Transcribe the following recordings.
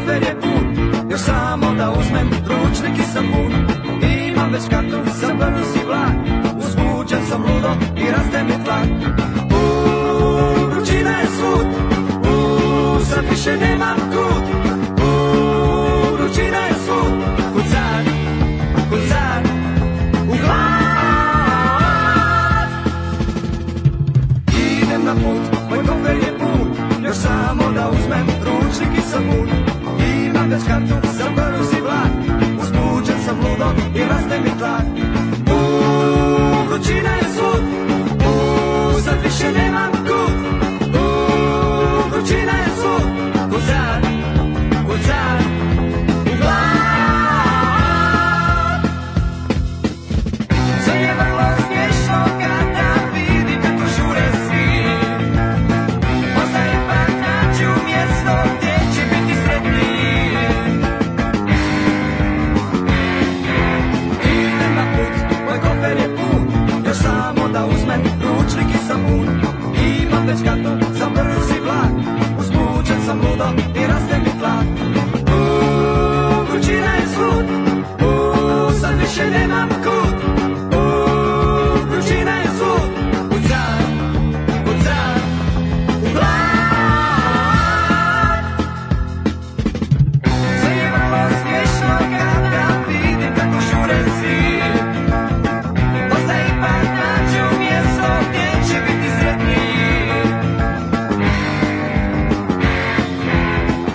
kofer je pun, još samo da uzmem ručnik i sapun. Imam već kartu za brzi vlak, uzbuđen sam ludo i raste mi tlak. Vrućina je svud, sad više nemam kud. Vrućina je svud, kucar, kucar, u glad. Idem na put, moj kofer je pun, još samo da uzmem ručnik i sapun. Imam već kartu za brzi vlak, uzbuđen sam ludo i raste mi tlak. Vrućina je svud, sad više nemam kud. Vrućina je svud, kucar, kucar, u glad. Sve je vrlo smiješno kada vidim kako žure svi. Možda ipak nađu mjesto gdje će biti sretniji. Idem na put, moj kofer je pun, još samo da uzmem ručnik i sapun. Imam već kartu za brzi vlak, uzbuđen sam ludo i raste mi tlak. Vrućina je svud, sad više nemam kud. Vrućina je svud, kucar, kucar, u glad. Sve je vrlo smiješno kada vidim kako žure svi. Možda ipak nađu mjesto gdje će biti sretniji.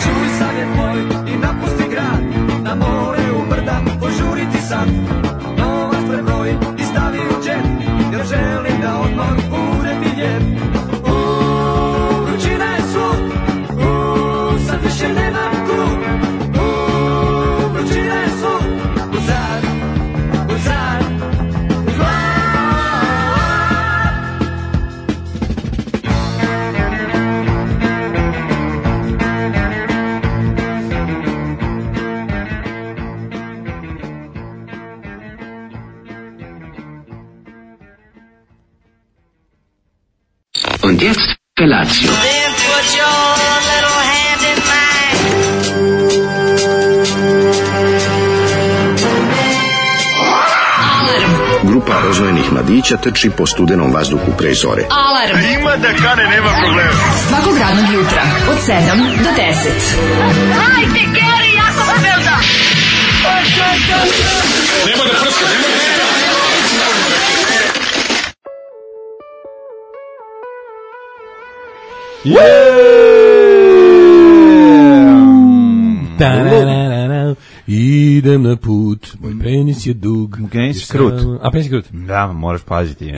Čuj savjet moj i napusti grad, na more u brda požuriti sad. Novac prebroj i stavi u džep, jer želim da odmor bude mi lijep. Vrućina je svud, sad više nemam kud. Vrućina je svud, kucar, kucar, u glad. Und jetzt Felatio. Then put your little hand in mine. Grupa rozvojenih mladića trči po studenom vazduhu pre zore. Alarm. Ima da kane, nema problema. Svakog radnog jutra od 7 do 10. Hajde, Geri, jako se velda. Nema da prska, nema da prska. Idem na put, moj penis je dug. Penis je krut. A penis je krut? Da, moraš paziti.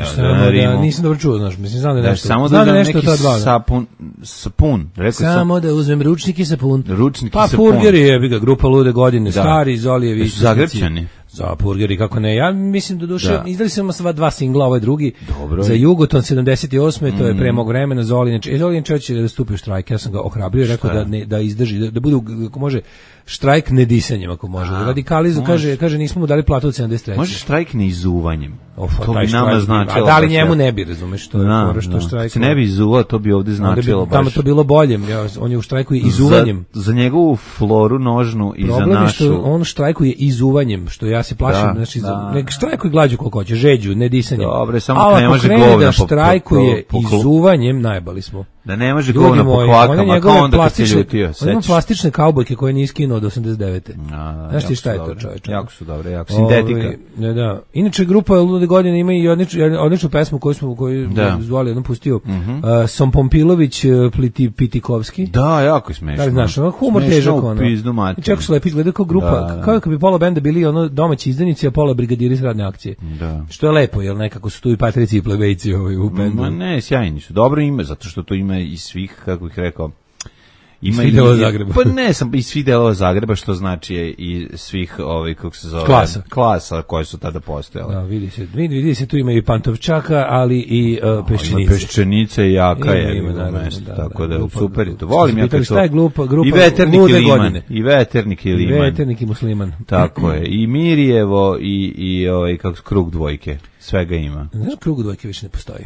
Nisam dobro čuo, znaš, mislim, znam da je nešto. Samo znam da nešto neki to dva. sapun. Samo da uzmem ručnik i sapun. Ručnik i pa sapun. Purgeri je, ga grupa Lude godine, da. Stari, Zolijevi. Zagrepčani. Za Purgeri, kako ne. Ja mislim da duše, izdali smo sva dva singla, ovaj drugi. Dobro. Za Jugoton 78. To je pre mog vremena, Zolin će da stupi u štrajk. Ja sam ga ohrabrio i rekao da izdrži, da bude, ako može, štrajk nedisanjem, ako može. Radikalizu, kaže, nismo mu dali platu od 73. Može štrajk neizuvanjem. To bi nama značilo. A da li njemu ne bi, razumeš, to je što štrajk. Se ne bi izuvao, to bi ovde značilo baš. Tamo to bilo bolje, on je u štrajku izuvanjem. Za njegovu floru nožnu i za našu. Problem je što on štrajkuje izuvanjem, što ja se plašim, znači nek štrajkuj glađu koliko hoće, žeđu, ne disanjem. Dobre, samo ne može govna da štrajkuje izuvanjem, najbali smo. Da ne može govna po kvakama, kao onda kad se ljutio. On ima plastične kaubojke koje nije skinuo od 89. Znaš ti šta je to, čoveče? Jako su dobre, jako sintetika. Da. Inače, grupa Lude godine ima i odličnu pesmu koju zvali, jednom pustio. Sompompilović, Pitikovski. Da, jako je smešno. Da, znaš, humor težak. I čako su lepi izgledaju kao grupa, kao kad bi pola benda bili ono domaći izdanici, a pola brigadiri s radne akcije. Da. Što je lepo, jer nekako su tu i patrici i plebejci u bendu. Ma ne, sjajni su. Dobro ime, zato što to ima iz svih, kako bih rekao, ima i delova Zagreba. Pa ne, sam iz svih delova Zagreba, što znači i svih kako se zove klasa koje su tada postojale. Da, vidi se tu ima i Pantovčaka, ali i Peščenice. Peščenice i Jaka je na mesto, tako da super je to. Volim ja kad to. Grupa i Veternik i Liman. I Veternik i Liman. Veternik i Musliman. Tako je. I Mirjevo i kako Krug dvojke. Svega ima. Znaš, Krug dvojke više ne postoji.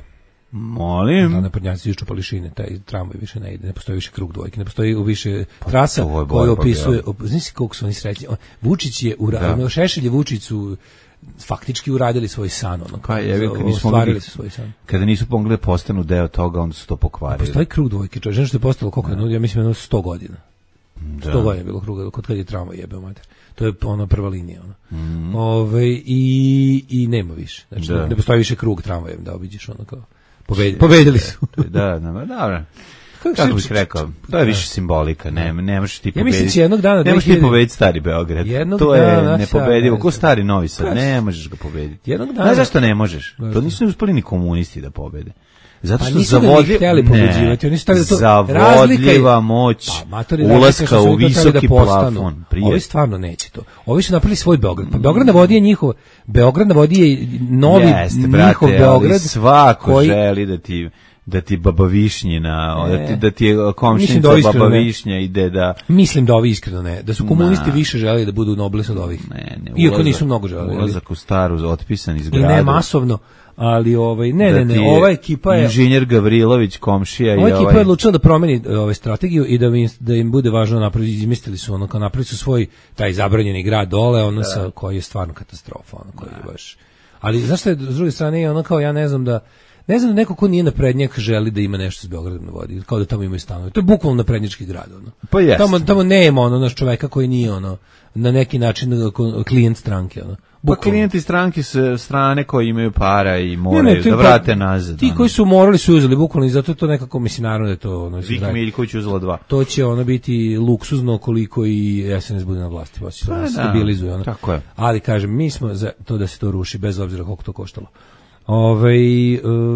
Molim. Da, naprednjaci iščupali šine, taj tramvaj više ne ide, ne postoji više krug dvojke, ne postoji više trasa koja opisuje, znaš koliko su oni srećni. Vučić je uradio, Šešelj je Vučiću faktički uradili svoj san, ono, ostvarili su svoj san. Kada nisu pomogli postanu deo toga, onda su to pokvarili. Postoji krug dvojke, čovječ, što je postalo koliko je, ja mislim, 100 godina. 100 godina je bilo kruga, kod kad je tramvaj jebeo mater. To je ona prva linija. Ono. I nema više. Znači, ne postoji više krug tramvajem da obiđeš ono kao. Pobedili su. Da, dobro. Kako bih rekao, to je više simbolika, ne možeš ti pobediti. Ja mislim će jednog dana... Ne možeš ti pobediti stari Beograd. To je nepobedivo. Ko stari Novi Sad, ne možeš ga pobediti. Jednog dana... Znaš zašto ne možeš? To nisu uspeli ni komunisti da pobede. Zato što zavodljiva moć ulaska u visoki plafon. Ovi stvarno neće to. Ovi su napravili svoj Beograd. Pa Beograd na vodi je njihov. Beograd na vodi je novi njihov Beograd. Svako želi da ti baba Višnjina, da ti je komšinica baba Višnja ide da... Mislim da ovi iskreno ne. Da su komunisti više želeli da budu nobles od ovih. Iako nisu mnogo želeli. Ulazak u staru, otpisan iz grada. I ne masovno. Ali ne, ova ekipa je inženjer Gavrilović komšija i ova ekipa je odlučila da promeni strategiju i da im bude važno napraviti, izmislili su ono kao napravili su svoj taj zabranjeni grad dole, ono sa koji je stvarno katastrofa, ono koji je baš. Ali znaš šta je, s druge strane je ono kao ja ne znam da neko ko nije naprednjak želi da ima nešto s Beogradom na vodi, kao da tamo imaju stanove. To je bukvalno naprednjački grad, ono. Pa jest. Tamo nema ono naš čoveka koji nije ono na neki način klijent stranke, ono. Pa klijenti stranke su strane koji imaju para i moraju da vrate nazad. Ti koji su morali su uzeli bukvalno i zato to nekako mislim naravno da je to ono. Vik Miljković uzela 2. To će ono biti luksuzno koliko i SNS bude na vlasti, pa se stabilizuje ono. Tako je. Ali kažem mi smo za to da se to ruši bez obzira koliko to koštalo.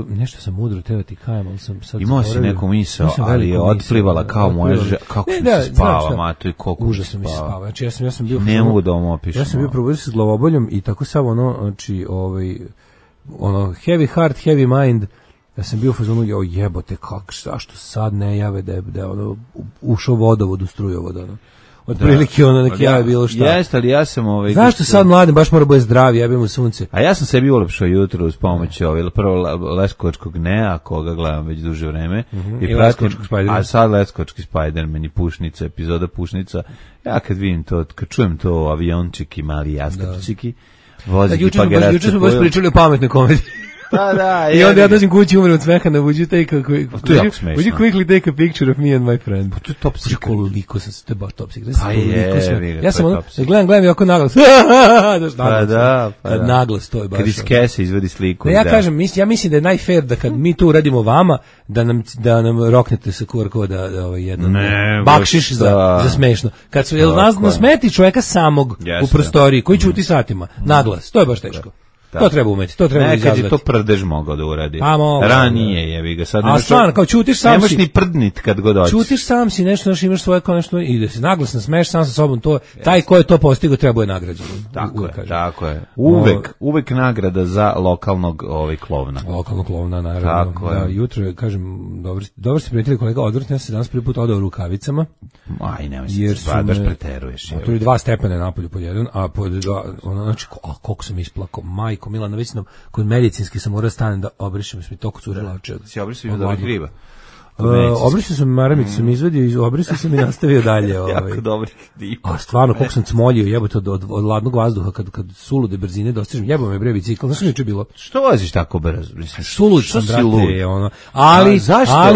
Nešto sam mudro teo ti kajem, ali sam sad imao si neku misao, ali je otplivala kao moja kako se spava, mato i koliko užasno mi se spava. Znači ja sam bio ne mogu da vam opišem. Ja sam bio probudio se s glavoboljom i tako samo ono, znači ono heavy heart, heavy mind. Ja sam bio u fazonu, jebote, zašto sad ne jave da je ono ušao vodovod u strujovod, ono. Otprilike ono neki je bilo šta. Jeste, ali ja sam zašto sad mladim baš mora bude zdravi, jebem mu sunce. A ja sam sebi ulepšao jutro uz pomoć prvo Leskovačkog Nea, koga gledam već duže vreme. I Leskovačkog Spidermana. A sad Leskovački Spiderman i Pušnica, epizoda Pušnica. Ja kad vidim to, kad čujem to aviončiki, mali jastrčiki, vozi pa ga juče smo baš pričali o pametnoj komediji. Da, i onda ja dođem kući, umrem od smeha, would you quickly take a picture of me and my friend? To je top secret. Koliko sam se, to je baš top secret. Ja sam ono, gledam i ovako naglas. Naglas, to je baš. Kad iz kese izvedi sliku. Ja kažem, ja mislim da je najfair da kad mi to uradimo vama, da nam roknete sa QR koda jedan bakšiš za smešno. Kad su, nas smeti čoveka samog u prostoriji, koji ćuti satima, naglas, to je baš teško. Da. To treba umeti, to treba izazvati. Nekad je to prdež mogao da uradi. Ranije jebi ga. Sad a stvarno, kao čutiš sam nemaš ni prdnit kad god hoćeš. Čutiš sam si nešto, imaš svoje kao nešto i da se naglasno smeješ sam sa sobom, to taj ko je to postigao treba je nagrađen. Tako je. Uvek nagrada za lokalnog klovna. Lokalnog klovna, naravno. Da, jutro, kažem, dobro ste prijatelji kolega, odvrtno ja se danas prvi put odao u rukavicama. Aj, nemoj se, baš preteruješ. Tu je 2 stepena napolju pod jedan, a pod 2, znači, koliko sam isplakao, Majko Milana, već nam kod medicinski sam morao stanem da obrišem, mi toliko curila oči. Si obrisao od ovih griba? Obrisao sam maramicu, sam izvadio, obrisao sam i nastavio dalje. Jako dobrih griba. A stvarno, koliko sam cmoljio, jebote, od ladnog vazduha, kad sulude brzine dostižem, jebo me bre bicikl, znaš što je bilo? Što voziš tako brzo? Sulud sam, brate, ono. Ali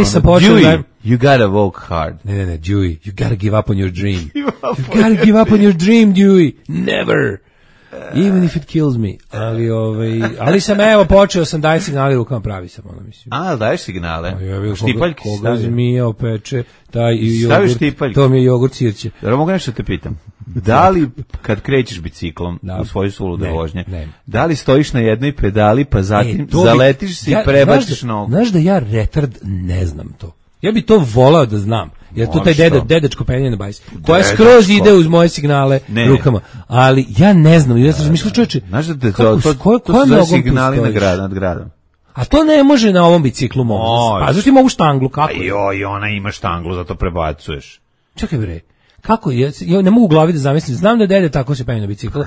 sam počeo da... You gotta work hard. Ne, Dewey, you gotta give up on your dream. You gotta give up on your dream, Dewey. Never. Even if it kills me. Ali sam počeo sam daje signale rukama, pravi sam ono mislim. A, daješ signale. Štipaljki si stavio. Zmija opeče, taj i jogurt. Štipaljki. To mi je jogurt sirće. Dobro, mogu nešto te pitam. Da li kad krećeš biciklom u svoju sulude vožnje, da li stojiš na jednoj pedali pa zatim zaletiš se i prebaciš nogu? Znaš da ja retard ne znam to. Ja bi to volao da znam. Jer to taj dedečko penje na bajs. Koja skroz ide uz moje signale rukama. Ali ja ne znam. Ja sam razmišljao, čoveče. Znaš da te to su za signali nad gradom. A to ne može na ovom biciklu mogu. Pa zašto ima ovu štanglu? Kako je? Joj, ona ima štanglu, zato prebacuješ. Čekaj bre. Kako je? Ja ne mogu u glavi da zamislim. Znam da dede tako se penje na biciklu.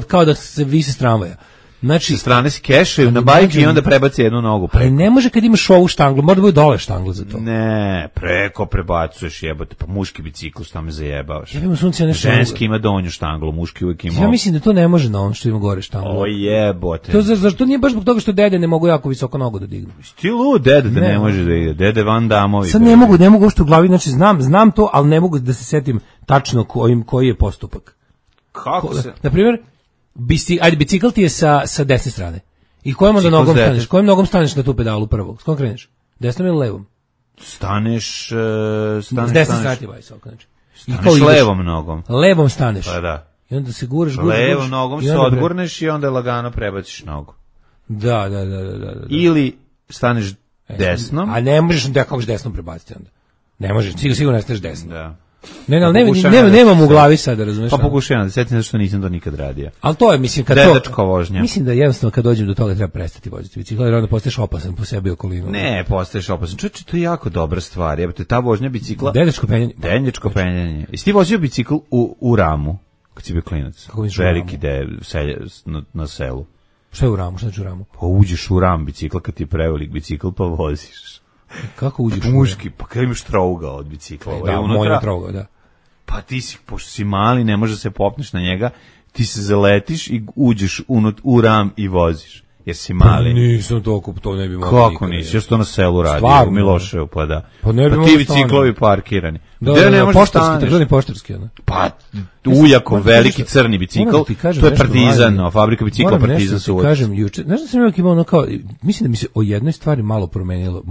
Kao da se visi s tramvaja. Znači, sa strane se kešaju na bajke i onda prebaci jednu nogu preko. Ali ne može kad imaš ovu štanglu, mora da bude dole štangla za to. Ne, preko prebacuješ, jebote, pa muški bicikl, šta me zajebavaš. Jebimo sunce, nešto ženski ima donju štanglu, muški uvijek ima. Ja mislim da to ne može na on što ima gore štanglu. O jebote. To zašto nije baš zbog toga što dede ne mogu jako visoko nogu da dignu. Stilu dede da ne može da ide. Dede Van Damovi. Sad ne mogu što u glavi, znači znam to, ali ne mogu da se setim tačno koji je postupak. Kako se? Na primjer, bicikl ti je sa desne strane. I kojom onda nogom staneš? Kojom nogom staneš na tu pedalu prvog? S kojom kreneš? Desnom ili levom? Staneš s desne strane ti bajs, znači. Staneš levom nogom. Levom staneš. Pa da. I onda se guraš. Levom nogom se odgurneš i onda lagano prebaciš nogu. Da. Ili staneš desnom. A ne možeš da kako desnom prebaciti onda. Ne možeš, sigurno ne staneš desnom. Da. Nemam u glavi sad, razumeš? Pa pokušavam da setim zato što nisam to nikad radio. Ali to je, mislim, kad dedačka vožnja. Mislim da jednostavno kad dođem do toga treba prestati voziti bicikl, jer onda postaješ opasan po sebi okolinu. Ne, postaješ opasan. Čovječe, to je jako dobra stvar. Jebote, ta vožnja bicikla. Dedačko penjanje. Jesi ti vozio bicikl u Ramu, kad si bio klinac? Veliki na selu. Šta je u Ramu? Šta je u Ramu? Pa uđeš u Ram bicikla kad ti je prevelik bicikl pa voziš. Kako uđeš? Muški, pa kada imaš trougao od bicikla. Da, moj trougao, da. Pa ti si, pošto si mali, ne može se popneš na njega, ti se zaletiš i uđeš u Ram i voziš. Jer si mali. Pa nisam toliko, to ne bi mogao. Kako nisi? Ja sam to na selu radio, u Miloševu, pa da. Pa ne bi ti biciklovi parkirani. Da, poštarski, ono. Pa, ujako, veliki crni bicikl, to je Partizan, fabrika bicikla Partizan su uvijek. Kažem, juče, znaš da sam uvijek imao ono kao, mislim da mi se o jednoj stvari malo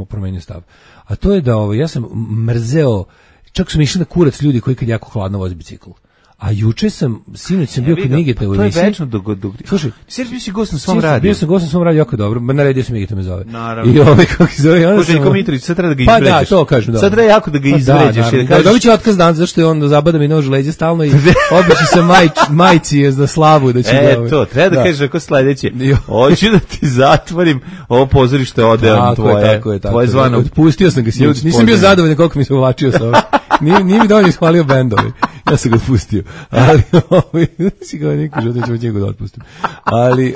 promenio stav, a to je da ja sam mrzeo, čak sam išao na kurac ljudi koji kad jako hladno vozi bicikl. A juče sinoć sam bio kod Migeta u emisiji. To je večno dok. Slušaj, ti si gost na svom radiju. Bio sam gost na svom radiju, jako dobro. Naredio sam Migeta me zove. Naravno. I kako se zove? Željko Mitrović, sad treba da ga izvređaš. Pa da, to kažem, da. Sad treba jako da ga izvređaš. Dobit će otkaz dan, zašto je on zabada mi nož u leđe stalno i obično se majci za slavu da će ga... to, treba da kažeš ako sledeće. Hoću da ti zatvorim ovo pozorište odeon tvoje zvano. Otpustio sam ga sinoć. Nisam bio zadovoljan koliko mi se uvlačio sa ovim. Nije mi dovoljno ishvalio bendovi. Ja sam ga otpustio. Ali si kao neki život ćemo njegu da otpustim. Ali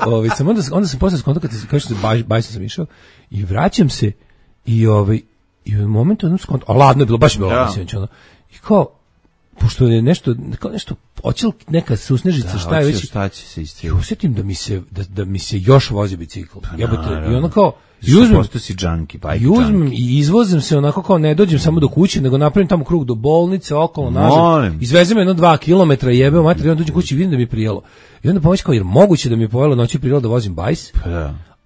onda sam posle skonto kad se kaže bajsom sam išao i vraćam se i u momentu jednom skonto, a ladno je bilo, baš je bilo ladno sinoć, ono. I kao, pošto je nešto oćel neka susnežica, šta je već. Šta će se isti. I osjetim da mi se još vozi bicikl. I ono kao, uzmem i izvozim se onako kao ne dođem samo do kuće, nego napravim tamo krug do bolnice, okolo, nazad. Izvezem 2 kilometra, jebeo mater, i onda dođem kući i vidim da mi je prijelo. I onda pomoći kao, jer moguće da mi je pojelo noći prijelo da vozim bajs,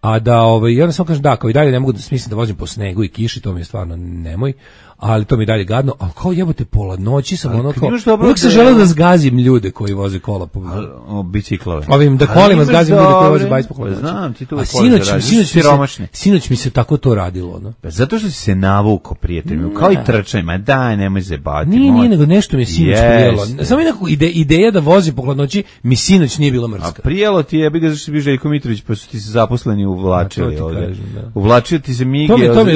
a da, i onda samo kažem da, kao i dalje ne mogu da smislim da vozim po snegu i kiši, to mi je stvarno nemoj, ali to mi je dalje gadno, ali kao jebote, pola noći sam ono kao, uvijek sam želeo da zgazim ljude koji voze kola po biciklove. Da kolima zgazim ljude koji voze bajs po kola. Znam, ti to a sinoć mi se tako to radilo, ono. Zato što si se navukao, prijatelju, kao i trčaj, ma daj, nemoj zebati. Nije, nego nešto mi je sinoć prijelo. Samo nekako ideja da vozim po hladnoći mi sinoć nije bila mrska. A prijelo ti je, bi ga zašto si bio Željko Mitrović, pa su ti se zaposleni uvlačili ovdje. Uvlačio ti se Mige, to mi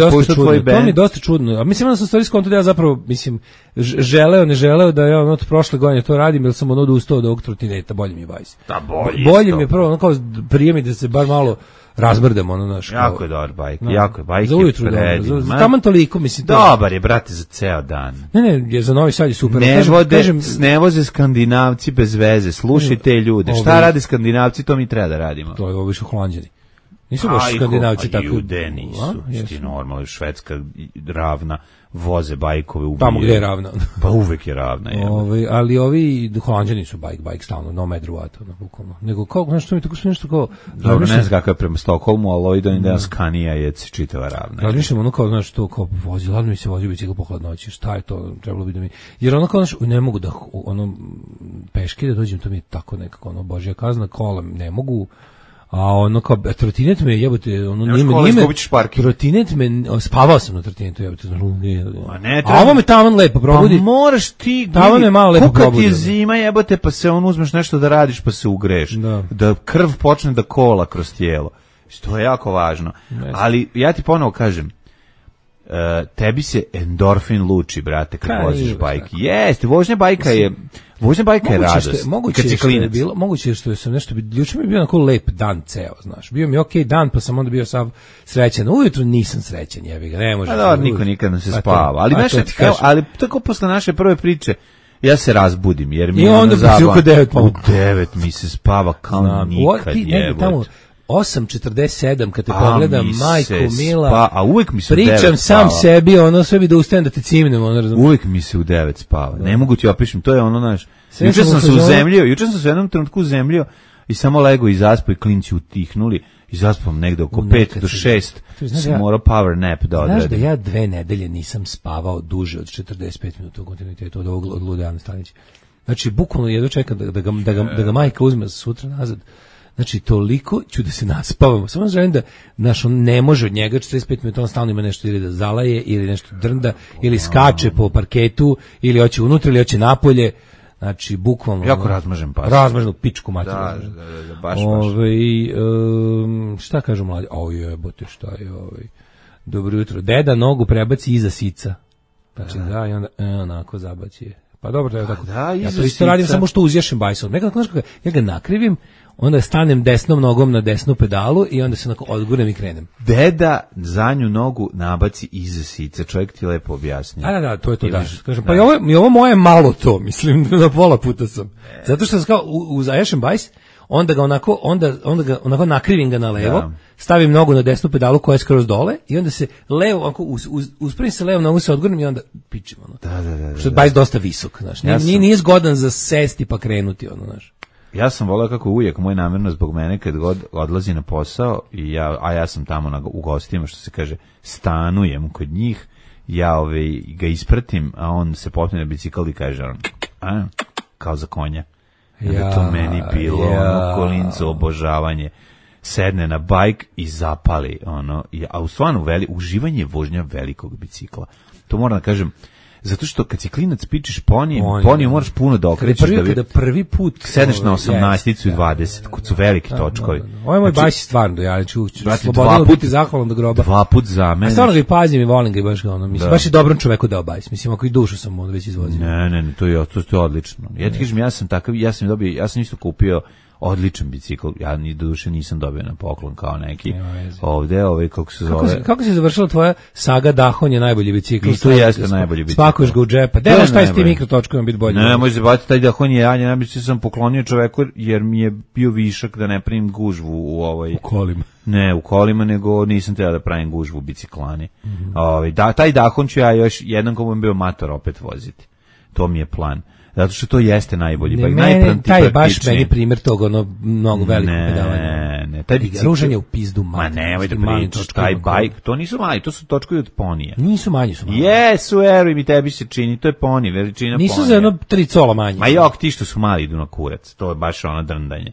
je dosta čudno. A mislim da sam stvari skonto da ja zapravo, mislim, ne želeo da ja od prošle godine to radim, jer sam odustao od ovog trotineta, bolje mi je bajs. Bolje mi je prvo, ono kao prije mi da se bar malo razmrdemo, ono naš. Jako je dobar bajk, jako je bajk. Za ujutru dobro, taman toliko, mislim. Dobar je, brate, za ceo dan. Ne, za Novi Sad je super. Ne voze Skandinavci bez veze, slušaj te ljude. Šta rade Skandinavci, to mi treba da radimo. To je ovo više Holanđani. Nisu baš Skandinavci tako. Jude nisu, ti normalno, Švedska ravna, voze bajkove, ubije. Tamo gde je ravna. Pa uvek je ravna. Ali ovi Holanđani su bajk stalno, no matter what, bukvalno. Nego kao, znaš što mi tako su nešto kao... Dobro, ne znam kako je prema Stokholmu, ali ovi da Skanija je čitava ravna. Razmišljam ono kao, znaš, to kao vozi, ladno mi se vozi bicikl po hladnoći, šta je to, trebalo bi da mi... Jer ono kao, znaš, ne mogu da, peške da dođem, to mi je tako nekako, božja kazna, kola ne mogu... A ono kao, trotinet me jebote, trotinet me, spavao sam na trotinetu, jebote. A ovo me tavan lepo probudi. Pa moraš ti, tavan me malo lepo probudi. Kuka ti je zima jebote, pa se uzmeš nešto da radiš, pa se ugreš. Da krv počne da kola kroz tijelo. To je jako važno. Ali ja ti ponovo kažem, tebi se endorfin luči, brate, kad voziš bajk. Jeste, vožnja bajka je radost. Moguće što sam nešto, juče mi je bio onako lep dan ceo, znaš. Bio mi okej dan, pa sam onda bio sav srećan. Ujutro nisam srećan, jebi ga, ne može. Niko nikad ne se spava. Ali tako posle naše prve priče, ja se razbudim, jer mi je ono zabavno. U 9 mi se spava kao nikad, jebote. 8:47 kad te pogledam, majko mila, a uvek mi se pričam sam sebi, ono sve bi da ustanem da te cimnem, ono razumiješ. Uvek mi se u 9 spava. Ne mogu ti opišem, to je ono naš. Juče sam se u jednom trenutku uzemljio i samo lego i zaspao i klinci utihnuli i zaspam negde oko 5 do 6. Sam morao power nap da odradim. Znaš da ja 2 nedelje nisam spavao duže od 45 minuta u kontinuitetu od Lude Ane Stanića. Znači, bukvalno jedno čekam da ga majka uzme sutra nazad. Znači, toliko ću da se naspavamo. Samo želim da, znaš, on ne može od njega 45 minuta, on stalno ima nešto ili da zalaje, ili nešto drnda, ili skače po parketu, ili hoće unutra, ili hoće napolje. Znači, bukvalno... Jako razmažem pas. Razmaženu pičku materiju. Da, baš. Šta kažu mladi? Jebote, šta je Dobro jutro. Deda nogu prebaci iza sica. Znači, da, i onda onako zabaci je. Pa dobro, to je tako. Ja to isto radim, samo što uzješem bajsom. Nekako, znaš, ja ga nakrivim, onda stanem desnom nogom na desnu pedalu i onda se onako odgurnem i krenem. Deda zadnju nogu nabaci iza sica, čovjek ti lepo objasni. Da, to je to, da. Kažem, pa i ovo moje malo to, mislim, na pola puta sam. Zato što sam kao uzaješem bajs, onda ga onako nakrivim ga na levo, stavim nogu na desnu pedalu koja je skroz dole i onda se levo, onako uspravim se levo, nogu se odgurnem i onda pičim, ono. Da. Što je bajs dosta visok, znaš. Nije zgodan za sesti pa krenuti, ono, znaš. Ja sam voleo kako uvijek moj namjerno zbog mene kad god odlazi na posao a ja sam tamo u gostima, što se kaže, stanujem kod njih, ja ga ispratim, a on se popne na bicikl i kaže kao za konja. To meni bilo kolinco obožavanje. Sedne na bajk i zapali a u stvarno uživanje vožnja velikog bicikla. To moram da kažem. Zato što kad si klinac pičeš ponijem moraš puno da okrećeš. Kada prvi put sedneš na 18 i 20, kod su veliki točkovi. Ovo je moj bajs stvarno, ja ću slobodno biti zahvalan do groba. 2 put za mene. A stvarno ga i pazim i volim ga i baš ga mislim, baš i dobrom čoveku dao bajs. Mislim, ako i dušu sam onda već izvozio. Ne, to je odlično. Ja ti kažem, ja sam isto kupio odličan bicikl, ja ni do duše nisam dobio na poklon kao neki ovde, kako se zove. Kako se završila tvoja saga Dahon je najbolji bicikl? I to jeste najbolji bicikl. Spakuješ ga u džepa. Delaš taj s tim mikrotočkovima biti bolje. Ne, može se baviti taj Dahon je najbolji sam poklonio čoveku jer mi je bio višak da ne pravim gužvu u kolima. Ne, u kolima, nego nisam trebao da pravim gužvu u biciklani. Taj Dahon ću ja još jednom ko budem bio mator opet voziti. To mi je plan. Zato što to jeste najbolji bajk. Taj je baš meni primjer toga, mnogo velikog pedalanja. Ne, taj bicikl. Ružanje u pizdu mali. Ma nemoj da pričaš, taj bajk, to nisu mali, to su točkovi od ponija. Nisu manji, su mali. Jesu, eruj mi, tebi se čini, to je poni, veličina ponija. Nisu za jedno 3 cola manji. Ma jok, ti što su mali idu na kurac, to je baš ono drndanje.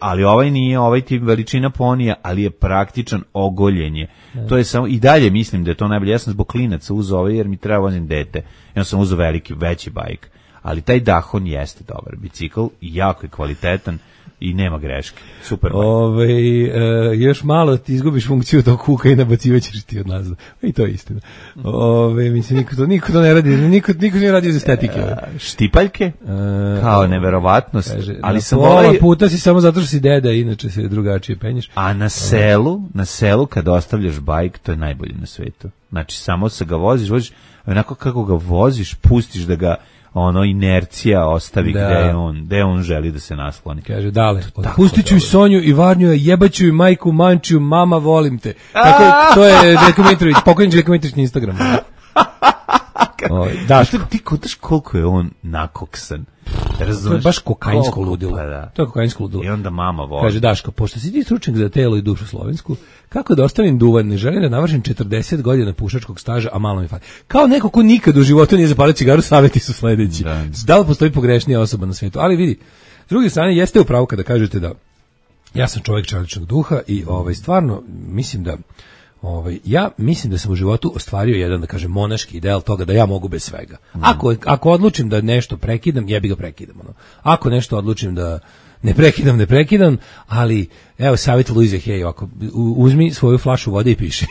Ali ovaj nije, ovaj ti veličina ponija, ali je praktičan ogoljenje. To je samo, i dalje mislim da je to najbolje. Ja sam zbog klinaca uzeo ovaj jer mi treba vozim dete. Ja sam uzeo veći bajk. Ali taj Dahon jeste dobar bicikl i jako je kvalitetan i nema greške. Super. Još malo ti izgubiš funkciju tog kuka i nabacivaćeš ti od nazad. I to je istina. Mislim, niko to ne radi, niko nije radio iz estetike. Štipaljke? Kao neverovatnost. Kaže, ali sam pola puta si samo zato što si deda, inače se drugačije penješ. A na selu kad ostavljaš bajk, to je najbolje na svetu. Znači, samo se ga voziš, onako kako ga voziš, pustiš da ga inercija ostavi gde on želi da se nasloni. Kaže, dale, pustit ću i Sonju i Varnju, jebaću i majku Mančiju, mama volim te. Tako, to je Željko Mitrović, pokojni Željko Mitrović na Instagramu. Ti kotaš koliko je on nakoksan. To je baš kokainsko ludilo. To je kokainsko ludilo. I onda mama voli. Kaže, Daško, pošto si ti stručnjak za telo i dušu slovensku, kako da ostavim duvan, ne želim da navršim 40 godina pušačkog staža, a malo mi fali. Kao neko ko nikad u životu nije zapalio cigaru, savjeti su sledeći. Da li postoji pogrešnija osoba na svijetu? Ali vidi, s druge strane, jeste upravo kada kažete da ja sam čovjek čeličnog duha i stvarno mislim da ja mislim da sam u životu ostvario jedan, da kažem, monaški ideal toga da ja mogu bez svega. Ako odlučim da nešto prekidam, jebi ga prekidam. Ako nešto odlučim da ne prekidam, ali evo savjet Luize Hay, uzmi svoju flašu vode i piši.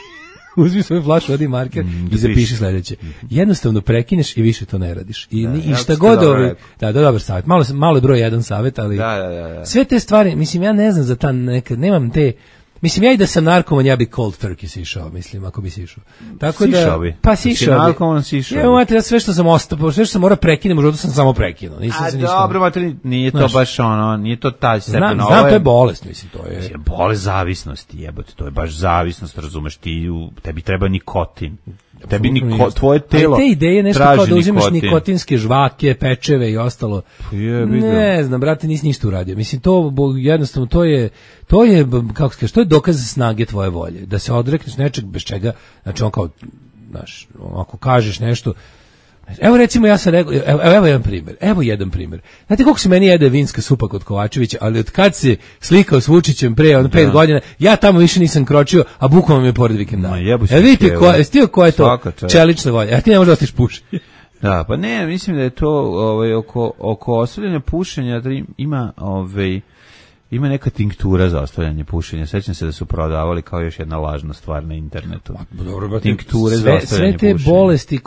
uzmi svoju flašu, odi marker i zapiši sledeće. Jednostavno prekineš i više to ne radiš. I šta god dobar savjet. Malo je broj jedan savjet, ali sve te stvari, mislim, ja ne znam za ta nekad, nemam te. Mislim, ja i da sam narkoman, ja bi cold turkey sišao, mislim, ako bi sišao. Tako sišao bi. Pa sišao bi. Narkoman sišao bi. Evo, mater, sve što sam ostao, sve što sam morao prekinem, u životu sam samo prekinuo. Nisam se ništa... dobro, mater, nije to baš ono, nije to taj stepen. Znam, to je bolest, mislim, to je... Bolest zavisnosti, jebote, to je baš zavisnost, razumeš, tebi treba nikotin. Tebi tvoje telo. Ali te ideje nešto kao da uzimaš nikotinske žvake, pečeve i ostalo. Ne znam, brate, nisi ništa uradio. Mislim, to jednostavno to je kako se kaže, to je dokaz snage tvoje volje, da se odrekneš nečeg bez čega, znači on kao, znaš, ako kažeš nešto. Evo recimo ja sam rekao, evo jedan primjer. Znate koliko se meni jede vinska supa kod Kovačevića, ali od kad se slikao s Vučićem pre 5 godina, ja tamo više nisam kročio, a bukvalno mi je pored vikendana. Vidite ko je to čelična volja, a ti ne možeš da ostiš pušenje. Da, pa ne, mislim da je to oko ostavljanja pušenja ima neka tinktura za ostavljanje pušenja. Sećam se da su prodavali kao još jedna lažna stvar na internetu. Dobro, tinkture za ostavljanje pušenja. Sve te bolesti,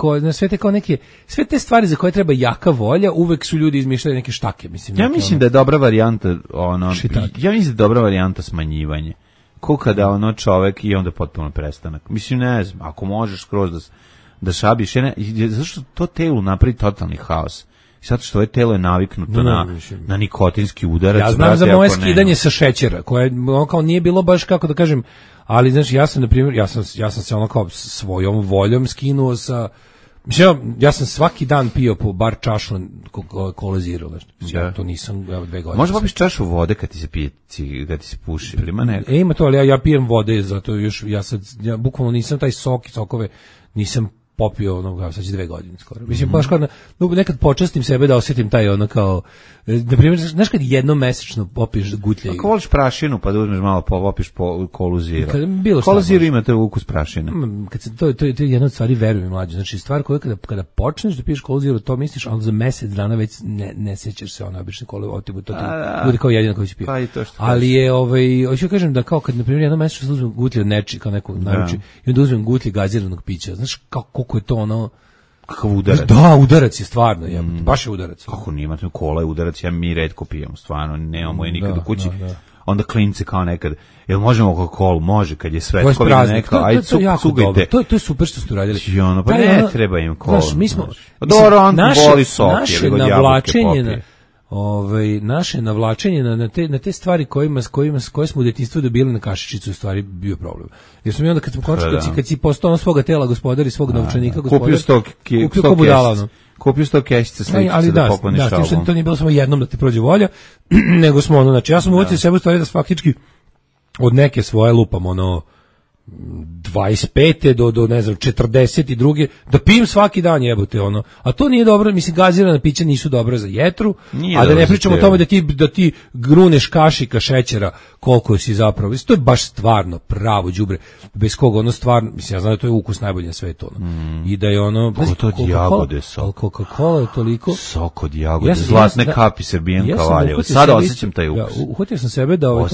sve te stvari za koje treba jaka volja, uvek su ljudi izmišljali neke štake. Mislim, ja mislim da je dobra varijanta ja mislim da je dobra varijanta smanjivanje. Ko kada čovek i onda potpuno prestanak. Mislim, ne znam, ako možeš skroz da šabiš, zašto to telu napravi totalni haos? Zato što telo je naviknuto na nikotinski udarac. Ja znam za moje skidanje sa šećera, koje kao nije bilo baš, kako da kažem, ali znači ja sam, na primjer, ja sam se ono kao svojom voljom skinuo sa, mislim, ja sam svaki dan pio po bar čašu Cola Zero, znači, ja to nisam 2 godine. Možda popiš čašu vode kad ti se puši, ili ima neko? Ima to, ali ja pijem vode, zato još, ja bukvalno nisam taj sokove, nisam popio sad će 2 godine skoro. Mislim, baš kao nekad počastim sebe da osjetim taj kao, na primjer, znaš kad jednom mesečno popiješ gutlje. Ako voliš prašinu, pa da uzmeš malo popiš po Colu Zero. Cola Zero ima te ukus prašine. To je jedna od stvari, verujem mlađe. Znači, stvar koja kada počneš da piješ Colu Zero, to misliš, ali za mesec dana već ne sećaš se obične kole, to bude kao jedina koji će pije. Pa i to što ali je, hoću kažem da kao kad, na primjer, jednom mesečno uzmem gutlje od neči, kao nekog naruči, i onda uzmem gutlje gaziranog pića. Znaš, koliko je to ono... Kakav udarac? Da, udarac je stvarno, baš je udarac. Kako nije, kola je udarac, mi retko pijemo, stvarno, nemamo je nikad u kući. Onda klinci kao nekad, jel možemo Coca-Colu? Može, kad je svetko, aj cugajte. To je super što ste uradili. Pa ne treba im kolu. Mi smo... Dobro, on voli sok, naše navlačenje naše navlačenje na te stvari koje smo u djetinjstvu dobili na kašičicu, u stvari bio problem. Jer smo mi onda kad si postao svoga tela gospodar i svog novčanika gospodar, kupio 100 kešica sličice da pokloniš album. Ali to nije bilo samo jednom da ti prođe volja, nego smo znači ja sam uvocio sebe u stvari da faktički od neke svoje lupam 25. do ne znam 42. da pijem svaki dan, jebote a to nije dobro, mislim, gazirana pića nisu dobra za jetru, a da ne pričamo o tome da ti gruneš kašika šećera koliko si zapravo, to je baš stvarno pravo đubre, bez koga stvarno, mislim, ja znam da to je ukus najbolji na svetu i da je to od jagode sok, Coca-Cola je toliko sok od jagode, zlatne kapi Srbijenka Valjevo, sada osjećam taj ukus. Uhvatio sam sebe da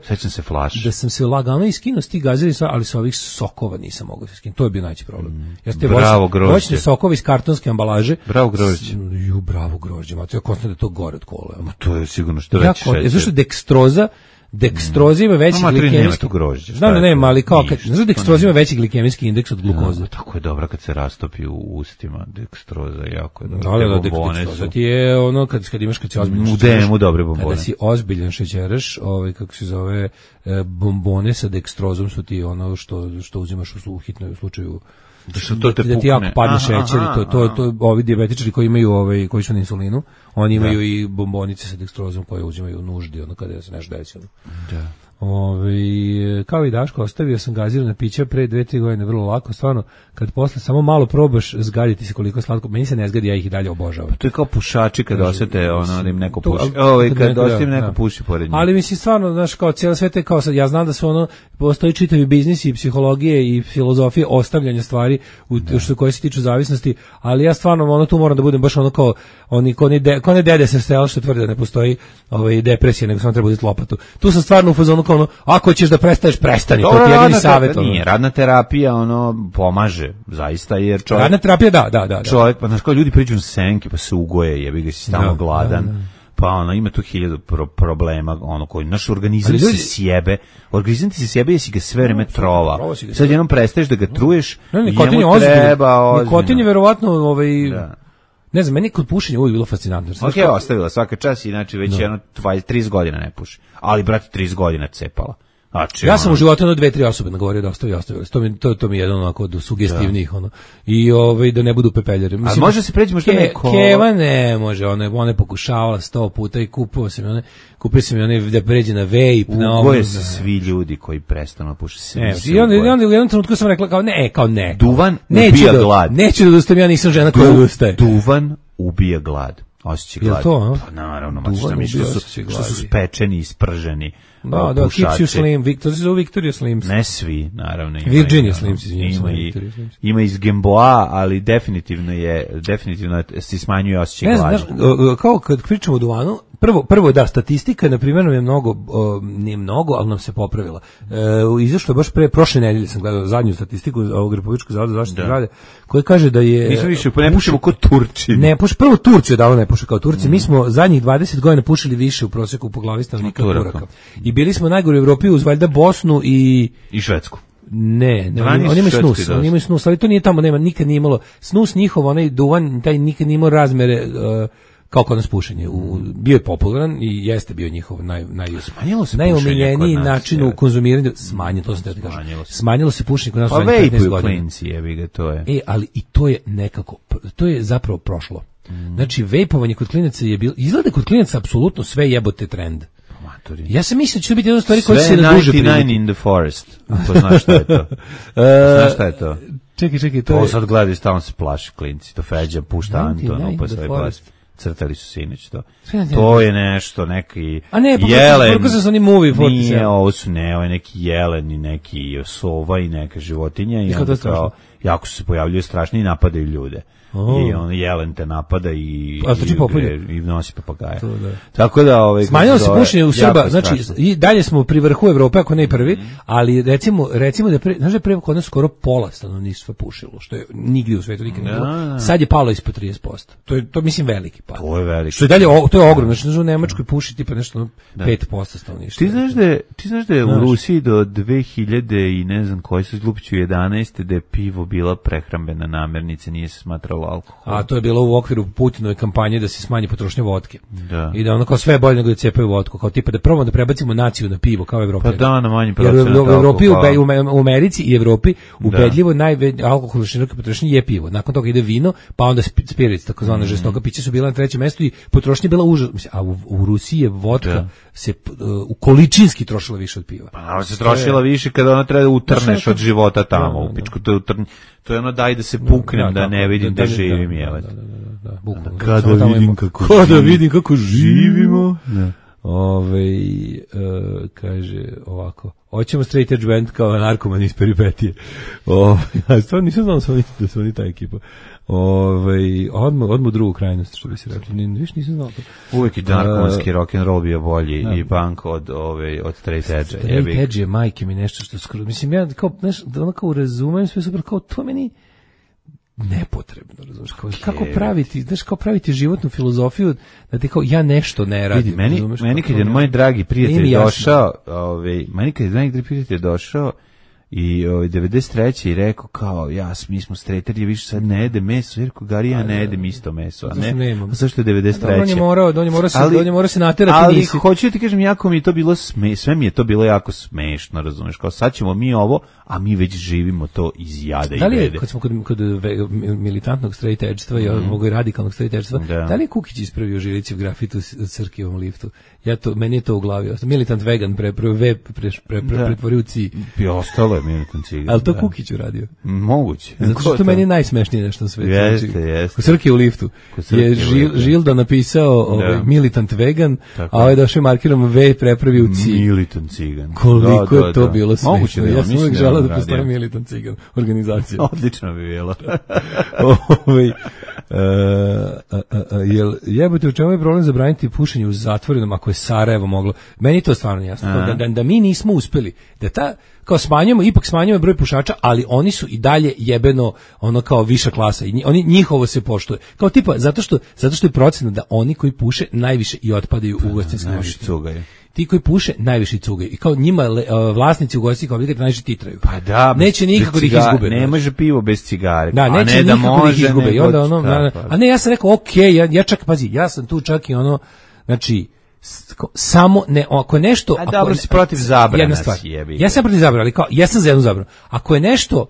sećam se flaše, da sam se lagano iskinuo s tih gaziranih, ali sa ovih sokova nisam mogao se skinuti. To je bio najveći problem. Bravo grožđe. Voćne sokovi iz kartonske ambalaže. Bravo grožđe. Bravo grožđe. Ma to je konstantno da to gore od kola. Ma to je sigurno što veći šećer. Zašto dekstoroza ima veći glikemijski indeks. Znam da nema, ali kao kad dekstoroza ima veći glikemijski indeks od glukoze. Tako je dobra kad se rastopi u ustima. Dekstoroza jako je dobra. Da, dekstoroza ti je kad si ozbiljan. U DM-u dobre bombone. Kada si ozbiljan šećeraš, kako se zove, bombone sa dekstrozom su ti što uzimaš u hitnom slučaju. Da ti jako padne šećer, to ovi dijabetičari koji imaju koji su na insulinu, oni imaju i bombonice sa dekstrozom koje uzimaju u nuždi kada se nešto desilo. Da. Kao i Daško, ostavio sam gazirana pića pre 2-3 godine, vrlo lako, stvarno, kad posle samo malo probaš, zgaditi se koliko je slatko, meni se ne zgadi, ja ih i dalje obožavam. To je kao pušači kad osete da im neko puši. Kad osjeti neko puši pored njih. Ali mislim, stvarno, znaš, kao cijela sveta je kao sad, ja znam da su postoji čitavi biznis i psihologije i filozofije ostavljanja stvari koje se tiču zavisnosti, ali ja stvarno tu moram da budem baš kao oni dede sa sela što tvrde da ne postoji depresija, nego samo treba uzeti lopatu. Tu sam stvarno u fazonu kao ono, ako ćeš da prestaješ, prestani, to ti je jedini savjet. Nije, radna terapija, ono, pomaže, zaista, jer čovjek... Radna terapija, da. Čovjek, pa znaš, kao ljudi priđu na senke, pa se ugoje, jebi ga si stalno gladan. Pa ono, ima tu 1000 problema, ono, koji naš organizam se sjebe, organizam ti se sjebe jesi ga sve vreme trovao. Sad jednom prestaješ da ga truješ, njemu treba... Nikotin je verovatno, ne znam, meni kod pušenja uvijek bilo fascinantno. Ok, ostavila svaka čas, inače već 30 godina ne puši. Ali, brate, 30 godina cepala. Znači, ja sam u životu 2-3 osobe nagovorio da ostavili. To mi je jedan onako od sugestivnih, ono. I da ne budu pepeljari. Mislim, a može se preći možda neko... Keva ne može, ona je pokušavala 100 puta i kupio sam mi one da pređe na vape. Ugoje se svi ljudi koji prestanu puši se. I onda u jednom trenutku sam rekla kao ne. Duvan ubija glad. Neću da odustajem, ja nisam žena koja odustaje. Duvan ubija glad. Osjećaj glad. Je to, pa naravno, što su spečeni i sprženi. Da, keeps you slim, Victoria Slims. Ne svi, naravno. Virginia Slims, ima iz Gamboa, ali definitivno se smanjuje osjećaj glada. Ne znaš, kao kad pričamo o duvanu, prvo da, statistika, na primjer, je nije mnogo, ali nam se popravila. Izašlo je baš prošle nedelje, sam gledao zadnju statistiku ovog Republičkog zavoda za zaštitu zdravlja, koji kaže da je... Nismo više, ne pušimo kod Turci. Ne, prvo Turci odavno ne puše kao Turci. Mi smo zadnjih 20 godina pušili više u proseku po glavi stanovnika od Turaka. I bili smo najgori u Evropi uz valjda Bosnu i Švedsku. Ne, oni imaju snus, ali to nije tamo, nikad nije imalo snus njihov, onaj duvan, taj nikad nije imao razmere kao kod nas pušenje. Bio je popularan i jeste bio njihov najomiljeniji način u konzumiranju. Smanjilo se pušenje kod nas u 15 godina. Klinci, jebi ga, to je. Ali i to je nekako, to je zapravo prošlo. Znači, vejpovanje kod klinaca je bilo, izgleda kod klinaca apsolutno sve jebote trend. Ja sam mislio da će to biti jedna stvari koja se ne duže priviti. Sve 99 in the forest. To znaš šta je to? Znaš šta je to? Čekaj, to je... To sad gledaju, stalno se plaši klinci. To Feđa pušta Antonu, pa sve plaši. Crtali su sinoć to. To je nešto, neki jelen. Preko sam onim movie fotis. Nije, ovo su ovo je neki jelen i neki sova i neka životinja. I onda kao, jako se pojavljuju strašni i napadaju ljude. I on jelen te napada i nosi papagaja. Tako da smanjilo se pušenje u Srba, znači i dalje smo pri vrhu Evrope, ako ne i prvi, ali recimo da znaš da pre kod nas skoro pola stanovništva pušilo, što je nigdje u svetu nikad nije bilo. Sad je palo ispod 30%. To mislim veliki pad. To je veliki. Što je dalje, to je ogromno, znači u Nemačkoj puši tipa nešto 5% stanovništva. Ti znaš da je u Rusiji do 2000 i ne znam koji su izlupiću 11. da je pivo bila prehrambena namirnica, nije se smatralo alkohol. A to je bilo u okviru Putinove kampanje da se smanji potrošnja vodke. Da. I da ono kao sve je bolje nego da cepaju vodku, kao tipa da probamo da prebacimo naciju na pivo kao Evropa. Pa da, na manji procenat alkohola. Jer u Evropi, u Americi i Evropi ubedljivo alkohol široke potrošnje je pivo. Nakon toga ide vino, pa onda spirits, takozvana žestoka pića su bila na trećem mestu i potrošnja je bila užasna. A u Rusiji je vodka se u količinski trošila više od piva. Pa se trošila više kada ona treba da utrneš od života tamo u pičku. To je ono daj da se puknem, da ne vidim da živim, jevat. Kada vidim kako živimo. Kaže ovako, hoćemo straight edge band kao narkoman iz peripetije. Stvarno nisam znao da su oni ta ekipa. Odmah u drugu krajnost, što bi se rekli. Viš nisam znao to. Uvijek i narkomanski rock'n'roll bio bolji i punk od straight edge. Straight edge je majke mi nešto što skoro. Mislim, ja kao razumem sve super, kao to meni nepotrebno, razumiješ, kako praviti, znaš, kao praviti životnu filozofiju da ti kao ja nešto ne radim. Vidi, meni kad je moj dragi prijatelj došao, i 93. i rekao kao mi smo strejteri, više sad ne jede meso, jer Gari ja ne jedem isto meso, a ne. Zašto je 93. On je morao se naterati. Ali hoću ti kažem, jako mi je to bilo sve mi je to bilo jako smešno, razumeš, kao sad ćemo mi ovo, a mi već živimo to iz jada i vede. Kad smo kod militantnog straight edge-stva i ovog radikalnog straight edge-stva, da li je Kukić ispravio Žilićev grafit u Crkijevom liftu? Meni je to u glavi. Militant vegan pretvorio u ci. I ostalo je militant cigan. Ali to Kukić uradio? Moguće. Zato što meni je najsmešnije nešto na svetu. Jeste. U Crkijevu liftu je Žilda napisao militant vegan, a ovaj došao markirom V prepravio u ci. Militant cigan. Koliko je to bilo smešno. Ja sam uvijek želeo da postoji militant cigan organizacija. Odlično bi bilo. Jel jebote, u čemu je problem zabraniti pušenje u zatvorenom ako je Sarajevo moglo? Meni to stvarno jasno. Da mi nismo uspeli, da kao ipak smanjujemo broj pušača, ali oni su i dalje jebeno ono kao viša klasa i njihovo se poštuje. Kao tipa zato što je procena da oni koji puše najviše i otpadaju u ugostiteljskim objektima. Ti koji puše najviše cugaju i kao njima vlasnici ugostiteljskih objekata najviše titraju. Pa da, neće nikako da ih izgube. Ne može pivo bez cigare. Da, neće nikako da ih izgube. I onda a ne, ja sam rekao, ja čak, pazi, ja sam tu čak i ono, znači, samo ne, ako je nešto... A dobro si protiv zabrana. Ja sam protiv zabrana, ali kao, ja sam za jednu zabranu. Ako je nešto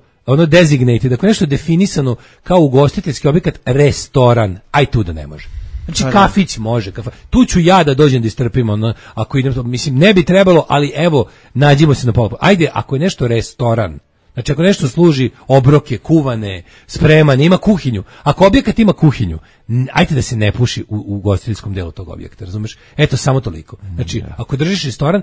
designated, ako je nešto definisano kao ugostiteljski objekat, restoran, aj tu da ne može. Znači kafić može, tu ću ja da dođem da istrpim, ako idem to, mislim, ne bi trebalo, ali evo, nađimo se na pola. Ajde, ako je nešto restoran, znači ako nešto služi obroke, kuvane, spremane, ima kuhinju, ako objekat ima kuhinju, ajde da se ne puši u ugostiteljskom delu tog objekta, razumeš? Eto, samo toliko. Znači, ako držiš restoran,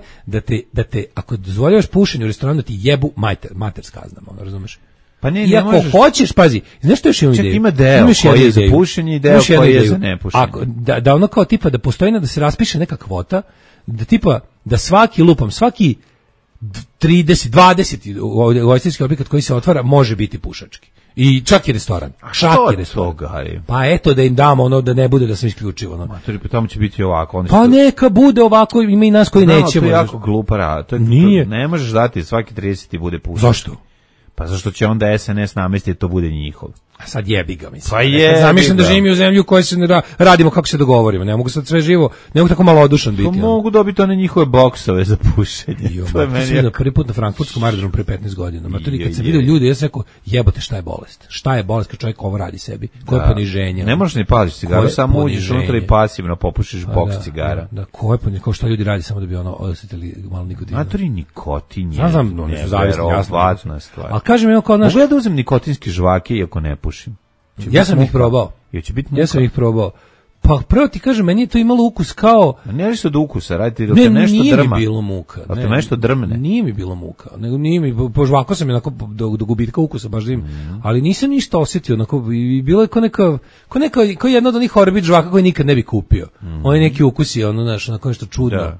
da te ako dozvoljavaš pušenje u restoranu, da ti jebu mater s kaznama, razumeš? Pa ne, i ako možeš... hoćeš, pazi, znaš što još imam ideju? Ima deo koji je za pušenje i deo koji je za nepušenje. Da ono kao tipa da postoji da se raspiše neka kvota, da tipa da svaki 30, 20 ugostiteljski objekat koji se otvara može biti pušački. I čak i restoran. A što je toga? Pa eto da im damo da ne bude da sam isključivo. Matori, pa tamo će biti ovako. Pa neka bude ovako, ima i nas koji nećemo. To je jako glupa. Nije. Ne možeš dati svaki 30 ti bude pušački. Zašto? Pa zašto će onda SNS namestiti to bude njihov? A sad jebi ga, mislim. Pa je. Zamišljam da živim u zemlju u kojoj se radimo kako se dogovorimo. Ne mogu sad sve živo, ne mogu tako malodušan biti. To mogu dobiti one njihove boksove za pušenje. To je meni prvi put na frankfurtskom aerodromu pre 15 godina. Matori, kad sam vidio ljude, ja sam rekao, jebote, šta je bolest? Šta je bolest kad čovjek ovo radi sebi? Koje poniženje? Ne možeš ni pališ cigaru, samo uđeš unutra i pasivno popušiš boks cigara. Da, koje poniženje, kao šta ljudi radi samo da bi osjetili malo nikotina. Matori, nikotin je. Znam, oni su zavisni, jasno. Ali kažem, evo kao naš... Mogu ja da uzem nikotinske žvake iako ne pušim? Ja sam ih probao. Pa prvo ti kažem, meni je to imalo ukus kao... Ne li se od ukusa, radite dok te nešto drma. Nije mi bilo muka. Da te nešto drmne. Nije mi bilo muka. Nego nije mi, požvako sam onako do gubitka ukusa, baš da im, ali nisam ništa osjetio, onako, i bilo je kao jedna od onih orbit žvaka koji nikad ne bi kupio. Oni neki ukusi, onako nešto čudno. Da.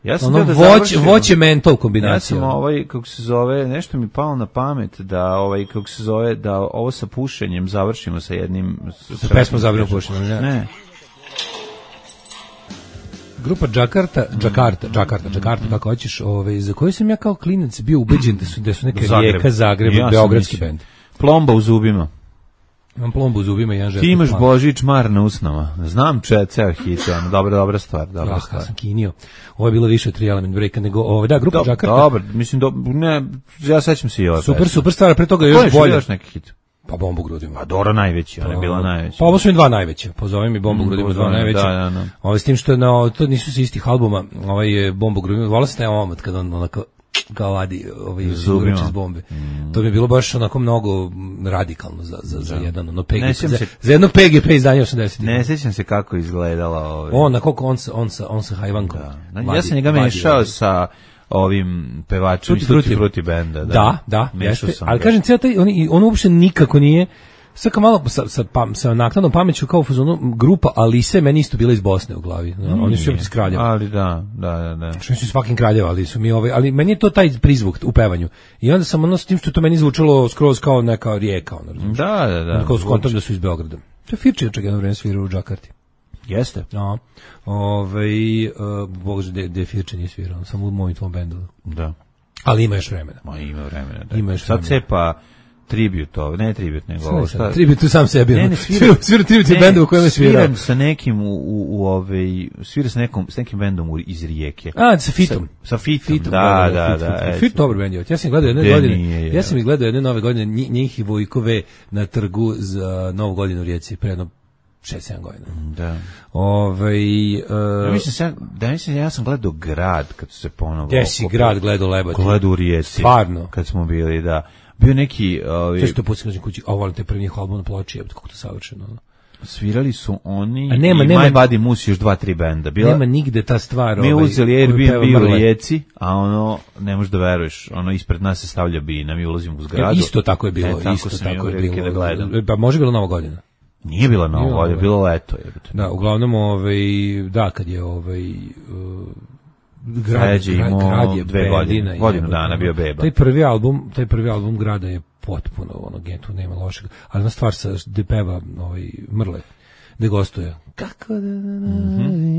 Ja sam voće mentol kombinacija. Ja sam kako se zove, nešto mi palo na pamet da da ovo sa pušenjem završimo sa jednim sa pesmom Zabranu pušenja. Ne. Grupa Jakarta, kako hoćeš, za koju sam ja kao klinac bio ubeđen da su neka Rijeka, Zagreb, beogradski bend. Plomba u zubima. Imam plombu u zubima i jedan žetok. Ti imaš Božić mar na usnama. Znam ceo hit, dobra stvar. Ja sam kinio. Ovo je bilo više od 3 Element Breaka nego grupa Jakarta. Dobro, mislim, ja sećam se i ove. Super stvar, pre toga je još bolje. Još neki hit? Pa Bombu grudima. Pa Dora najveći, ona je bila najveća. Pa ovo su mi dva najveća. Pozove mi Bombu grudima, dva najveća. Da. S tim što to nisu se istih albuma. Je Bombu grudima. Volao sam taj omot kad on onako kao vadi zubreč iz bombe. To mi je bilo baš onako mnogo radikalno za jedan za jedno PGP izdanje 80. Ne sjećam se kako izgledala on sa hajvankom. Ja sam njega mešao sa ovim pevačem iz Fruity benda. Da, jeste. Ali kažem, on uopšte nikako nije. Sad kao malo sa naknadnom pameću kao u fazonu grupa Alise meni isto bila iz Bosne u glavi. Oni su iz Kraljeva. Ali da. Što su fucking Kraljeva, ali su mi ali meni je to taj prizvuk u pevanju. I onda sam s tim što to meni zvučalo skroz kao neka rijeka, Da. Kao skontam da su iz Beograda. To je Firči čak jedno vreme svirao u Džakarti. Jeste. No. Bože, gde Firči nije svirao, samo u mojim tvom bendu. Da. Ali ima još vremena. Ima vremena. Sad cepa tribute, ne tribute, nego ovo šta? Tribute sam sebi. Ne, svira tribute bendu u kojem je svirao. Sviram sa nekim svira s nekim bendom iz Rijeke. Sa Fitom. Sa Fitom, da. Fit dobro bend je. Ja sam ih gledao jedne nove godine, njih i Vojkove na trgu za Novu godinu u Rijeci, pre jedno 6-7 godina. Da. Ja sam gledao Grad kad su se ponovo... Gdje si Grad gledao Lebati? Gledao u Rijeci. Stvarno? Kad smo bili, da. Bio neki... To što pucim kući, volim te prvih album na ploči, kako to savršeno. Svirali su oni i My Body Moose još 2-3 benda. Nema nigde ta stvar. Mi uzeli Airbnb u Rijeci, a ne možeš da veruješ, ispred nas se stavlja bina, mi ulazimo u zgradu. Isto tako je bilo. Tako sam je da gledam. Pa može bilo Nova godina. Nije bila Nova godina, bilo leto. Da, uglavnom, da, kad je grad je 2 godinu dana bio beba. Taj prvi album Grada je potpuno tu nema lošeg, ali ona stvar gde peva Mrle, gde gostuje. Kako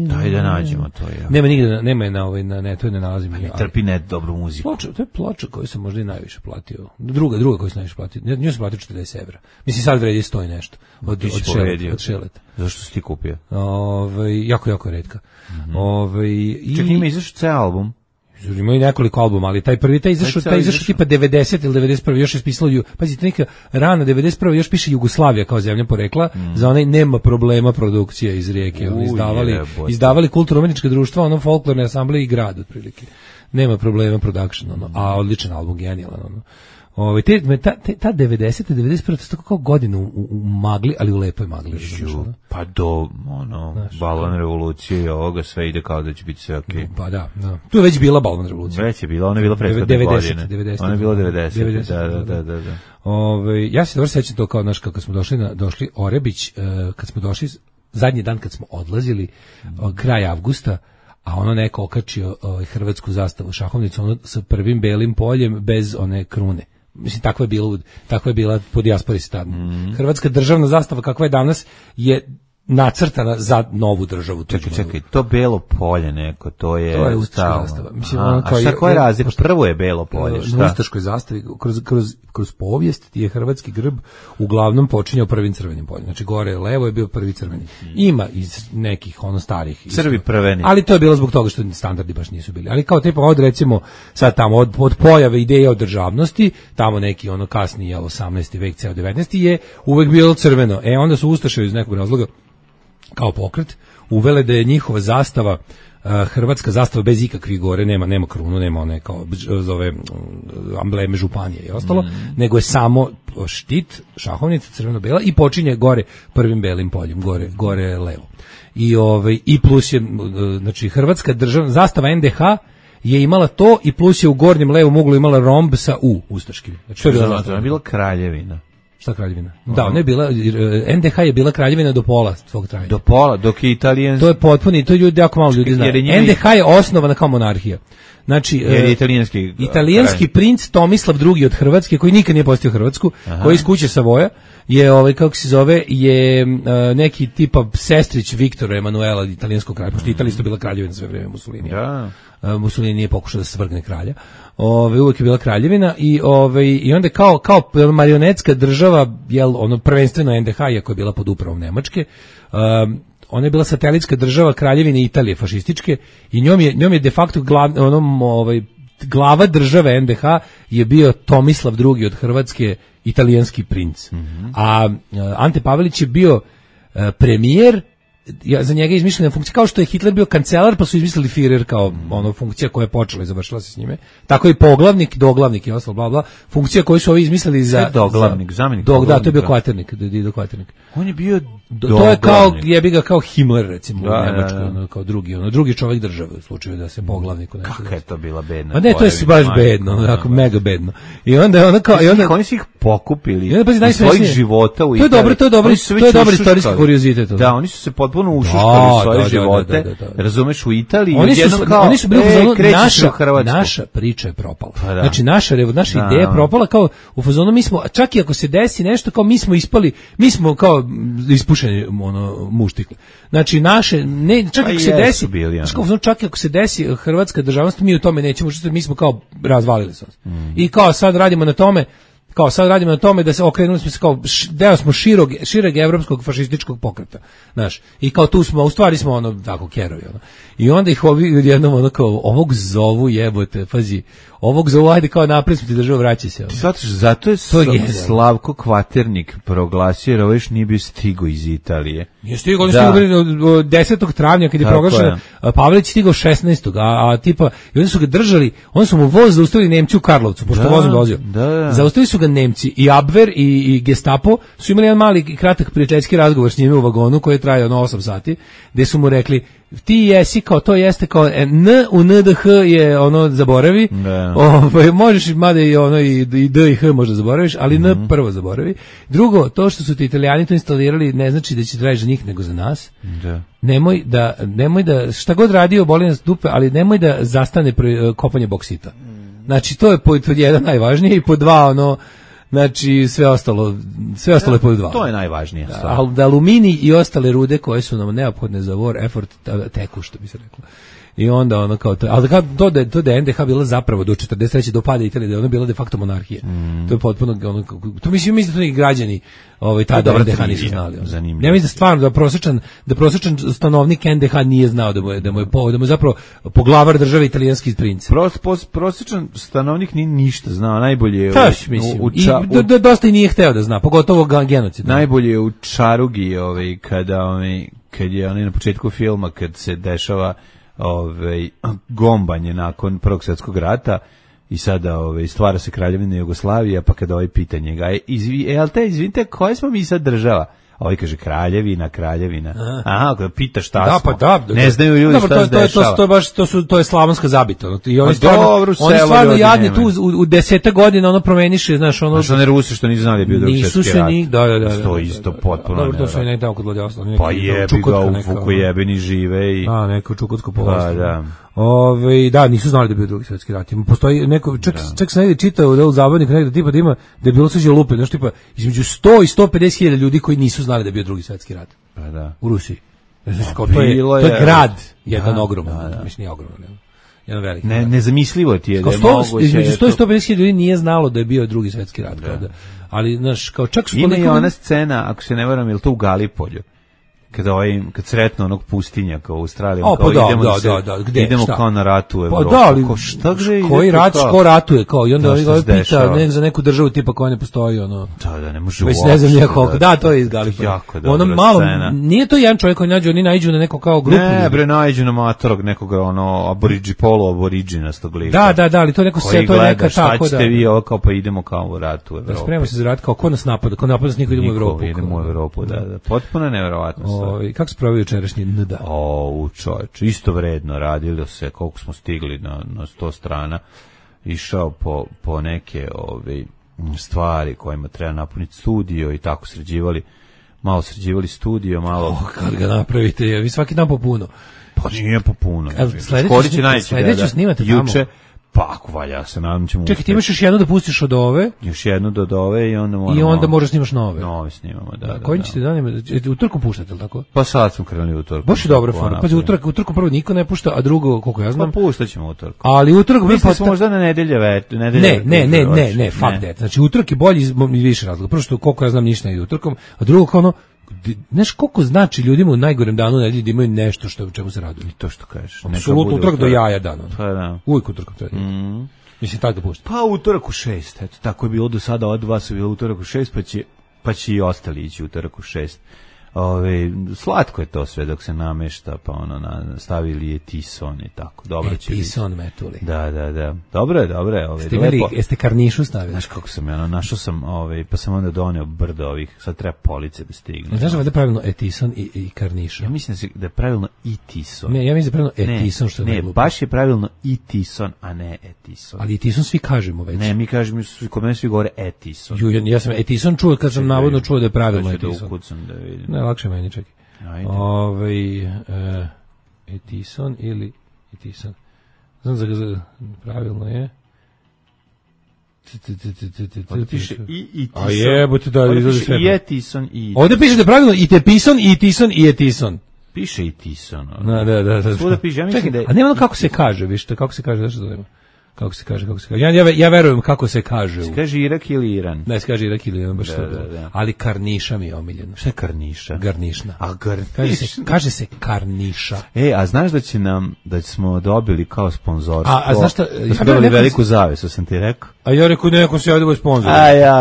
daj da nađemo to. Ja. Nema nigde, nema na netu, ne nalazim. Ne trpi net dobru muziku. To je ploča koju sam možda i najviše platio. Druga koju sam najviše platio. Nju sam platio 40 €. Mislim, sad vredi 100 i nešto. Od Šeleta. Zašto si ti kupio? Jako retka. Čak ima izašao ceo album. Ima i nekoliko albuma, ali taj izašao tipa 90 ili 91. Još je spisalo, pazite, neka rana 91. još piše Jugoslavija kao zemlja porekla, za onaj nema problema produkcije iz Rijeke. Izdavali kulturno-umjetnička društva, folklorne asamble i grad, otprilike. Nema problema production, a odličan album, genijalan, ta 90. 91. to je tako kao godinu u magli, ali u lepoj magli. Pa do balvan revolucije i ovoga sve ide kao da će biti sve okej. Pa da. Tu je već bila balvan revolucija. Već je bila, ona je bila prethodne godine. Ona je bila 90. Da. Ja se dobro sećam to kao, kako smo došli Orebić, kad smo došli, zadnji dan kad smo odlazili, kraj avgusta, a ono neko okačio hrvatsku zastavu šahovnicu, sa prvim belim poljem bez one krune. Mislim, takva je bila po dijaspori tad. Hrvatska državna zastava kakva je danas je nacrtana za novu državu. Čekaj, to belo polje neko, to je ustaška zastava. Mislim, a šta koja je razlika? Prvo je belo polje, šta? Na ustaškoj zastavi, kroz povijest je hrvatski grb uglavnom počinjao prvim crvenim poljem. Znači, gore levo je bio prvi crveni. Ima iz nekih starih. Crvi prveni. Ali to je bilo zbog toga što standardi baš nisu bili. Ali kao tipa recimo sad tamo od pojave ideje o državnosti, tamo neki kasniji 18. vek, ceo 19. je uvek bilo crveno. Onda su ustaše iz nekog razloga kao pokret uvele da je njihova zastava, hrvatska zastava bez ikakvih gore, nema krunu, nema one kao zove ambleme županije i ostalo, nego je samo štit, šahovnica crveno-bela i počinje gore prvim belim poljem, gore levo. I plus je, znači, hrvatska državna zastava NDH je imala to i plus je u gornjem levom uglu imala romb sa ustaškim. Znači, to je bila kraljevina. Šta kraljevina? Da, ona je bila, NDH je bila kraljevina do pola svog trajanja. Do pola, dok je italijanski. To je potpuni, to ljudi jako malo ljudi znaju. NDH je osnovana kao monarhija. Znači, italijanski princ Tomislav II od Hrvatske, koji nikad nije postao Hrvatsku, koji iz kuće Savoja, je, kako se zove, je neki tipa sestrić Viktora Emanuela, italijanskog kralja, pošto Italija isto bila kraljevina sve vreme Mussolinija. Mussolini nije pokušao da svrgne kralja. Uvek je bila kraljevina i onda kao marionetska država, prvenstveno NDH, iako je bila pod upravom Nemačke, ona je bila satelitska država kraljevine Italije fašističke i njom je de facto glava države NDH je bio Tomislav II od Hrvatske, italijanski princ. A Ante Pavelić je bio premijer, za njega je izmišljena funkcija, kao što je Hitler bio kancelar, pa su izmislili Führer kao funkcija koja je počela i završila se s njime. Tako i poglavnik, doglavnik i ostalo, bla bla, funkcija koju su ovi izmislili za doglavnik, zamjenik. Da, to je bio kvaternik, Kvaternik. On je bio to je kao jebi ga kao Himmler recimo u Nemačkoj, kao drugi čovjek države u slučaju da se poglavniku nešto. Kako je to bila bedna? A ne, to je baš bedno, tako mega bedno. I onda oni su ih pokupili iz svojih života u Italiji. To je dobar istorijski kuriozitet. Da, oni su se potpuno ušuškali svoje živote. Razumeš, u Italiji oni su bili naša priča je propala. Znači naša ideja je propala, kao u fazonu mi smo, čak i ako se desi nešto, kao mi smo ispali, mi smo kao ispušeni muštikli. Znači naše, ne, čak i ako se desi, čak i ako se desi hrvatska državnost, mi u tome nećemo, mi smo kao razvalili se. I kao sad radimo na tome da se okrenuli smo se kao deo smo šireg evropskog fašističkog pokreta, znaš. I kao tu smo, u stvari smo tako kerovi, I onda ih ovi jednom kao ovog zovu jebote, pazi, ovog zovu, ajde kao napred smo ti država, vraća se. Ti shvataš, zato je Slavko Kvaternik proglasio, jer ovo još nije bio stigo iz Italije. Nije stigo, oni stigao 10. travnja kad je proglašeno, Pavelić stigao 16. A tipa, i oni su ga držali, oni su mu voz zaustavili Nemci u Karlovcu, pošto vozom dolazio. Zaustavili su ga Nemci i Abwehr i Gestapo su imali jedan mali i kratak prijateljski razgovor s njime u vagonu koji je trajao 8 sati, gde su mu rekli ti jesi kao to jeste kao N u NDH je ono zaboravi. Možeš mada i ono i D i H možda zaboraviš, ali N prvo zaboravi. Drugo, to što su ti Italijani to instalirali ne znači da će trajati za njih nego za nas. Nemoj da šta god radio boli nas dupe, ali nemoj da zastane kopanje boksita. Znači to je pod jedan najvažnije i pod dva ono, znači sve ostalo je pod dva. To je najvažnije. Da aluminij i ostale rude koje su nam neophodne za war effort teku, što bi se reklo. I onda ono kao to, ali to da je NDH bila zapravo do 43. do pada Italije, da je ona bila de facto monarhija. To je potpuno ono, to mislim da to neki građani tada NDH nisu znali. Ja mislim da stvarno da prosječan stanovnik NDH nije znao da mu je zapravo poglavar države italijanski princ. Prosječan stanovnik nije ništa znao, najbolje je dosta i nije hteo da zna, pogotovo genocid. Najbolje je u Čarugi, kad je na početku filma kad se dešava gombanje nakon Prvog svjetskog rata i sada stvara se Kraljevina Jugoslavija, pa kada pita njega, izvinite, koja smo mi sad država? Kaže Kraljevina. Aha, kada pita šta smo. Ne znaju ljudi šta se dešava. To je slavonska zabita. I oni stvarno jadni tu u 10 godina promeniše, znaš, ono. Što ne Rusi što nisu znali da je bio Drugi svjetski rat. Da. To isto potpuno. Dobro, to su i nekako kod Vladjavstva. Pa jebi ga u Fukujebini žive i neko Čukotsko poluostrvo. Da, nisu znali da je bio Drugi svjetski rat. Postoji neko, čak sam negdje čitao da u zabavniku negdje tipa da ima, da je bilo suđe lupe, znaš, tipa između 100 i 150 hiljada ljudi koji nisu znali da je bio Drugi svjetski rat. Pa da. U Rusiji. To je grad, jedan ogroman, mislim nije ogroman, jedan veliki. Nezamislivo ti je da je moguće. Između 100 i 150 hiljada ljudi nije znalo da je bio Drugi svjetski rat. Ali, znaš, kao čak su... Ima i ona scena, ako se ne varam, je li to u Galipolju? Kad sretno onog pustinjaka u Australiji, idemo kao na ratu u Evropu. Koji rat, ko ratuje, kao, i onda pita za neku državu tipa koja ne postoji, ono. Da, ne može već ne znam nijekog. Da, to je iz Galipolja. Ono malo, nije to jedan čovjek koji nađu, oni naiđu na neko kao grupu. Ne, bre, naiđu na matorog nekog, ono, polu-aboriđinastog lika. Da, ali to je neko sve, to je neka tako, da. Šta ćete vi ovo, kao, pa idemo kao u ratu u Evropu. Spremamo se za rat, kao, ko nas napada, niko idemo u Evropu. Da, potpuno nevjerovatno. Kako se pravi jučerašnji NDA? Čovječ, isto vredno radilo se, koliko smo stigli na 100 strana, išao po neke stvari kojima treba napuniti studio i tako sređivali studio, malo... Kad ga napravite, vi svaki dan po puno. Pa nije po puno. Sledeću snimate tamo. Juče, pa ako valja se, nadam ćemo... Čekaj, ti imaš još jednu da pustiš od ove? Još jednu od ove i onda moramo... I onda možda snimaš nove. Nove snimamo, da. Koji ćete danima? Utorkom puštate, ili tako? Pa sad smo krenuli utorkom. Baš je dobra forma. Pazi, utorkom prvo niko ne pušta, a drugo, koliko ja znam... Pa pustat ćemo utorkom. Ali utorkom... Mislim smo možda na nedelje Ne, fuck that. Znači, utorak je bolji iz više razloga. Prvo što, koliko ja znam, ništa ne ide utorkom, a drugo, ono, znaš koliko znači ljudima u najgorem danu nedelje da imaju nešto što u čemu se raduju. I to što kažeš. Apsolutno utorak do jaja dana. Pa da. Uvijek utorkom treba. Mislim tako da pušta. Pa utorak u 6, eto, tako je bilo do sada, od vas je bilo utorak u 6, pa će i ostali ići utorak u 6. Slatko je to sve dok se namešta, pa stavili je tison i tako. Dobro će biti. Tison metuli. Da. Dobro je. Jeste karnišu stavili? Znaš kako sam, našao sam, pa sam onda doneo brdo ovih, sad treba police da stigne. Znaš da je pravilno etison i karniša? Ja mislim da je pravilno i tison. Ne, ja mislim da je pravilno etison, što je najglupo. Ne, baš je pravilno i tison, a ne etison. Ali etison svi kažemo već. Ne, mi kažemo, kod mene svi govore etison. Ja sam etison čuo kad sam navodno čuo da je pravilno etison. Da vidim. Lakše meni, čekaj. Etison ili Etison. Znam za pravilno je. Piše i Etison. A jebote, da izlazi sve. I Etison i... Ovdje piše da je pravilno i Tepison, i Etison, i Etison. Piše i Etison. Da. Svuda piše, ja mislim da je... A nema ono kako se kaže, vište, kako se kaže, zašto to nema? Kako se kaže. Ja verujem kako se kaže. Se kaže Irak ili Iran? Ne, se kaže Irak ili Iran, baš to. Ali karniša mi je omiljeno. Šta je karniša? Garnišna. A garnišna? Kaže se karniša. A znaš da smo dobili kao sponzorstvo? A znaš šta? Da smo dobili veliku zavesu, sam ti rekao. A ja rekao, neko se javio sponzor.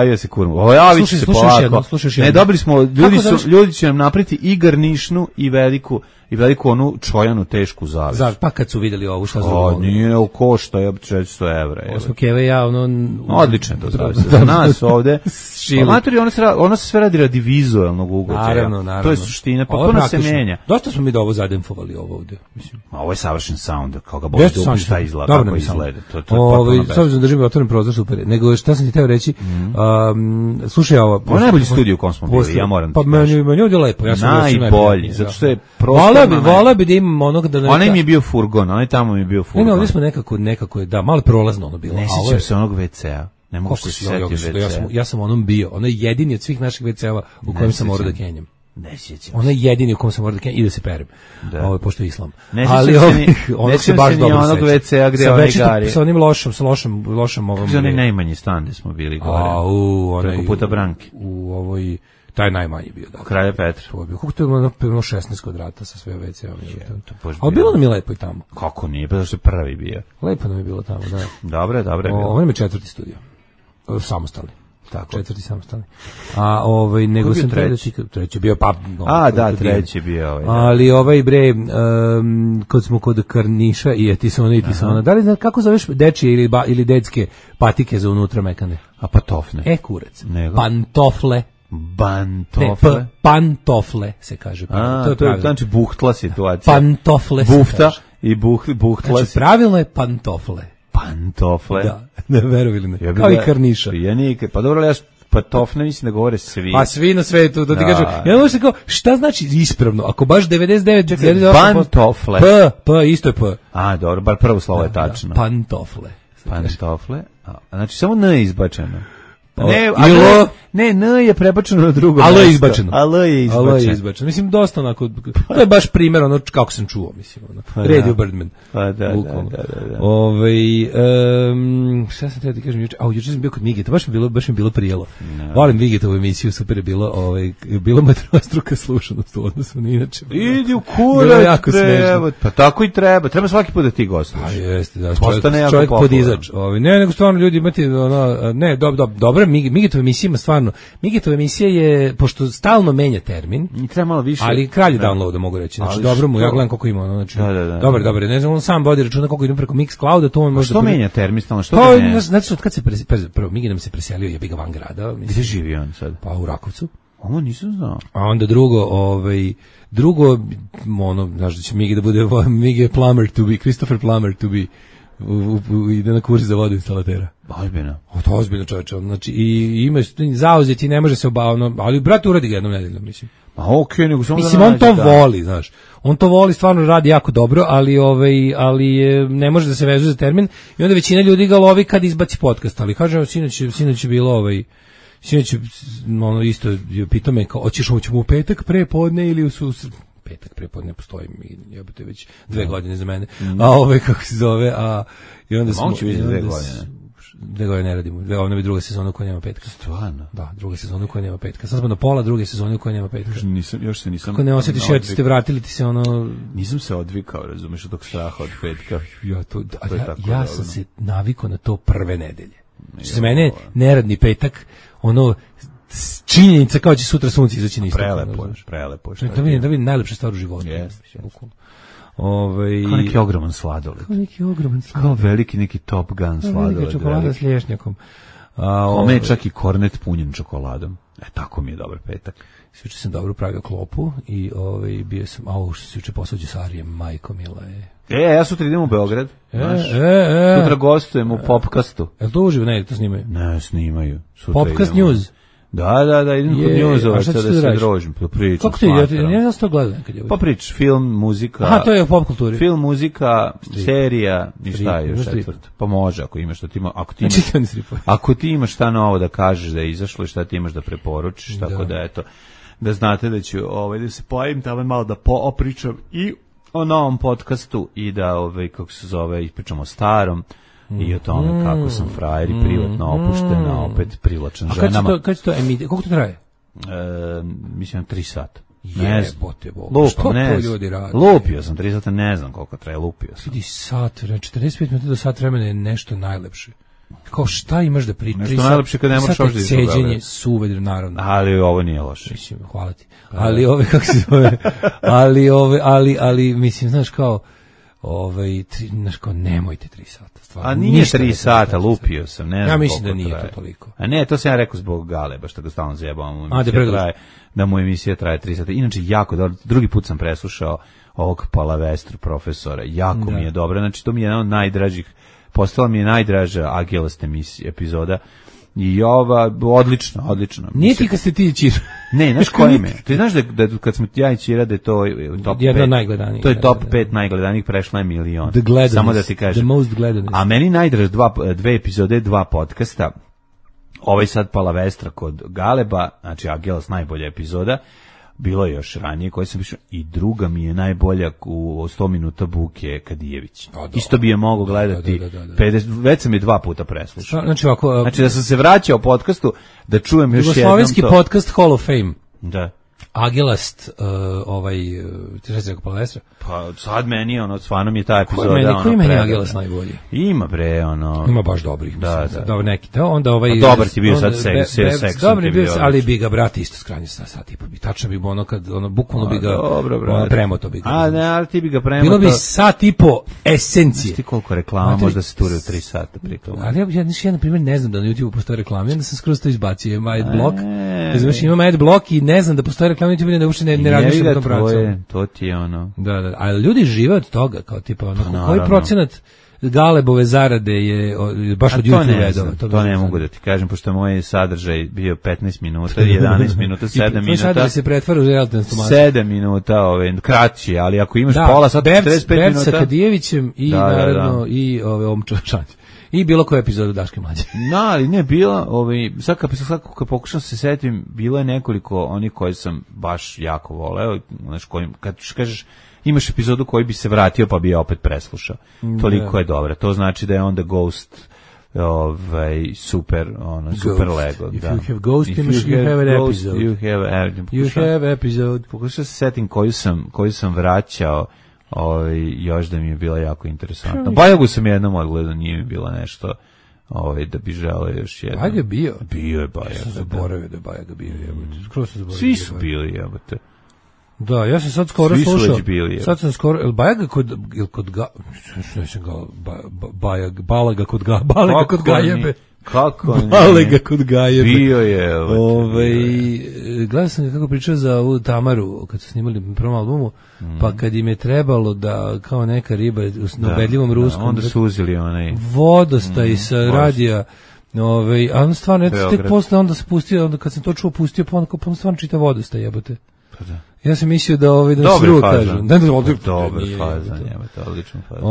Ja se kurmo. Javit će se polako. Ne, dobili smo, ljudi će nam napriti i garnišnu i veliku onu čojanu tešku zavesu. Pa kad su vidjeli ovo, šta zbog? Nije košta, već 100 evra. Ovo smo Keva i ja, odlično to zove se. Za nas ovde, matori, ono se sve radi radi vizualnog ugođaja. Naravno. To je suština, potpuno se menja. Dosta smo mi da ovo zademfovali ovo ovde, mislim. A ovo je savršen sound, kao ga bolje da šta izgleda, kako izgleda. To je potpuno bez. S obzirom da držimo otvoren prozor, super. Nego šta sam ti teo reći, slušaj ovo. Ovo je najbolji studio u kom smo bili, ja moram. Pa meni ovdje lepo. Najbolji, zato što je prostorno. Vola bi da imam onog da... Onaj mi je bio furgon, onaj tamo mi je bio furgon. Ne, ovdje smo nekako je, da, malo prolazno ono bilo. Ne sjećam se onog WC-a. Ne mogu se sjetiti WC-a. Ja sam onom bio. Ono je jedini od svih naših WC-eva u kojem sam morao da kenjam. Ne sjećam. Ono je jedini u kojem sam morao da kenjam i da se perem. Ovo je pošto je islam. Ali ono se baš dobro onog WC-a gdje onaj gari. Sa onim lošom ovom. Za onaj najmanji stan gdje smo bili gore. Preko puta Branke. U ovoj... Taj najmanji bio, da. Kralja Petra. Kako to je ono 16 kvadrata sa sve WC-om. Ali bilo nam je lepo i tamo. Kako nije, pa zašto je prvi bio. Lepo nam je bilo tamo, da. Dobre je bilo. Ovo je 4. studio. Samostalni. Tako. 4. samostalni. Nego sam treći bio, pa... treći bio. Ali kad smo kod Karniša i Etisona, da li znaš kako zoveš dečije ili dedske patike za unutra mekane? A patofne. Kurac. Pantofle. Bantofle. Pantofle se kaže. To je znači buhtla situacija. Pantofle Bufta i buhtla. Znači pravilno je pantofle. Pantofle. Da, ne verovili me. Kao i Karniša. Pa dobro, ja patofne mislim da govore svi. Pa svi na svetu, da ti kažem. Ja možda kao, šta znači ispravno? Ako baš 99... Pantofle. Isto je P. A, dobro, bar prvo slovo je tačno. Pantofle. Znači, samo N je izbačeno. Ne, N je prebačeno na drugo mesto. L je izbačeno. Mislim, dosta onako, to je baš primjer, ono, kako sam čuo, mislim, ono. Radio Birdman. Pa da. Šta sam teo ti kažem juče? Juče sam bio kod Migeta, baš mi bilo prijelo. Volim Migetovu emisiju, super je bilo metrostruka slušanost u odnosu, ni inače. Idi u kurac, treba. Pa tako i treba svaki put da ti gostuješ. A jeste, da, čovjek podizač. Ne, nego stvarno ljudi imate, ne, dobro, Migetova emisija ima stvarno, Migetova emisija je, pošto stalno menja termin, treba malo više, ali kralj downloada, mogu reći, znači dobro mu, ja gledam koliko ima, znači, dobro, ne znam, on sam vodi računa koliko idem preko Mixclouda, to on može... Što menja termin stalno, što ga ne? Znači, od kad se, prvo, Migi nam se preselio, jebi ga van grada. Gdje živi on sad? Pa u Rakovcu. Ovo nisam znao. A onda drugo, ono, znaš da će Migi da bude, Migi je Christopher Plummer to be, ide na kurs za vodu instalatera. Ozbiljno. To ozbiljno, čovječe. Znači, i ima zauzeti, ne može se obavno, ali brate uradi ga jednom nedeljom, mislim. A okej, nego samo mislim, on to voli, znaš. On to voli, stvarno radi jako dobro, ali ne može da se vezuje za termin i onda većina ljudi ga lovi kad izbaci podcast, ali kažem, sinoć je bilo sinoć ono isto pitao me kao, hoćemo u petak prepodne ili u susret? Petak prepodne postoji, jebote već 2 godine za mene. A kako se zove, i onda smo... Moguće vidjeti 2 godine. 2 godine ne radimo. Ovo je druga sezona u kojoj nema petka. Stvarno? Da, druga sezona u kojoj nema petka. Sad smo na pola druge sezone u kojoj nema petka. Još se nisam... Kako ne osjetiš, ste vratili ti se ono... Nisam se odvikao, razumeš, od tog straha od petka. Ja sam se navikao na to prve nedelje. Što se mene neradni petak, ono... činjenica kao će sutra sunce izaći na istok. Prelepo. Da vidim najlepša stvar u životu. Kao neki ogroman sladoled. Kao veliki neki Top Gun sladoled. Velika čokolada s lješnjakom. Ome je čak i kornet punjen čokoladom. Tako mi je dobar petak. Sjuče sam dobro pravio klopu i bio sam, što se juče poslao Đusarijem, majko mila je. Ja sutra idem u Beograd. Sutra gostujem u Popcastu. Je li to uživo? Ne, to snimaju? Ne, snimaju. Popcast News. Da, idem kod Newsova, sada da se drožim, pričam. Kako ti ide? Ja sam to gledam nekad je. Pa priča, film, muzika. Aha, to je u pop kulturi. Film, muzika, serija, i šta je još četvrto. Pa može, ako imaš što ti ima, ako ti imaš šta novo da kažeš da je izašlo i šta ti imaš da preporučiš, tako da eto, da znate da ću da se pojavim tamo malo da opričam i o novom podcastu i da, kako se zove, ispričamo o starom. I o tome kako sam frajer i privatno opuštena, opet privlačan ženama. A kad će to emititi? Koliko to traje? Mislim 3 sata. Jebote Bog. Što to ljudi radi? Lupio sam 3 sata, ne znam koliko traje, lupio sam. Vidi sat, 45 minuta do sat vremena je nešto najlepše. Kao šta imaš da pričaš? Nešto najlepše kad ne moraš ovdje izgledati. Ceđenje, suvedr, naravno. Ali ovo nije loše. Mislim, hvala ti. Ali kako se zove? Ali, mislim, znaš kao, znaš kao, nemojte 3 sata. Stvarno, a nije 3 sata, lupio sam, ne znam. Ja mislim da nije to toliko. A ne, to sam ja rekao zbog Galeba, što ga stalno zajebavam. Da mu emisija traje 3 sata. Inače, jako dobro, drugi put sam preslušao ovog Palavestru profesora, jako mi je dobro, znači to mi je jedan od najdražih, postala mi je najdraža Agilast epizoda. I ova, odlično. Nije ti kad ste ti Ćir. Ne, znaš koji me? Ti znaš da kad smo ja i Ćira da je to top 5. Jedno najgledanijih. To je top 5 najgledanijih, prešla je 1 milion. Samo da ti kažem. The most gledanest. A meni najdraž dve epizode, 2 podcasta. Ovaj sad Palavestra kod Galeba, znači Agilas najbolja epizoda. Bilo je još ranije koje sam pišao i druga mi je najbolja u 100 minuta Buke Kadijević. Isto bi je mogao gledati. Već sam je 2 puta preslušao. Znači da sam se vraćao podcastu da čujem još jednom to. Jugoslovenski podcast Hall of Fame. Da. Agilast, ti šta si rekao Palavestra? Pa sad meni stvarno mi je ta epizoda. Koji meni Agilast najbolji? Ima bre, Ima baš dobrih. Da. Dobro neki. Onda dobar ti bio sad seks. Dobar bio, ali bi ga brat isto skranje sat i po bi. Tačno bi bukvalno bi ga premoto bi ga. A ne, ali ti bi ga premoto. Bilo bi sat i po esencije. Ti koliko reklama možda se ture u 3 sata pritom. Ali ja na primjer ne znam da na YouTubeu postoji reklame, onda sam skroz to izbacio, ima adblock. Znači imam adblock i ne znam da postoji reklame, YouTube da uopšte ne razmišljam o tom pravcu. To ti je Da, ali ljudi žive od toga, kao tipa koji procenat Galebove zarade je baš od YouTube-a. To ne mogu da ti kažem, pošto je moj sadržaj bio 15 minuta, 11 minuta, 7 minuta. Sadržaj se pretvara u realnu informaciju. 7 minuta, kraći, ali ako imaš pola sata, 45 minuta. Berca Kadijevićem i naravno i Omčo Šanć. I bilo koju epizodu Daške mlađe. Ali ne, bila, sad kad pokušam se setim, bilo je nekoliko onih koji sam baš jako voleo, kad kažeš, imaš epizodu koji bi se vratio pa bi je opet preslušao. Toliko je dobra. To znači da je onda Ghost super Lego. If you have Ghost, you have an episode. You have episode. Pokušao se setim koju sam vraćao, još da mi je bila jako interesantna. Bajagu sam jednom odgledao, nije mi bilo nešto da bi želeo još jednom. Bajag je bio? Bio je Bajag. Ja sam zaboravio da je Bajag bio. Svi su bili, jebote. Da, ja sam sad skoro slušao. Sad sam skoro, Bajaga kod Balaga kod Gajebe. Kako ne? Balega kod Gajebe. Bio je. Gledao sam ga kako pričao za ovu Tamaru kad su snimali prvom albumu, pa kad im je trebalo da kao neka riba na ubedljivom ruskom. Onda su uzeli onaj vodostaj sa radija. A on stvarno, tek posle onda se pustio, onda kad sam to čuo pustio, pa on stvarno čita vodostaj, jebote. Da. Ja sam mislio da dobar fazan. Dobar fazan, jebote, odličan fazan.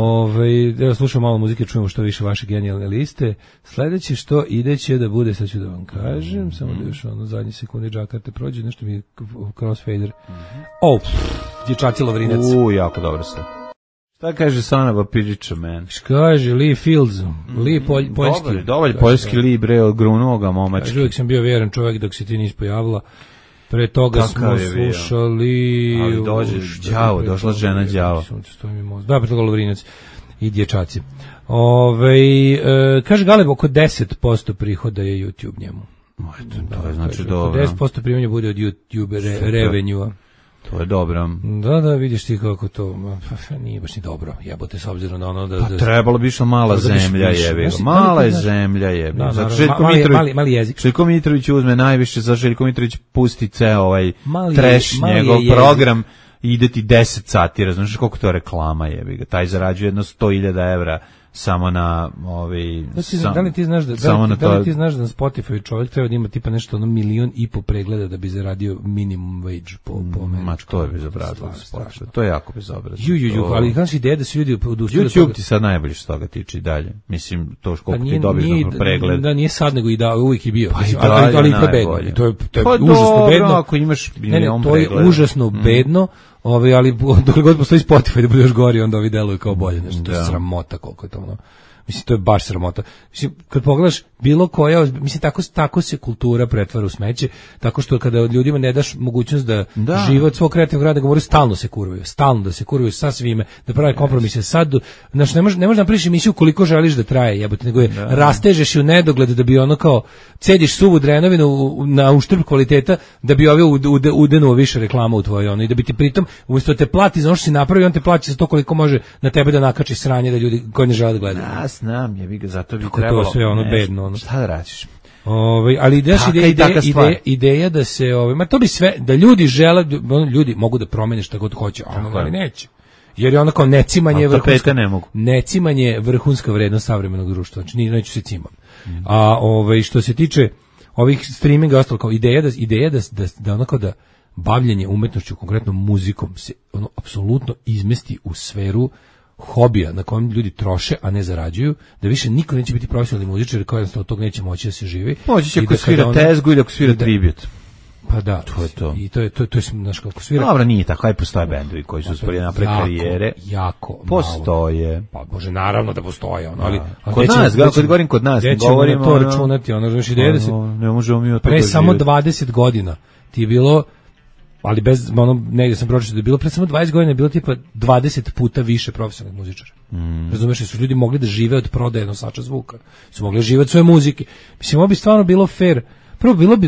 Evo slušam malo muzike, čujemo što više vaše genijalne liste. Sledeće što ideće da bude, sad ću da vam kažem, samo da još zadnji sekundi džakarte prođe, nešto mi je crossfader. Dječaci Lovrinac. Jako dobro se. Šta kaže Sanaba Pidžića, man? Kaže Lee Fields, Lee poljski. Dobar poljski Lee, bre, od grunoga momački. Kaže, uvijek sam bio vjeran čovjek dok se ti nisi pojavila. Pre toga smo slušali... Ali došla žena đavo. Da, pre toga Lovrinac i dječaci. Kaže Galeb, oko 10% prihoda je YouTube njemu. To je znači dobro. 10% primanja bude od YouTube revenue-a. To je dobro. Da, vidiš ti kako to, nije baš ni dobro, jebote, s obzirom na ono da... Pa trebalo bi išla mala zemlja, jebi. Mala je zemlja, jebi. Mali jezik. Željko Mitrović uzme najviše, za Željko Mitrović pusti ceo trash, njegov program, ide ti 10 sati, razumiješ koliko to reklama, jebi. Taj zarađuje jedno 100.000 evra samo na Da li ti znaš da na Spotify čovjek treba da ima tipa nešto 1,5 milion pregleda da bi zaradio minimum wage po meni. To je bezobrazno. To je jako bezobrazno. Ali znaš ideja da se ljudi odustaju. YouTube ti sad najbolje što toga tiče i dalje. Mislim, to koliko ti dobiš na pregled. Da, nije sad nego i da, uvijek je bio. Ali i bedno. To je užasno bedno. Ako imaš milion pregleda. To je užasno bedno. Ali dok god postoji Spotify da bude još gori, onda ovi deluju kao bolje, nešto, to je sramota koliko je to ono. Mislim, to je baš sramota. Mislim, kad pogledaš bilo koja, mislim, tako se kultura pretvara u smeće, tako što kada ljudima ne daš mogućnost da žive od svog kreativnog rada, govore stalno da se kurvaju sa svime, da prave kompromise. Sad, znači, ne možeš da napraviš emisiju koliko želiš da traje, jebote, nego je rastežeš u nedogled da bi ono kao cediš suvu drenovinu na uštrb kvaliteta da bi ove udenuo više reklama u tvojoj ono i da bi ti pritom umjesto te plati za ono što si napravio, on te plaća za to koliko može na tebe da nakači sranje da ljudi koji ne žele da gledaju. Ja znam, jebi ga, zato bi tako trebalo. To sve ono bedno, ono. Šta da radiš? Ali ideja da se ma to bi sve da ljudi žele, ljudi mogu da promene šta god hoće, ali neće. Jer je ono kao necimanje vrhunska vrednost savremenog društva. Znači neću se cimam. A što se tiče ovih streaminga ostalo kao ideja da onako da bavljenje umetnošću, konkretno muzikom, se ono apsolutno izmesti u sferu hobija na kojem ljudi troše, a ne zarađuju, da više niko neće biti profesionalni muzičar, jer kao jednostavno od tog neće moći da se živi. Moći će ako svira tezgu ili ako svira tribut. Pa da, to je to. I to je znaš kako svira. Dobro, nije tako, aj postoje bendovi koji su uspeli napraviti karijere. Jako postoje. Malo. Pa može naravno da postoje, ono, ali kod nas, kad govorim kod nas, ne govorimo to računati, ono, znaš, ideja da se ne možemo mi od toga pre samo 20 godina ti je bilo, ali bez ono, negdje sam pročitao da je bilo pre samo 20 godina je bilo tipa 20 puta više profesionalnih muzičara. Razumeš, su ljudi mogli da žive od prodaje nosača zvuka, su mogli živjeti od svoje muzike. Mislim, ovo bi stvarno bilo fair.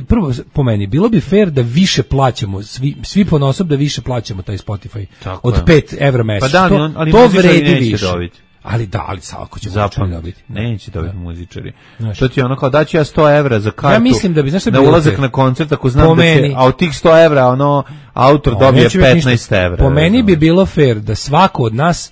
Prvo po meni, bilo bi fair da više plaćamo, svi ponosob da više plaćamo taj Spotify. Tako od 5 evra mesečno. Pa da, ali to vredi više. Dobiti. Ali ako će muzičari dobiti. Neće dobiti muzičari. To ti je ono kao daću ja 100 evra za kartu. Ja mislim da bi, znaš šta bi na ulazak na koncert, ako znam da se, a od tih 100 evra ono, autor dobije 15 evra. Po meni bi bilo fair da svako od nas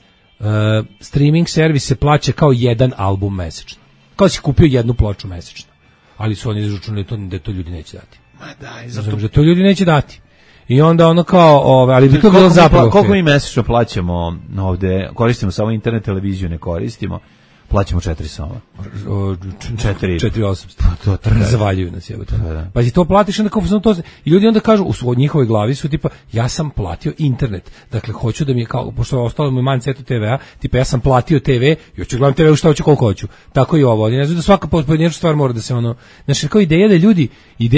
streaming servis se plaća kao jedan album mesečno. Kao si kupio jednu ploču mesečno. Ali su oni izračunali da to ljudi neće dati. Ma daj, zato da to ljudi neće dati. I onda ono kao, ali bi to bilo zapravo. Koliko mi mesečno plaćamo ovde, koristimo samo internet, televiziju ne koristimo, plaćamo 4 soma. 4.800. To razvaljuju nas, jebote. Pa ti to platiš onda kao to i ljudi onda kažu u njihovoj glavi su tipa ja sam platio internet. Dakle hoću da mi je kao pošto je ostalo mi mancetu TV-a, tipa ja sam platio TV i hoću gledam TV šta hoću koliko hoću. Tako i ovo. Ne znam da svaka pojedinačna stvar mora da se ono, znači kao ideja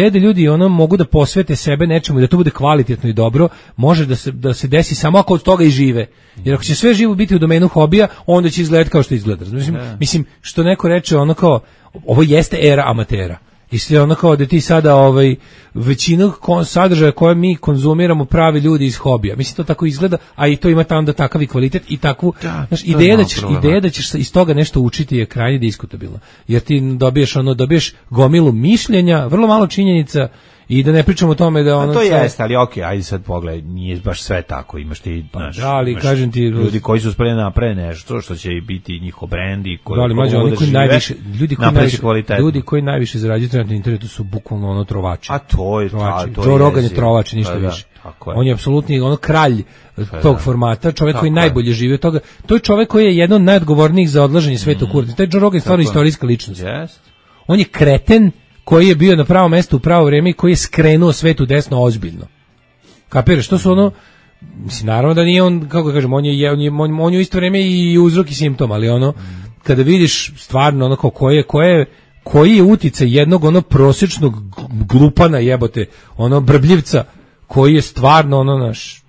da ljudi ono mogu da posvete sebe nečemu i da to bude kvalitetno i dobro, može da se desi samo ako od toga i žive. Jer ako će sve živo biti u domenu hobija, onda će izgledati kao što izgleda. Mislim, što neko reče, ono kao, ovo jeste era amatera. I sve ono kao da ti sada većinu sadržaja koje mi konzumiramo pravi ljudi iz hobija. Mislim, to tako izgleda, a i to ima onda takav i kvalitet i takvu, znaš, ideja da ćeš iz toga nešto učiti je krajnje diskutabilna. Jer ti dobiješ gomilu mišljenja, vrlo malo činjenica. I da ne pričamo o tome da ono to jeste, ali okej, ajde sad pogledaj, nije baš sve tako, imaš ti, znaš, ali kažem ti ljudi koji su spremni da naprave nešto što će biti njihov brend i koji ljudi koji najviše zarađuju na internetu su bukvalno ono trovači. A to je Joe Rogan je trovač, ništa više. On je apsolutni ono kralj tog formata, čovjek koji najbolje živi od toga. To je čovjek koji je jedan od najodgovornijih za odlaženje sveta u kurac. Taj Joe Rogan je stvarno istorijska ličnost. On je kreten koji je bio na pravo mesto u pravo vrijeme i koji je skrenuo svetu desno ozbiljno. Kapiraš, to su ono, mislim, naravno da nije on, kako kažem, on je u isto vrijeme i uzrok i simptom, ali ono, kada vidiš stvarno ono kao koji je uticaj jednog ono prosječnog glupana jebote, ono brbljivca, koji je stvarno ono naš,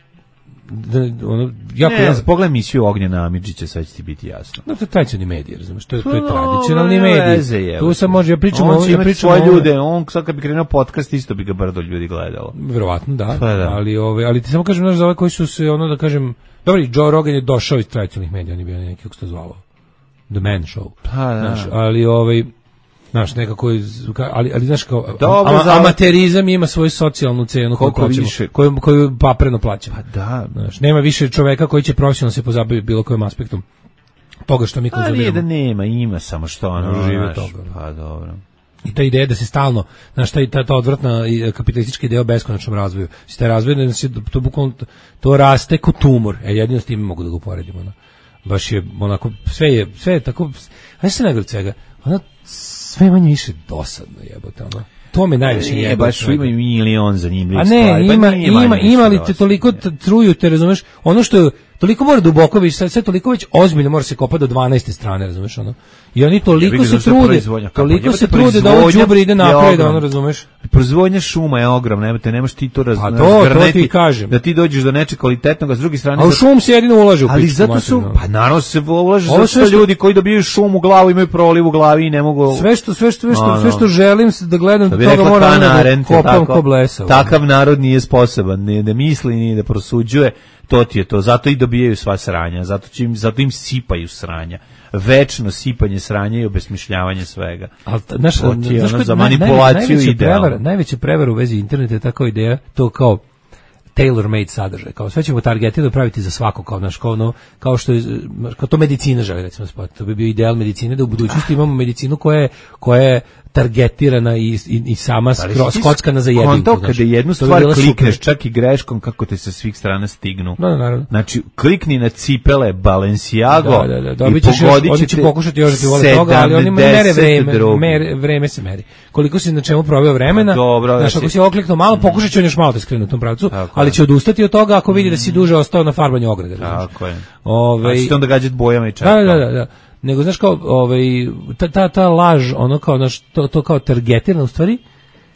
pogledaj emisiju Ognjena Amidžića, sve će ti biti jasno. No, to je tradicionalni medij, razumiješ, to je tradicionalni medij. Tu sam može, ja pričam svoje ljude, on sad kad bi krenuo podcast, isto bi ga brdo ljudi gledalo. Verovatno, da. Ali ti samo kažem, za ove koji su se, ono da kažem, dobri, Joe Rogan je došao iz tradicionalnih medija, on je bio neki, kako se to zvalo, The Man Show. Ali znaš, nekako, ali znaš kao, amaterizam ima svoju socijalnu cenu koju papreno plaća. Pa da. Znaš, nema više čoveka koji će profesionalno se pozabaviti bilo kojim aspektom toga što mi konzumiramo. Nije da nema, ima samo što ono živi od toga. Pa dobro. I ta ideja da se stalno, znaš, ta odvratna kapitalistička ideja o beskonačnom razvoju. Taj razvoj, to bukvalno, to raste kao tumor. Jedino s tim mogu da ga uporedimo. Baš je onako, sve je tako, znaš se najgore svega, sve manje više dosadno jebote, ono. To me najviše jebote. Baš ima milion zanimljivih stvari. A ne, ima li te toliko truju, te razumeš, ono što Toliko mora duboko više, sve toliko već ozbiljno mora se kopati do 12. strane, razumeš ono. I oni toliko se trude da ovo đubre ide napred, ono, razumeš. Proizvodnja šuma je ogromna, nemaš ti to razgrneti, da ti dođeš do nečeg kvalitetnog, a s druge strane... A u šum se jedino ulaže u pičku. Ali zato su, pa naravno se ulaže, zato što ljudi koji dobiju šum u glavu imaju proliv u glavi i ne mogu... Sve što želim da gledam, do toga moram da kopam ko blesa. Takav narod nije sposoban, ni da misli, ni da prosuđuje, to ti je to, zato i dobijaju sva sranja, zato im sipaju sranja. Večno sipanje sranja i obesmišljavanje svega. Ali za manipulaciju idealno. Najveća prevara u vezi interneta je tako ideja, to kao tailor-made sadržaj, kao sve ćemo targetirano praviti za svako, kao što je, kao to medicina želi, recimo, to bi bio ideal medicine, da u budućnosti imamo medicinu koja je targetirana i sama skockana za jedinku. Konto kada jednu stvar klikneš, čak i greškom, kako te sa svih strana stignu. Naravno. Znači, klikni na cipele Balenciago i pogodit će pokušati još da ti vole toga, ali oni mere vreme se meri. Koliko si na čemu proveo vremena, znaš, ako si okliknuo malo, pokušat će on još malo da skrenu u tom pravcu, ali će odustati od toga ako vidi da si duže ostao na farbanju ograde. Tako je. A će te onda gađati bojama i čak. Da. Nego, znaš, kao, ta laž, ono kao, znaš, to kao targetirano, u stvari,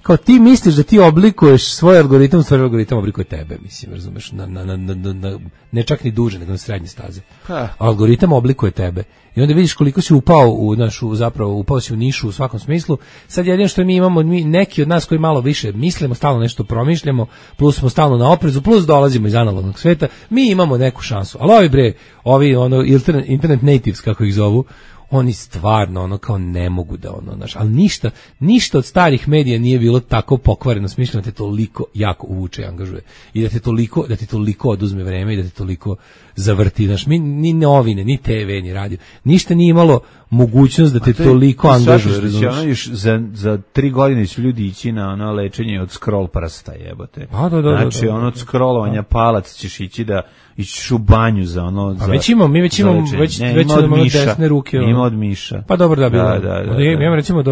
kao ti misliš da ti oblikuješ svoj algoritam, u stvari algoritam oblikuje tebe, mislim, razumeš, ne čak ni duže, nego na srednje staze. Algoritam oblikuje tebe. I onda vidiš koliko si upao upao si u nišu u svakom smislu. Sad jedino što mi imamo, neki od nas koji malo više mislimo, stalno nešto promišljamo, plus smo stalno na oprezu, plus dolazimo iz analognog sveta, mi imamo neku šansu. Ali ovi internet natives, kako ih zovu, oni stvarno ono kao ne mogu da ali ništa od starih medija nije bilo tako pokvareno smišljeno da te toliko jako uvuče i angažuje i da ti toliko oduzme vreme i da te toliko zavrti, znaš, ni novine, ni TV, ni radio, ništa nije imalo mogućnost da te toliko angažuje. Za 3 godine će ljudi ići na lečenje od scroll prsta, jebote. Znači, od scrollovanja palac ćeš ići da ići u banju za ono... A već imamo imamo desne ruke. Ima od miša. Pa dobro da bilo. Ja imam recimo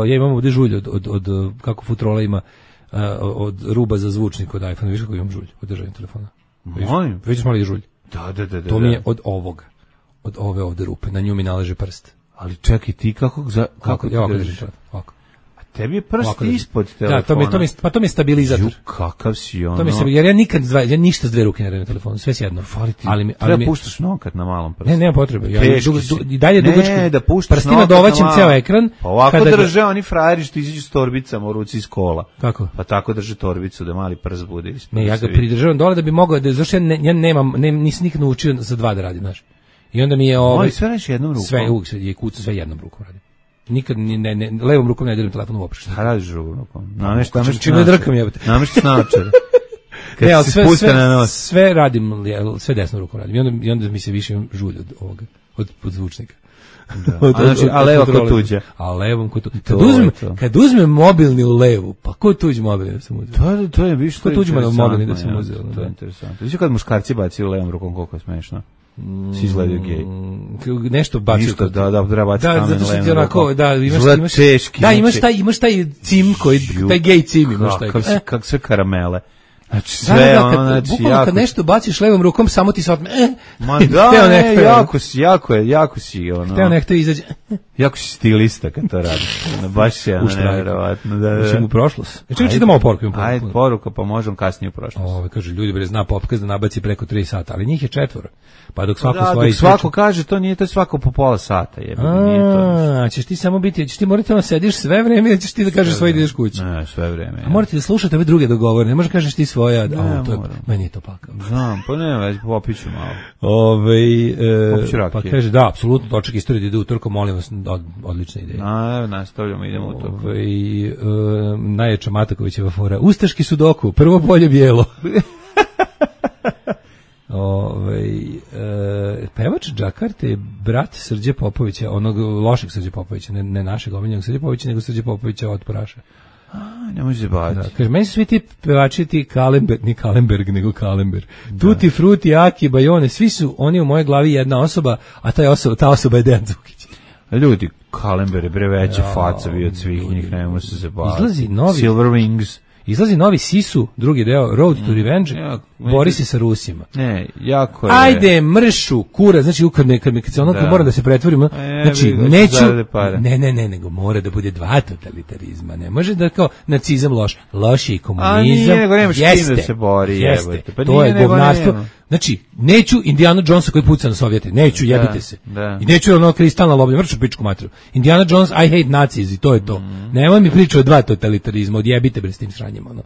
ja imam ovdje žulj od kako Futrola ima od ruba za zvučnik od iPhone, viš kako imam žulj od držanja telefona. Molim. Vidiš mali žulj. Da. To mi je od ovoga. Od ove ovdje rupe, na nju mi naleže prst. Ali čekaj, ti kako ja ovako držim ovako. Tebi je prst ispod telefona. Da, to mi je stabilizator. Kakav si ono. Jer ja ništa s dve ruke ne radim na telefonu, sve s jednom. Ali treba puštaš nokat na malom prstu. Ne, nema potrebe. Ja i dalje dugačku. Ne, da puštaš prstima dovaćem ceo ekran. Pa ovako drže oni frajeri što izađu s torbicama u ruci iz kola. Kako? Pa tako drže torbicu da mali prst bude ispod. Ne, ja ga pridržavam dole da bi mogao da zašto ja nisam nikad naučio za dva da radim, znaš. I onda mi je sve radiš jednom rukom. Sve kuca sve jednom rukom radim. Nikad levom rukom ne diram telefon uopšte. Šta radiš drugom rukom? Čime drkam jebote. Namešti naočare. Ne, ali sve radim, sve desnom rukom radim. I onda mi se više žulj od ovoga, od zvučnika. A levo kod tuđe. A levom kod tuđe. Kad uzmem mobilni u levu, pa ko tuđi mobilni da sam uzeo? To je više. Ko tuđi mobilni da sam uzeo? To je interesantno. Viš kad muškarci baci u levom rukom, koliko je smešno. Si izgledaju gej. Nešto bacio. Ništa, da, treba baciti kamen. Zato što ti onako, imaš taj cim koji, taj gej cim imaš taj. Kak sve karamele. Znači sve bukvalno kad nešto baciš levom rukom, samo ti se otme. Jako si ono. Teo nekto izađe. Jako si stilista kad to radiš. Baš je nevjerovatno. Ušim u prošlost. Čekaj, čitam ovo poruku. Ajde, poruka, pa možemo kasnije u prošlost. Kaže, ljudi zna podcast da nabaci preko 3 sata, ali njih je 4. Pa dok svako kaže, to nije to svako po pola sata. Ćeš ti samo biti, ćeš ti morati ono sediš sve vreme ili ćeš ti da kažeš svoje ideš kući? Ne, sve vreme. A morate da slušate ove druge dogovore, ne možeš kažeš ti svoja, meni je to pakao. Znam, pa ne, već popiću malo. Pa kaže, da, apsolutno, točak istorije da ide u Turko, molim vas, odlična ideja. Nastavljamo, idemo u to. Najjača Matakovićeva fora, ustaški sudoku, prvo polje bijelo. Pevač Džakarte je brat Srđe Popovića, onog lošeg Srđe Popovića, ne našeg omiljenog Srđe Popovića, nego Srđe Popovića od Poraša. Ne može se baviti. Kaže, meni su svi ti pevači ti Kalemberg, ni Kalemberg, nego Kalember. Tuti, Fruti, Aki, Bajone, svi su oni u mojoj glavi jedna osoba, a ta osoba je Dejan Đukić. Ljudi, Kalember je bre veća faca bio od svih njih, ne može se baviti. Izlazi novi. Silver Wings. Izlazi novi Sisu, drugi deo, Road to Revenge, bori se sa Rusima. Ne, jako je. Ajde, mršu, kura, znači kad se ono kad mora da se pretvorimo, znači neću, nego mora da bude dva totalitarizma, ne može da kao nacizam loš je i komunizam, jeste, se bori, pa to je govnarstvo. Znači, neću Indiana Jonesa koji puca na Sovjete, neću, jebite se. I neću ono kristalna loblja, mrču pičku matru. Indiana Jones, I hate Nazis i to je to. Nemoj mi pričati o dva totalitarizma, odjebite bre s tim sranjem, ono.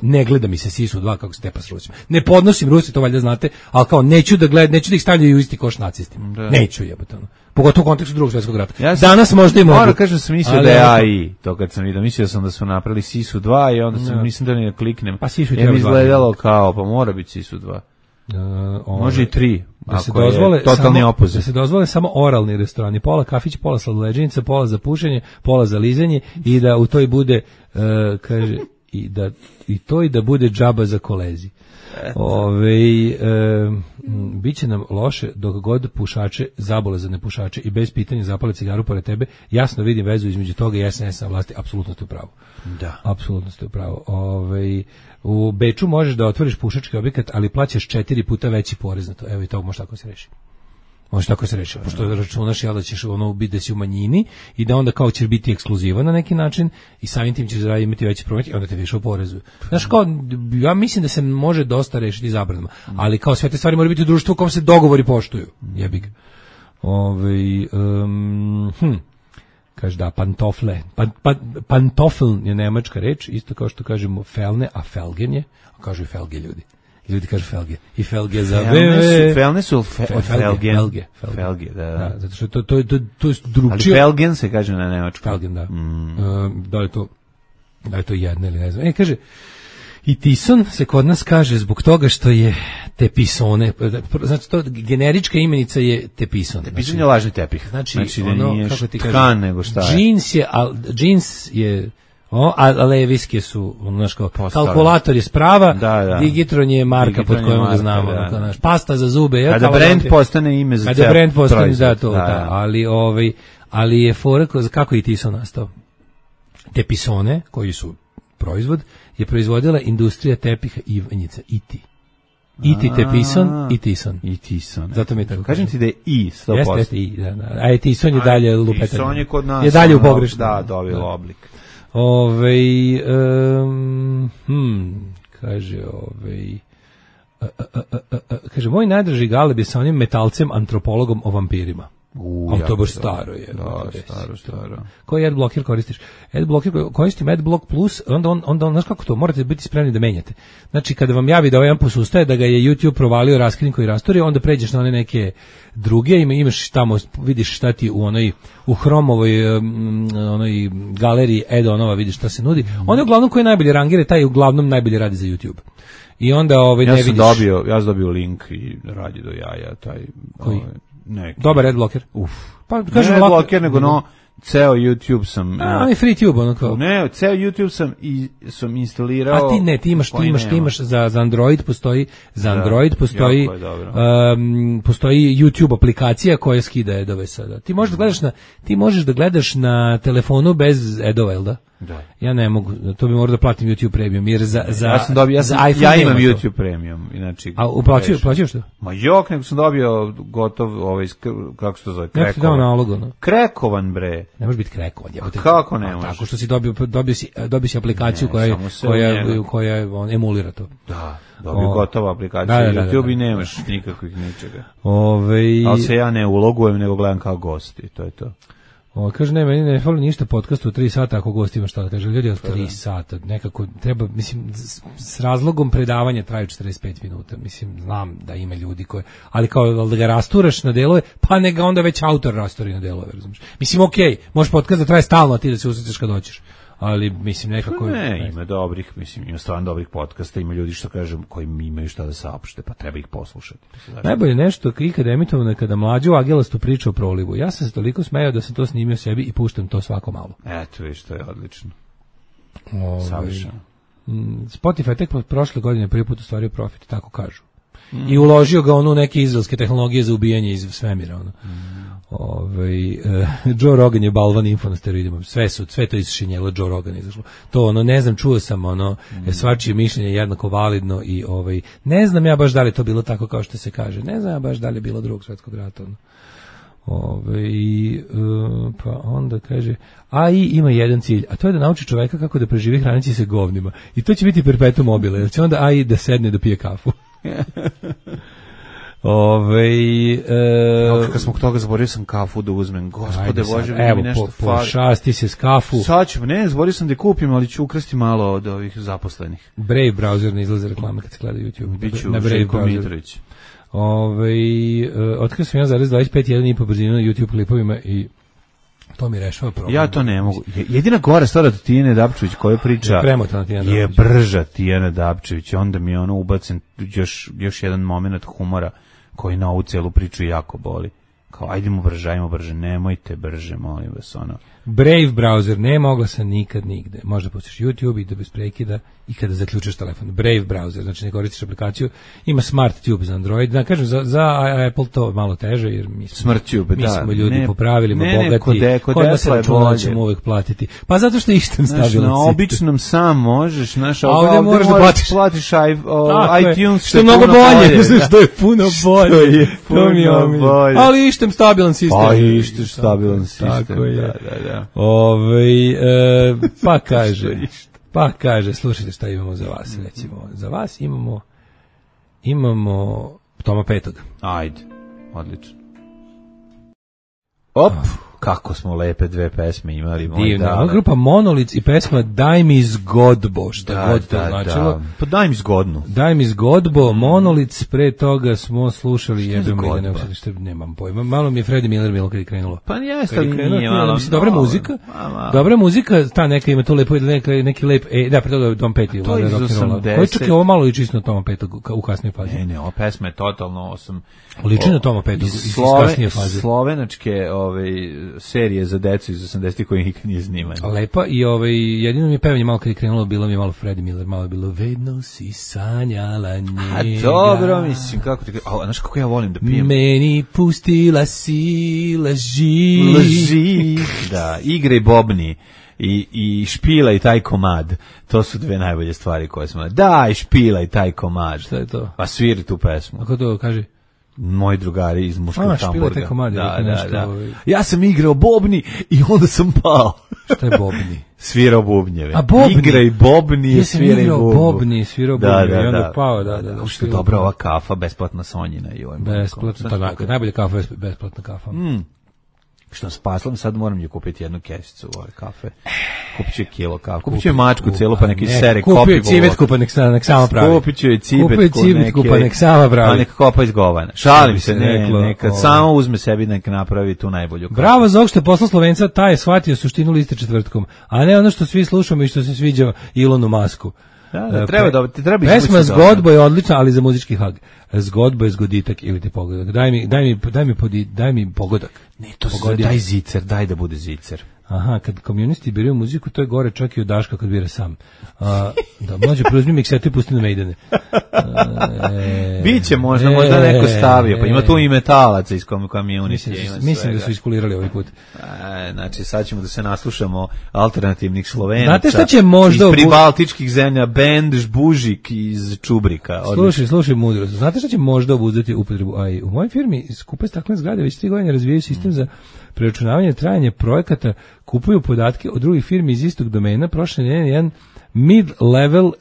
Ne gleda mi se Sisu 2 kako se tepa s Rusima. Ne podnosim Rusi, to valjda znate, ali kao neću da ih stavljaju u isti koš nacistima. Neću jebote, ono. Pogotovo u kontekstu Drugog svjetskog rata. Danas možda i mogu. Moram kažem sam mislio da je AI, to kad sam vidio, mislio sam da su napravili Sisu 2 i onda sam mislim da ne kliknem. Pa Sisu je izgledalo kao, pa mora biti Sisu 2. Može i 3. Da se dozvole totalni opozit. Da se dozvole samo oralni restorani, pola kafić, pola sladoleđenica, pola za pušenje, pola za lizanje i da u toj bude kaže i da bude džaba za kolezi. Biće nam loše dok god pušače zabole za nepušače i bez pitanja zapale cigaru pored tebe. Jasno vidim vezu između toga i SNS na vlasti, apsolutno ste u pravu. Da. Apsolutno ste u pravu. U Beču možeš da otvoriš pušački objekat, ali plaćaš 4 puta veći porez na to. Evo i to može tako se reši. Može tako se reši, pošto računaš da ćeš biti da si u manjini i da onda kao ćeš biti ekskluzivan na neki način i samim tim ćeš imati veći promet i onda te više oporezuju. Znaš, kao, ja mislim da se može dosta rešiti zabranama, ali kao sve te stvari moraju biti u društvu u kom se dogovori poštuju. Jebi ga. Kaže da, pantofle. Pantofl je nemačka reč, isto kao što kažemo felne, a felgen je, a kažu i felge ljudi. Ljudi kažu felge. I felge za felne su felge, da. Zato što to je drugčije. Ali felgen se kaže na nemačkom. Felgen, da. Da je to jedno ili ne znam. Kaže, i tison se kod nas kaže zbog toga što je tepisone. Znači, to generička imenica je tepison. Tepison je lažni tepih. Znači ono, kako ti tkan nego šta je. Džins je a leviske su, znaš kao, kalkulator je sprava, Digitron je marka pod kojom ga znamo, pasta za zube. Kada brand postane ime za kada brand postane, ali je fora, kako je Tison nastao? Tepisone, koji su proizvod, je proizvodila industrija tepiha Ivanjica, IT Tepison i Tison. Zato mi je tako. Kažem ti da je I 100%. Jeste I, da. A je Tison je dalje lupetanje. Tison je kod nas. Je dalje u pogrešno. Da, dobilo oblik. Kaže, moj najdraži Galeb je sa onim metalcem, antropologom o vampirima. To je baš staro je. Staro. Koji adblocker koristiš? Adblocker koristim Adblock Plus, onda znaš kako to, morate biti spremni da menjate. Znači, kada vam javi da ovaj ampus ustaje, da ga je YouTube provalio, raskrinko i rastorio, onda pređeš na one neke druge, imaš tamo, vidiš šta ti u Hromovoj onoj galeriji add-onova, vidiš šta se nudi. On je uglavnom koji najbolje rangire, taj uglavnom najbolje radi za YouTube. I onda ne vidiš. Ja sam dobio link i radi do jaja, taj... Koji? Dobar adblocker. Pa kažem ne adblocker, nego ceo YouTube sam... i FreeTube, ono kao. Ne, ceo YouTube sam instalirao... A ti imaš za Android postoji, postoji YouTube aplikacija koja skida adove sada. Ti možeš da gledaš na telefonu bez adova, jel da? Da. Ja ne mogu, to bi morao da platim YouTube Premium, jer za ja imam YouTube Premium, inače. A plaćaš što? Ma jok, nego sam dobio gotov, kako se to zove, krekovan, bre. Ne može biti krekovan. Kako ne može? Tako što si dobio si aplikaciju koja emulira to. Da. Dobio gotova aplikacija YouTube i nemaš nikakvih ničega. Ali se ja ne ulogujem, nego gledam kao gosti, to je to. Kaže, meni ne fali ništa podcastu u 3 sata ako gost ima šta da kaže. Ljudi, 3 sata, nekako treba, mislim, s razlogom predavanja traju 45 minuta. Mislim, znam da ima ljudi koji, ali kao da ga rasturaš na delove, pa neka onda već autor rasturi na delove, razumiješ. Mislim, okej, možeš podcast da traje stalno, a ti da se usrećeš kad doćeš. Ali mislim nekako ima dobrih, mislim ima stvarno dobrih podcasta, ima ljudi što kažem koji imaju šta da saopšte, pa treba ih poslušati. Najbolje nešto ikad emitovano kada mlađu Agelastu priča o prolivu. Ja sam se toliko smejao da sam to snimio sebi i puštam to svako malo. Eto, viš, to je odlično. Savršeno. Spotify tek prošle godine prvi put ostvario profit, tako kažu. I uložio ga u neke izraelske tehnologije za ubijanje iz svemira. Joe Rogan je balvan info na steroidima. Sve to isšinjelo Joe Rogan izašlo. To ne znam, čuo sam svačije mišljenje jednako validno i ne znam ja baš da li to bilo tako kao što se kaže. Ne znam ja baš da li je bilo Drugog svjetskog rata. Pa onda kaže AI ima jedan cilj, a to je da nauči čoveka kako da preživi hraneći se govnima. I to će biti perpetuum mobile, jer će onda AI da sedne da pije kafu. Kad smo toga zaboravio sam kafu da uzmem. Gospode Bože, evo, mi nešto pošasti se s kafu. Sad ću, zaboravio sam da je kupim, ali ću ukrasti malo od ovih zaposlenih. Brave browser ne izlaze reklame kad se gleda YouTube. Biću Željko Mitrović. Otkrio sam 1,25 brzinu na YouTube klipovima i to mi rešava problem. Ja to ne mogu. Jedina gora stvar od Tijane Dapčević koja priča je brža Tijana Dapčević. Onda mi ubacen još jedan moment humora koji na ovu celu priču jako boli. Kao, ajdemo brže, nemojte brže, molim vas, Brave browser, nema oglasa nikad nigde. Možda pustiš YouTube i da bez prekida i kada zaključaš telefon. Brave browser, znači ne koristiš aplikaciju, ima Smart Tube za Android. Da, kažem, za Apple to malo teže, jer mi smo ljudi po pravilima bogati. Kod nas računat ćemo uvek platiti. Pa zato što ištem stabilan sistem. Na običnom sam možeš, a ovdje moraš da platiš iTunes, što je mnogo bolje. Što je puno bolje. To mi je bolje. Ali ištem stabilan sistem. Pa ištem stabilan sistem. Tako je. Pa kaže, slušajte šta imamo za vas, recimo. Za vas imamo Toma Petog. Ajde, odlično. Op, kako smo lepe dve pesme imali. Divna, grupa Monolic i pesma Daj mi zgodbo, šta god to značilo. Pa daj mi zgodnu. Daj mi zgodbo, Monolic, pre toga smo slušali nemam pojma. Malo mi je Freddie Miller kad je krenulo. Pa jeste, nije malo. Dobra muzika, ta neka ima to lepo, neki lep, da, pre toga Tom Petty. To je iz 80. Koji čak je ovo malo liči na Toma Petog u kasnoj fazi. Ne, ova pesma je totalno liči na Toma Petog iz kasnije faze. Slovenačke serije za decu iz 80-ih koji nikad nije snimano. Lepa i jedino mi je pevanje malo kad je krenulo, bilo mi je malo Freddie Miller, malo je bilo vedno si sanjala njega. A dobro, mislim, kako ti... Znaš kako ja volim da pijem? Meni pustila si laži. Da, igre bobni. I špila i taj komad. To su dve najbolje stvari koje smo... Daj, špila i taj komad. Šta je to? Pa sviri tu pesmu. Ako to kaže? Moji drugari iz muškog Hamburga. Da. Ja sam igrao bobni i onda sam pao. Šta je bobni? Svirao bubnjeve. A bobni? Igraj bobni i sviraj bubnju. Svirao bubnjeve i onda pao. Što je dobra ova kafa, besplatna Sonjina. Besplatna, najbolja kafa je besplatna kafa. Što s paslom, sad moram ju kupiti jednu kesicu ove kafe. Kupit ću kilo kafe. Kupit ću mačku cijelu, pa neki sere kopi. Kupio civetku, pa nek sama pravi. Kupit ću je cibetku, pa nek sama pravi. Pa nek kopa iz govana. Šalim se, neka samo uzme sebi, nek napravi tu najbolju kafu. Bravo za ovog što je poslao Slovenca, taj je shvatio suštinu liste četvrtkom, a ne ono što svi slušamo i što se sviđa Ilonu Masku. Treba pesma Zgodbo je odlična, ali za muzički hag. Zgodbo je zgoditak ili ti pogodak. Daj mi pogodak. Ne, to se daj zicer, daj da bude zicer. Aha, kad komunisti biraju muziku, to je gore čak i od Daška kad bira sam. Da, mlađe, preuzmi miksetu i pusti na Maidene. Biće možda neko stavio, pa ima tu i metalaca iz komunisti. Mislim da su iskulirali ovaj put. Znači, sad ćemo da se naslušamo alternativnih Slovenaca. Znate šta će možda... Iz pribaltičkih zemlja, bend Žbužik iz Čubrika. Slušaj mudrost. Znate šta će možda obuzdati upotrebu AI? U mojoj firmi skupe staklene zgrade već 3 godine razvijaju sistem za preračunavanje trajanja projekata, kupuju podatke od drugih firmi iz istog domena. Prošle nedelje jedan mid-level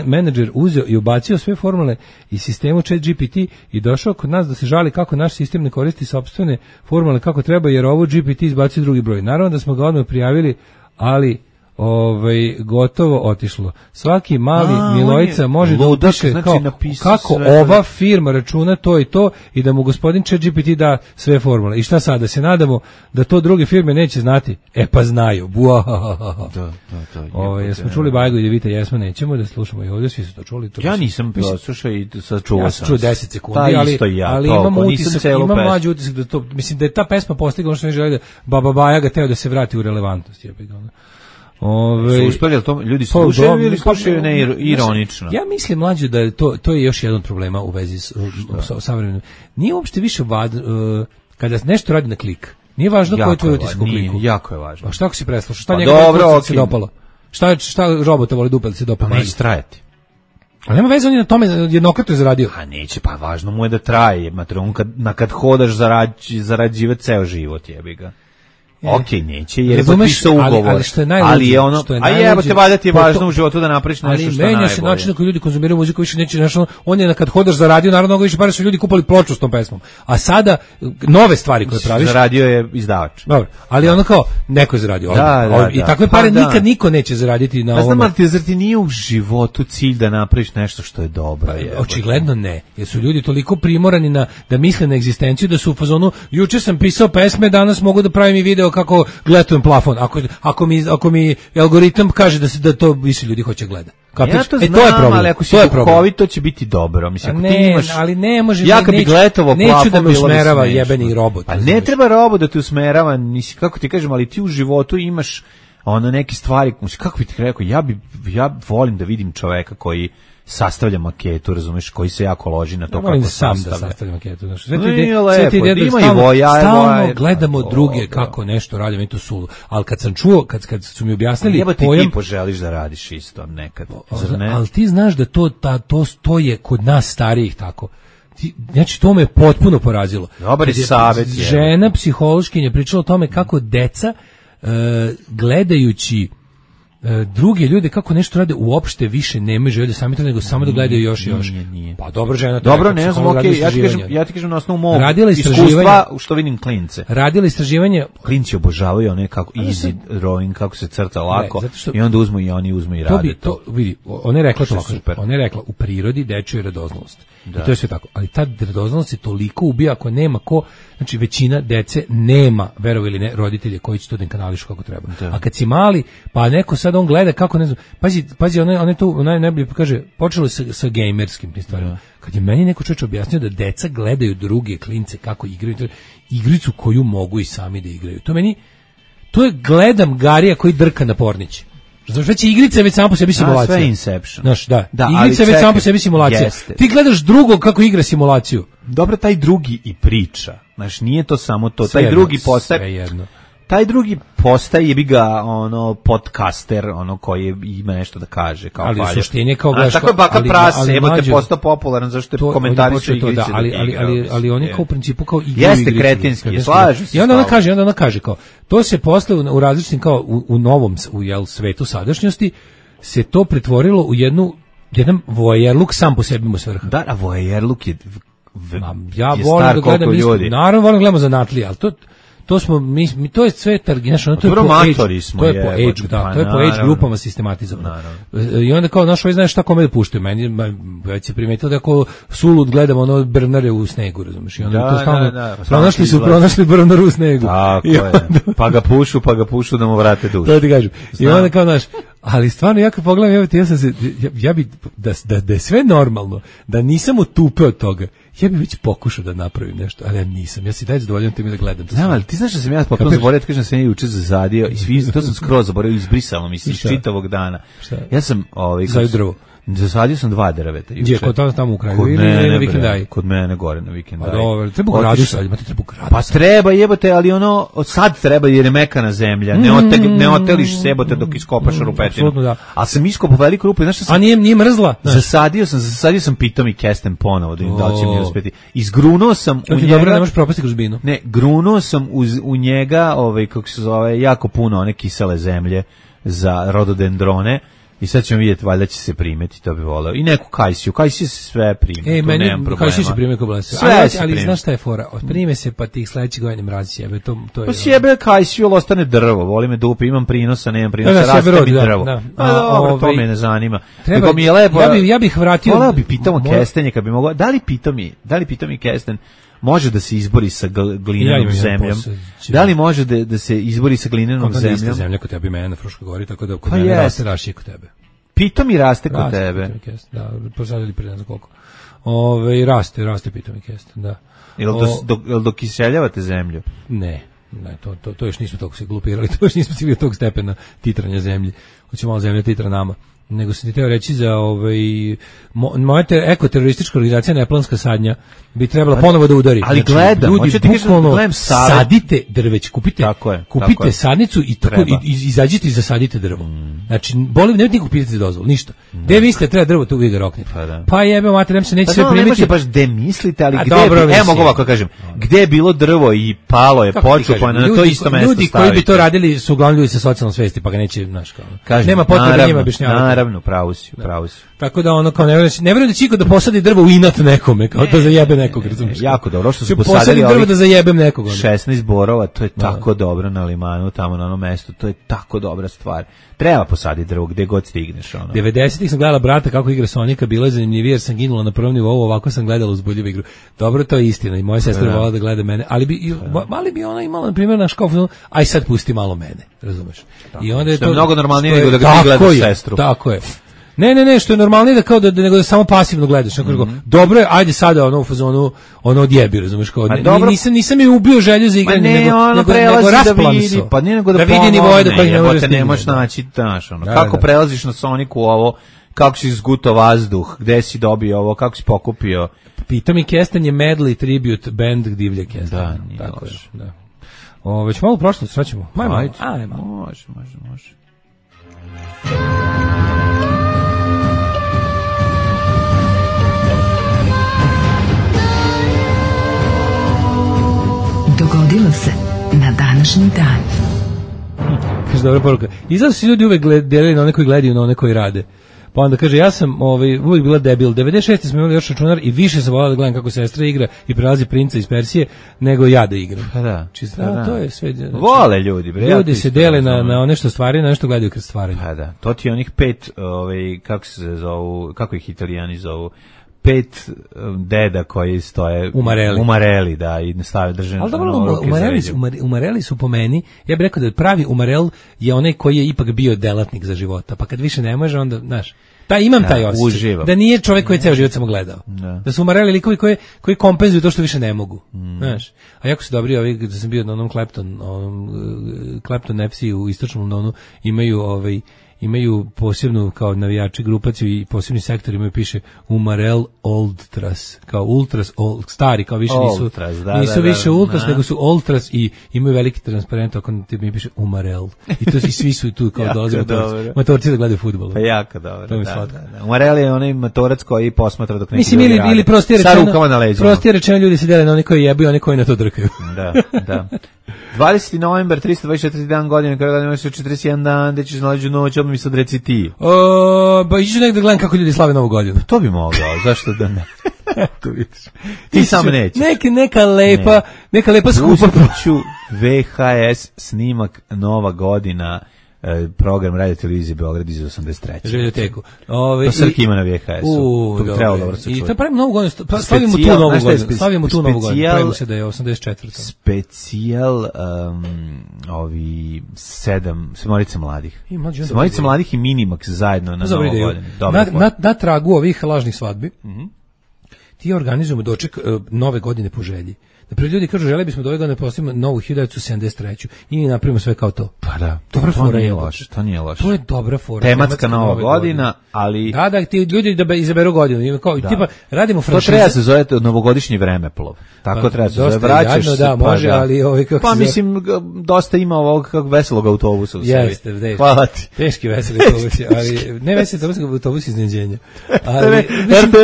menadžer uzeo i ubacio sve formule iz sistemu ChatGPT i došao kod nas da se žali kako naš sistem ne koristi sopstvene formule kako treba, jer ovo GPT izbacio drugi broj. Naravno da smo ga odmah prijavili, ali gotovo otišlo. Svaki mali Milojica može da upiše kako ova firma računa to i to i da mu gospodin ChatGPT da sve formule. I šta sad, da se nadamo da to druge firme neće znati? E pa znaju. Jesmo čuli Bajgo i Devita, jesmo, nećemo da slušamo i ovdje, svi su to čuli. Ja nisam slušao i sad čuo sam. Ja sam čuo 10 sekundi, ali imam utisak, imam mlađi utisak da to, mislim da je ta pesma postigla ono što ne želi da Baba Baja ga teo da se vrati u relevantnost. Su uspeli, to ljudi slušaju ili slušaju ironično? Ja mislim, mlađe, da to je još jedan od problema u vezi s savremenim. Nije uopšte više kada nešto radi na klik, nije važno koji je tvoj utisak u kliku. Jako je važno. A šta ako si preslušao? Šta njega se dopalo? Šta robota voli dupe da se dopalo? Neće trajati. A nema veze, on je na tome jednokratno je zaradio. A neće, pa važno mu je da traje. On kad hodaš zarađivati ceo život, jebi ga. Okej, neće, jer je potpisao ugovor. Ali što je najluđe, ali je ono, a jebote, valjda ti je važno u životu da napraviš nešto što je najbolje. Ali menja se način na koji ljudi konzumiraju muziku, više neće, znači, on je kad hodaš za radio, naravno više pare su ljudi kupali ploču s tom pesmom. A sada, nove stvari koje praviš... Zaradio je izdavač. Dobro, ali ono kao, neko je zaradio. I takve pare nikad niko neće zaraditi na ovome. Znam, ali zar ti nije u životu cilj da napraviš nešto što je dobro? Očigledno ne, jer su ljudi toliko primorani da misle na egzistenciju, da su u fazonu, juče sam pisao pesme, danas mogu da pravim i video kako gletujem plafon. Ako mi algoritam kaže da to više ljudi hoće gleda. Ja to znam, to je problem. Ali ako si duhovit, to će biti dobro. Mislim, ako ti imaš... ali ne može... Ja kad bi gletovao plafon, neću da me usmerava jebeni robot. Pa ne treba robot da te usmerava, kako ti kažem, ali ti u životu imaš neke stvari, kako bi ti rekao, ja volim da vidim čoveka koji sastavlja maketu, razumeš, koji se jako loži na to kako sam da sastavlja maketu. Sve ti ide stalno gledamo druge kako nešto radi, meni to sulu. Ali kad sam čuo, kad su mi objasnili pojam... Ti poželiš da radiš isto nekad, zar ne? Ali ti znaš da to je kod nas starijih tako. Znači, to me potpuno porazilo. Dobar je savjet. Žena psihološkinja pričala o tome kako deca gledajući druge ljude kako nešto rade uopšte više nemaju želje da sami to, nego samo da gledaju još i još. Nije. Pa dobro, žena. Dobro, ne znam, okej, ja ti kažem na osnovu mog iskustva što vidim klince. Radila istraživanje. Klinci obožavaju one kako easy drawing, kako se crta lako, i onda uzmu i rade to. Vidi, ona je rekla to. Ona je rekla, u prirodi dečju je radoznalost. I to je sve tako. Ali ta radoznalost se toliko ubija ako nema ko, znači većina dece nema, verovi ili ne, roditelje koji će to da kanališu kako treba. A kad si mali, pa neko sad on gleda kako, ne znam, pazi, ona je tu najbolje kaže, počelo je sa gamerskim tim stvarima. Kad je meni neko čovjek objasnio da deca gledaju druge klince kako igraju, igricu koju mogu i sami da igraju. To je gledam Garija koji drka na pornić. Znači, već igrica je već samo po sebi simulacija. Sve Inception. Znaš, da igrica je već samo po sebi simulacija. Jeste. Ti gledaš drugog kako igra simulaciju. Dobro, taj drugi i priča. Znaš, nije to samo to. Taj drugi postaje... Taj drugi postaje bi ga podcaster, koji ima nešto da kaže, kao ali u suštini kao gledaš, tako je baka prase, te postao popularan zašto je komentarišu igrice. Ali on je kao u principu kao igra. Jeste kretenski, slažu se. I onda ona kaže kao to se posle u različitim kao u novom svetu sadašnjosti se to pretvorilo u jedan voajerluk sam po sebi mu svrha. Da, a voajerluk je ja volim da gledam isto. Naravno volim da gledamo zanatlije, ali to smo mi to je sve targinašno, to je po age grupama sistematizovano. I onda kao naš znaš šta kome da puštaju, meni već se primetilo da ako sulud gledamo Bernare u snegu, razumiješ, i onda to stalno pronašli Bernaru u snegu. Tako je. Pa ga pušu da mu vrate dušu. To ti kažem. I onda kao naš, ali stvarno ja kad pogledam, ja bi da je sve normalno, da nisam otupe od toga, ja bih već pokušao da napravim nešto, ali ja nisam. Ja si daj zadovoljan time da gledam. Znam, ali ti znaš da sam ja potpuno zaboravio, kažem da sam ja juče zazadio i to sam skroz zaboravio, izbrisalo mi se iz čitavog dana. Ja sam zasadio sam 2 drveta juče. Gdje, kod tamo u kraju ili na vikendaj? Kod mene gore na vikendaj. Pa dobro, treba gradiš sad, imate treba gradiš. Pa treba, jebote, ali sad treba jer je mekana zemlja. Ne oteliš se, jebote, dok iskopaš rupetinu. Apsolutno da. Ali sam iskopao veliku rupu, znaš šta sam... A nije mrzla? Zasadio sam pitom i kesten ponovo, da li će mi uspeti. Izgrunuo sam u njega... Dobro, nemaš propasti kroz binu. Ne, grunuo sam u njega, kako se zove, jako puno one kisele zemlje za rododendrone. I sad ćemo vidjeti, valjda će se primeti, to bi voleo. I neku kajsiju se sve prime, to nemam problema. Kajsiju se prime ko blese. Ali znaš šta je fora? Prime se pa tih sledećih godina mrazi jebe, to je... Pa sjebe kajsiju, ali ostane drvo, voli me dupe, imam prinosa, nemam prinosa, raste mi drvo. Dobro, to me ne zanima. Nego mi je lepo... Ja bih vratio... Voleo bi pitamo kestenje, kad bi mogao... Da li pitami kesten može da se izbori sa glinenom zemljom? Da li može da se izbori sa glinenom zemljom? Kako zemlja kod tebe, mene na Fruškoj gori, tako da kod mene raste rašije kod tebe. Pitomi raste kod tebe. Da, posadili prije ne znam koliko. Raste pitomi kesten, da. Jel dok iseljavate zemlju? Ne, to još nismo toliko se glupirali, to još nismo stigli do tog stepena titranja zemlji. Hoće malo zemlja titra nama. nego sam ti teo reći za moja ekoteroristička organizacija Neplanska sadnja bi trebala ponovo da udari. Ali gledam, ljudi, bukvalno sadite drveć, kupite sadnicu i izađite i zasadite drvo. Znači, nemojte nikog pitati za dozvolu, ništa. Gde mislite treba drvo, tu vi ga roknete. Pa jebe, mater, se neće sve primiti. Ne može baš gde mislite, ali gde mogu ovako kažem, gde je bilo drvo i palo je počupano, na to isto mesto stavite. Ljudi koji bi to radili su uglavnom ljudi sa socijalnom svesti, pa ga neće, znaš, kao. Nema potrebe njima objašnjavati. Naravno, pravo si. Tako da ono kao ne vjerujem da će iko da posadi drvo u inat nekome, kao da zajebe nekog, razumiješ? Jako dobro, što su posadili drvo da zajebem nekog. 16 borova, to je tako dobro na limanu, tamo na onom mestu, to je tako dobra stvar. Treba posaditi drvo gde god stigneš. 90-ih sam gledala brata kako igra Sonika, bilo je zanimljivije jer sam ginula na prvom nivou, ovako sam gledala uzbudljivu igru. Dobro, to je istina i moja sestra volala da gleda mene, ali bi ona imala, na primjer, naš kao film, aj sad pusti malo mene, razumeš? I onda je to mnogo normalnije nego da ga ti gledaš sestru. Tako je. Ne, što je normalnije da kao nego da samo pasivno gledaš, nekako. Dobro je, ajde sada u fazonu odjebi, razumeš, kao nisam je ubio želju za igranje, nego rasplam se. Pa nije nego da vidi nivoje do kojih ne možeš stići. Ne možeš naći, znaš, kako prelaziš na Soniku ovo, kako si izgutao vazduh, gde si dobio ovo, kako si pokupio. Pita mi Kestan je medley tribute band Divlje Kestan. Da, nije loš. Već malo prošlo, šta ćemo? Ajde, može. Dogodilo se na današnji dan. Kaže, dobra poruka. Izgleda su ljudi uvek delili na one koji gledaju, na one koji rade. Pa onda kaže, ja sam uvijek bila debil. 96. smo imali još računar i više sam volala da gledam kako sestra igra i prelazi princa iz Persije, nego ja da igram. Pa da. To je sve. Znači, vole ljudi. Ljudi se dele na one što stvaraju, na nešto gledaju kroz stvaranje. Pa da. To ti je onih 5, kako se zovu, kako ih Italijani zovu, 5 deda koji stoje umareli, da, i stave držene. Ali dobro, umareli su po meni, ja bih rekao da pravi umarel je onaj koji je ipak bio delatnik za života, pa kad više ne može, onda, znaš, imam taj osjećaj. Uživam. Da nije čovjek koji je ceo život samo gledao. Da su umareli likovi koji kompenzuju to što više ne mogu. Znaš, a jako su dobri ovi, da sam bio na onom Clapton FC u istočnom Londonu, imaju posebnu kao navijači grupaciju i posebni sektor imaju, piše Umarel Ultras, kao Ultras stari, kao više nisu više Ultras, nego su Ultras i imaju veliki transparent, ako mi piše Umarel. I to svi su tu kao dolaze motorci da gledaju fudbal. Pa jako dobro. To mi Umarel je onaj motorac koji posmatra dok neki ljudi radi. Ili prostije rečeno ljudi se dele na oni koji jebu i oni koji na to drkaju. Da. 20. novembar, 324 dan godine, kada imaš 41 dan, gde ćeš nalađu noć, odmah mi sad reci ti. Pa iću nekada gledam kako ljudi slave Novu godinu. To bi mogao, zašto da ne? Tu vidiš. Ti sam nećeš. Neka lepa skupa. Ću VHS snimak Nova godina, program Radio Televizije Beograd iz 83. Željoteku. To Srki ima na VHS-u. To bi trebalo dobro se čuti. I to pravimo Novu godinu. Slavimo tu Novu godinu. Pravimo se da je 84. Specijal Sedmorica mladih. Sedmorica mladih i Minimax zajedno na Novu godinu. Na tragu ovih lažnih svadbi ti organizujemo doček Nove godine po želji. Naprijed ljudi kažu, žele bismo da ove godine postavimo novu 1973. I mi napravimo sve kao to. Pa da, to nije loše. To je dobra fora. Tematska Nova godina, ali... Da, ti ljudi da izaberu godinu. Tipa, radimo franšize. To treba se zove novogodišnji vremeplov. Tako treba se zove. Vraćaš se. Da, može, ali... Pa mislim, dosta ima ovog veselog autobusa u sebi. Jeste, hvala ti. Teški veseli autobusi, ali ne veseli autobusi iznenađenja.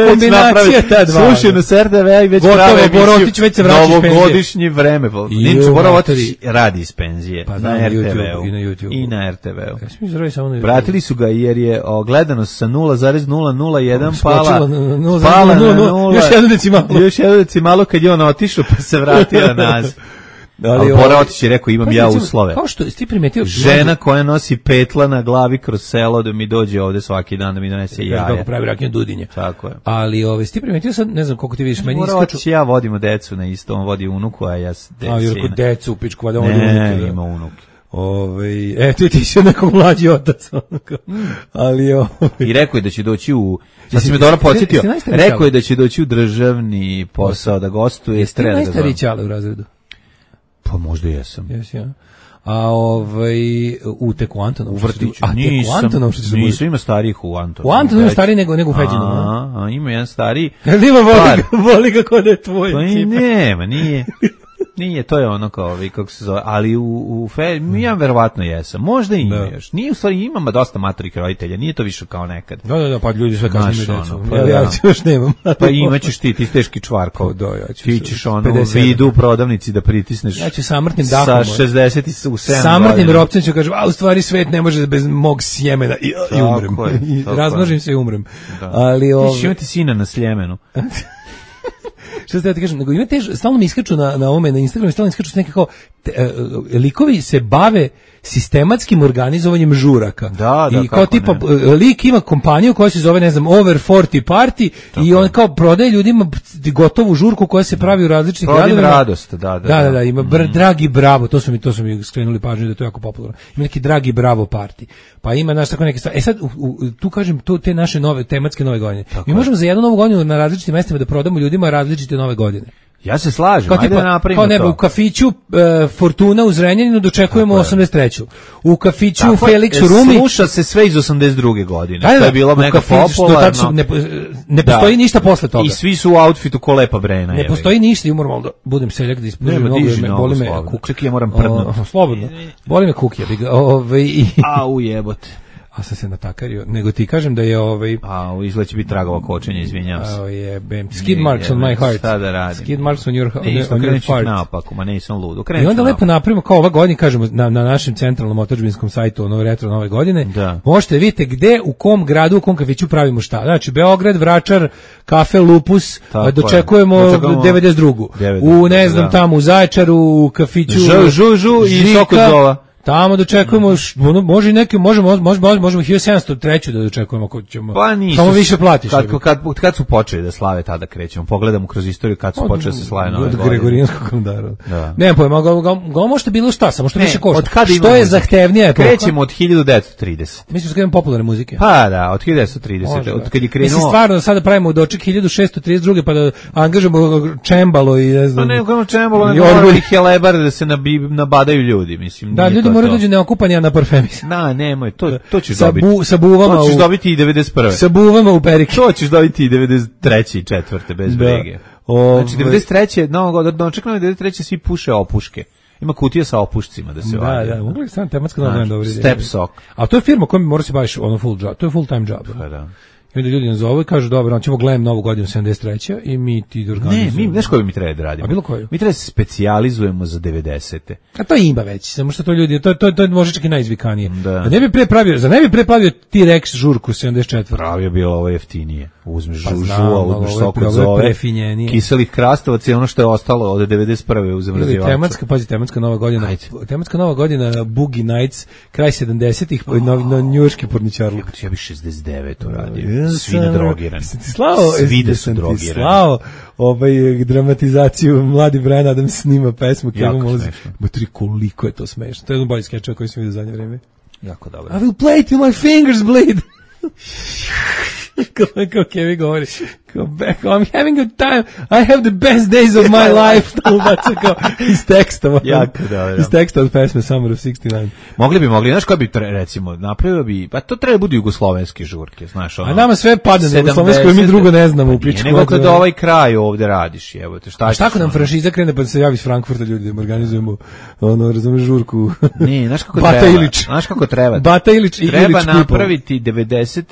Kombinacija ta dva. Slušaj, na SRDV i već prave emisiju. Novogodišnji vreme. Ninču Borov otići radi iz penzije. Pa na RTV-u. I na RTV-u. Vratili su ga jer je gledanost sa 0,001 pala na 0. Još jednu decimalu kad je on otišao pa se vratio nazad. Ali Bora otići rekao, imam ja uslove. Kao što ti primetio... Žena koja nosi petla na glavi kroz selo da mi dođe ovde svaki dan da mi donese jaja. Kako pravi raknje Dudinje. Tako je. Ali ti primetio sad, ne znam koliko ti vidiš, meni iskaču... Bora otići, ja vodimo decu na isto, on vodi unuku, a ja sina. Jer kod decu u pičku, valjda vodi unuku. Ne, ima unuke. Ti si neko mlađi otac. Ali I rekao je da će doći ja sam me dobro podsjetio, rekao je da će doći u državni posao da gostuje. Jesi ti najstariji ćale u razredu? Pa možda jesam. Jesi, ja. u teku Antonov. U vrtiću. A teku Antonov što nisu, ima starijih u Antonov. U Antonov ima stariji nego u Feđinu. Ima jedan stariji. Voli ga kod je tvoj. Pa nema, nije. Nije, to je ono kao, kako se zove, ali ja verovatno jesam. Možda i ima još. Nije, u stvari, imamo dosta maturih roditelja, nije to više kao nekad. Da, pa ljudi sve kasnije decu. Pa, ja još nemam. Pa imaćeš ti teški čvarkov. Ti ćeš vidu u prodavnici da pritisneš. Ja ću samrtnim dahom. Sa 60 u 7 samrtnim ropcem ću kažem, u stvari svet ne može bez mog sjemena i umrem. Razmnožim se i umrem. Ali ti ćeš imati sina na Sljemenu. Što ste da ti kažem, nego imate, stalno mi iskaču na ovome, na Instagramu, stalno iskaču neke kao, likovi se bave sistematskim organizovanjem žuraka. Da, i kao tipa, lik ima kompaniju koja se zove, ne znam, Over 40 Party i on kao prodaje ljudima gotovu žurku koja se pravi u različitih gradovima. Radost, da, ima Dragi Bravo, to su mi skrenuli pažnju da je to jako popularno. Ima neki Dragi Bravo Party. Pa ima naš tako neke stvari. Sad, tu kažem, te naše tematske nove godine. Mi možemo za jednu novu godinu na različitim mestima da prodamo ljudima različite nove godine. Ja se slažem, ajde da napravimo to. U kafiću Fortuna u Zrenjaninu dočekujemo 83. U kafiću Felix u Rumi. Sluša se sve iz 82. godine. To je bilo mega popularno. Ne postoji ništa posle toga. I svi su u outfitu ko Lepa Brena. Ne postoji ništa, i moram da budem seljak da ispužim boli me kuk. Čekaj, ja moram prdnuti. Slobodno. Boli me kuk, Au jebote. A sam se natakario, nego ti kažem da je izgleda će biti tragova kočenja, izvinjam se. Skid marks on my heart. Šta da radim? Skid marks on your heart. Naopako, ma nisam lud. I onda lepo napravimo kao ove godine, kažemo, na našem centralnom otadžbinskom sajtu, retro nove godine, možete vidjeti gde, u kom gradu, u kom kafiću pravimo šta. Znači, Beograd, Vračar, kafe Lupus, dočekujemo 92. U, ne znam, tamo u Zaječaru, u kafiću Žu i Sokozova. Tamo dočekujemo, može i neke, možemo 1703 da dočekujemo ako ćemo. Pa nisu. Samo više platiš. Kad su počeli da slave, tada krećemo. Pogledamo kroz istoriju kad su počeli da se slave nove godine. Od Gregorijanskog kalendara. Nemam pojma, ga možete bilo šta, samo što više košta. Što je zahtevnija epoha? Krećemo od 1930. Mislim da imamo popularne muzike. Pa da, od 1930. Od kad je krenuo. Mislim stvarno da sada pravimo doček 1632. pa da angažujemo čembalo i ne znam. Pa ne, kao čembalo, ne helebar da se nabadaju ljudi, mislim. Da, ljudi moraju dođu neokupani, a na parfemis. Nemoj, to ćeš dobiti. Sa buvama to ćeš dobiti i 91. Sa buvama u perike. To ćeš dobiti i 93. i 4. bez brige. Znači, 93. Dočekano je 93. svi puše opuške. Ima kutija sa opušcima da se vadi. Da, mogli sam tematska novina dobro ide. Step Sok. A to je firma kojom mora se baviš full job. To je full time job. Da. I onda ljudi nazovu i kažu, dobro, on ćemo gledam novu godinu 73. i mi ti organizujemo. Ne, znaš koju mi treba da radimo? A bilo koju? Mi treba se specijalizujemo za 90. A to ima već, samo što to ljudi, to je može čak i najizvikanije. Da. Ne bi pre pravio T-Rex žurku 74. Pravio bilo ovo jeftinije. Uzmeš uzmeš sok od zove, kiselih krastavaca i ono što je ostalo od 91. u zamrzivaču. Tematska nova godina. Tematska nova godina, Boogie Nights, kraj 70-ih, na njujorški porničarluk. Ja bi 69 uradio. Svi nadrogirani. Svi da su drogirani. Slao dramatizaciju, mladi Brian Adams snima pesmu. Jako smešno. Matri, koliko je to smešno. To je jedan bolji skečeva koji sam vidio zadnje vreme. Jako dobro. I will play till my fingers bleed. Kao Kevin govori, I'm having a time, I have the best days of my life. Iz teksta. Jako dobro. Iz teksta od pesme Summer of 69. Mogli, znaš koja bi, recimo, napravio bi, pa to treba budu jugoslovenske žurke, znaš ono. A nama sve padne na jugoslovensko, mi drugo ne znamo u pičku. Nego kad ovaj kraj ovde radiš, evo te, šta ćeš? Šta ako nam franšiza krene pa se javi iz Frankfurta ljudi, da organizujemo, razumeš, žurku. Ne, znaš kako treba. Bata Ilić i Ilić treba napraviti 94,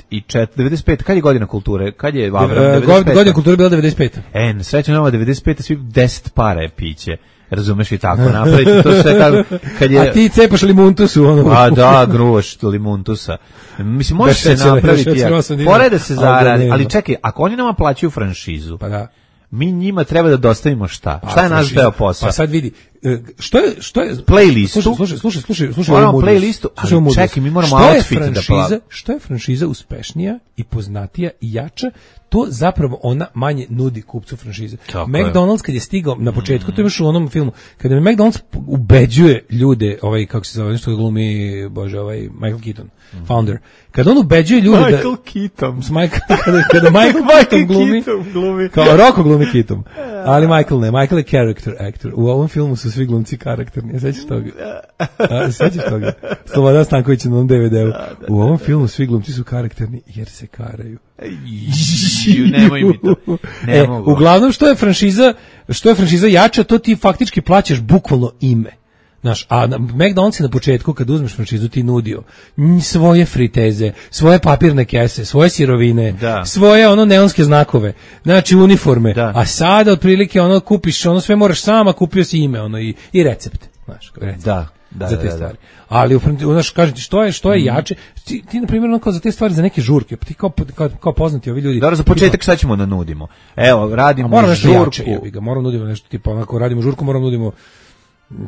95, kad je godina kulture, kad je Avram, godina kulture bila 95. Srećno nova 95, svi 10 para je piće. Razumeš i tako napraviti to sve kad je. A ti cepaš limuntusu ono. A da, gruvaš limuntusa. Mislim može se napraviti. Pored da se zaradi, ali čekaj, ako oni nama plaćaju franšizu. Pa da. Mi njima treba da dostavimo šta? Šta je naš deo posla? Pa sad vidi, što je playlistu? Slušaj, moramo playlistu, ali čekaj, mi moramo outfit da plavimo. Što je franšiza uspešnija i poznatija i jača, to zapravo ona manje nudi kupcu franšize. McDonald's kad je stigao na početku, to imaš u onom filmu, kada me McDonald's ubeđuje ljude, kako se zove, nešto glumi, Michael Keaton, founder. Kada on ubeđuje ljude Michael Keaton. Kada Michael Keaton glumi, kao Rocco glumi Keaton. Ali Michael ne, Michael je character actor. U ovom filmu su svi glumci karakterni. Sećaš toga? Sećaš toga? Slobodan Stanković na onom DVD-u. U ovom filmu svi glumci su karakterni jer se karaju. Nemoj mi to. Ne mogu. Uglavnom što je franšiza jača, to ti faktički plaćaš bukvalno ime. Znaš, a McDonald's je na početku kad uzmeš franšizu ti nudio svoje friteze, svoje papirne kese, svoje sirovine, svoje neonske znakove, znači uniforme, a sada otprilike kupiš, sve moraš sama, kupio si ime, i recept, znaš, recept. Za te stvari. Ali kažem ti što je jače, ti na primjer za te stvari, za neke žurke, ti kao poznati ovi ljudi. Dobro, za početak šta ćemo da nudimo? Evo, radimo žurku. Moramo nudimo nešto tipa, ako radimo žurku, moramo nudimo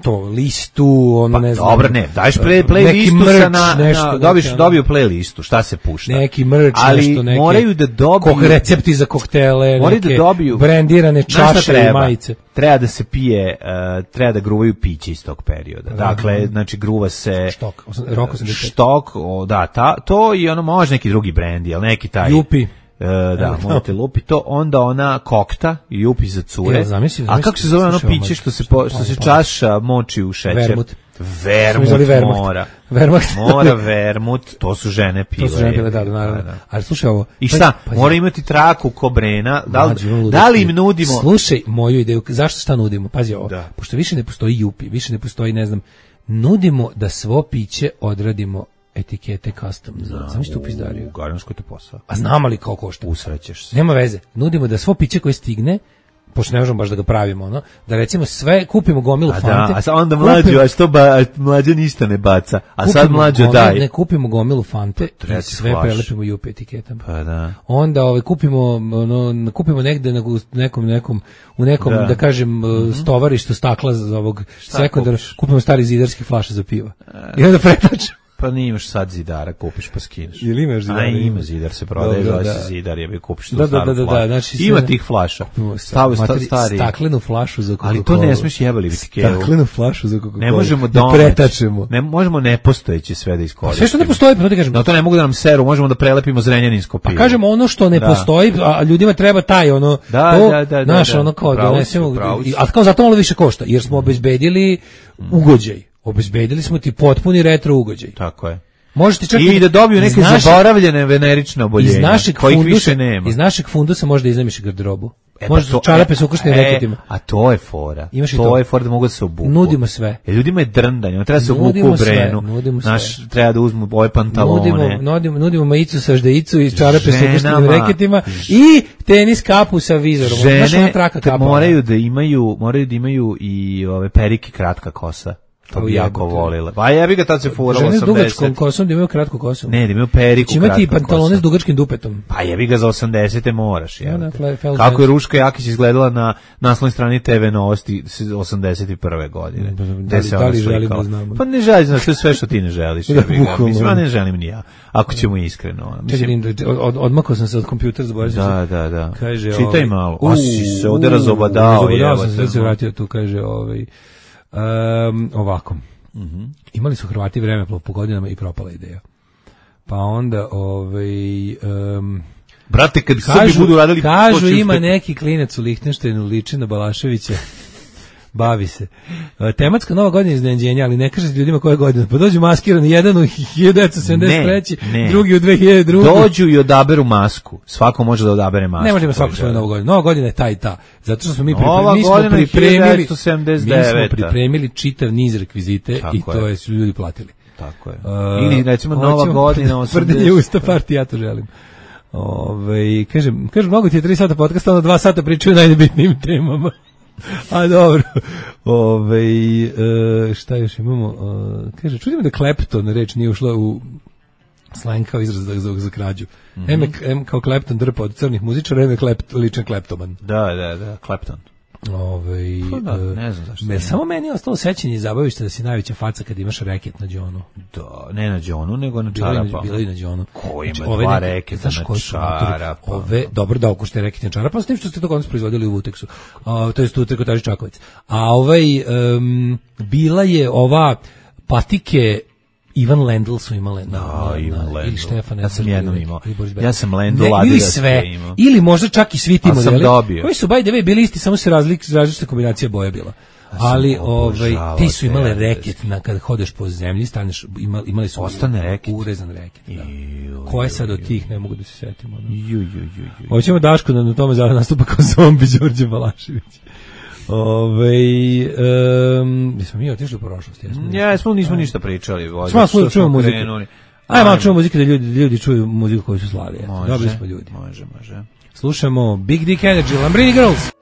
to listu, ne znam. Dobro, ne, daješ playlistu dobiju playlistu, šta se pušta. Neki merch, nešto, neki. Moraju da dobiju recepti za koktele, neke brendirane čaše i majice. Treba da se pije, treba da gruvaju piće iz tog perioda. Dakle, znači gruva se štok, to i može neki drugi brendi, ali neki taj Jupi. Morate lupi to, onda ona kokta i jupi za cure. A kako se zove ono piće što se čaša moči u šećer? Vermut mora. Mora vermut, to su žene pile. To su žene pile, naravno. Ali slušaj ovo. I šta? Mora imati traku ko Brena. Da li im nudimo? Slušaj moju ideju. Zašto šta nudimo? Pazi ovo. Pošto više ne postoji jupi, više ne postoji, ne znam, nudimo da svo piće odradimo etikete custom. Znam što u pizdariju. Garansko je to posao. A znam li kao košta? Usrećeš se. Nema veze. Nudimo da svo piće koje stigne, pošto ne možemo baš da ga pravimo, da recimo sve, kupimo gomilu Fante. A onda mlađa ništa ne baca. A sad mlađa daj. Ne kupimo gomilu Fante i sve prelepimo jupe etiketama. Pa da. Onda kupimo negde u nekom da kažem stovarištu stakla za ovog sekundara, kupimo stari zidarski flaše za piva. I onda pretačemo. Pa nimaš sad zidara, kupiš pa skineš. Ili imaš zidara? Ima zidar, se prodaje, zove se zidar, kupiš tu staru flašu. Znači ima tih flaša. Stari. Staklenu flašu za Coca-Cola. Ali to ne smiješ jebali biti kevu. Staklenu flašu za Coca-Cola. Ne možemo da pretačemo. Ne možemo nepostojeće sve da iskoristimo. Sve što ne postoji, pa to ti kažem. No to ne mogu da nam seru, možemo da prelepimo zrenjaninsko pivo. Pa kažemo ono što ne postoji, a ljudima treba taj naš kao donesemo. A kao zato malo više košta, jer smo obezbedili ugođaj. Obezbedili smo ti potpuni retro ugođaj. Tako je. Možete čak i da dobiju neke zaboravljene venerične oboljenja, kojih više nema. Iz našeg fundusa možda iznajmiš garderobu. Možda čarape sa ukrštenim reketima. A to je fora. To je fora da mogu da se obuku. Nudimo sve. Ljudima je drndanje, treba se obuku u Brenu. Treba da uzmu ove pantalone. Nudimo majicu sa ždejicu i čarape sa ukrštenim reketima i tenis kapu sa vizorom. Žene moraju da imaju i ove perike kratka kosa. To bi jako volila. Pa ja bih ga tad se furalo 80. Žene s dugačkom kosom da imaju kratku kosu. Ne, da imaju periku kratku kosu. Imati i pantalone s dugačkim dupetom. Pa ja bih ga za 80. moraš. Kako je Ruška Jakić izgledala na naslovnoj strani TV Novosti 81. godine. Da li želim da znamo? Pa ne želim, znaš, to je sve što ti ne želiš. Mislim, ne želim ni ja. Ako ćemo iskreno. Odmakao sam se od kompjutera, zaboravio sam se. Da. Čitaj malo. A si se ovde razobadao. Razobadao sam se vratio tu, kaže ovako. Imali su Hrvati vremeplov po godinama i propala ideja. Pa onda brate, kad Srbi budu radili, kažu ima neki klinec u Lihtenštajnu, liči na Balaševića. Bavi se. Tematska nova godina iznenađenja, ali ne kažete ljudima koje godine. Pa dođu maskirani, jedan u 1973, drugi u 2002. Dođu i odaberu masku. Svako može da odabere masku. Ne možemo svako svoju novu godinu. Nova godina je ta i ta. Zato što smo mi pripremili čitav niz rekvizite i to su ljudi platili. Tako je. Ili recimo nova godina. Tvrdenje usta partije, ja to želim. Kažem, mnogo ti je 3 sata podcasta, onda 2 sata pričaju o najnebitnijim temama. A dobro. Šta još imamo? Kaže, čudimo da Clapton reč nije ušla u slang kao izraz za krađu. M kao Clapton drpa od crnih muzičara, M je ličan Claptoman. Da, Clapton. Ne znam zašto. Samo meni je ostalo sećanje i zabavište da si najveća faca kad imaš reket na džonu. Da, ne na džonu, nego na čarapa. Bilo i na džonu. Ko ima dva reketa na čarapa? Dobro da okušte reket na čarapa, s tim što ste to konc proizvodili u Vuteksu. To je tu Trikotaži Čakovec. A bila je ova patike Ivan Lendl su imale ili Štefan. Ja sam jednom imao. Ja sam Lendl ili sve, ili možda čak i svi ti modeli. Koji su by the way bili isti, samo se različita kombinacija boja bila. Ali ti su imale reket kad hodeš po zemlji, staneš, imali su ostane reket, urezan reket. Da. Ko je sad od tih, ne mogu da se setimo. Hoćemo Daško da na tome nastupa kao zombi Đorđe Balašević. Nismo mi otišli u prošlost. Nismo ništa pričali. Smo čujemo muziku. Ajde malo čujemo muziku da ljudi čuju muziku koju su slali. Dobri smo ljudi. Može. Slušamo Big Dick Energy, Lambrini Girls.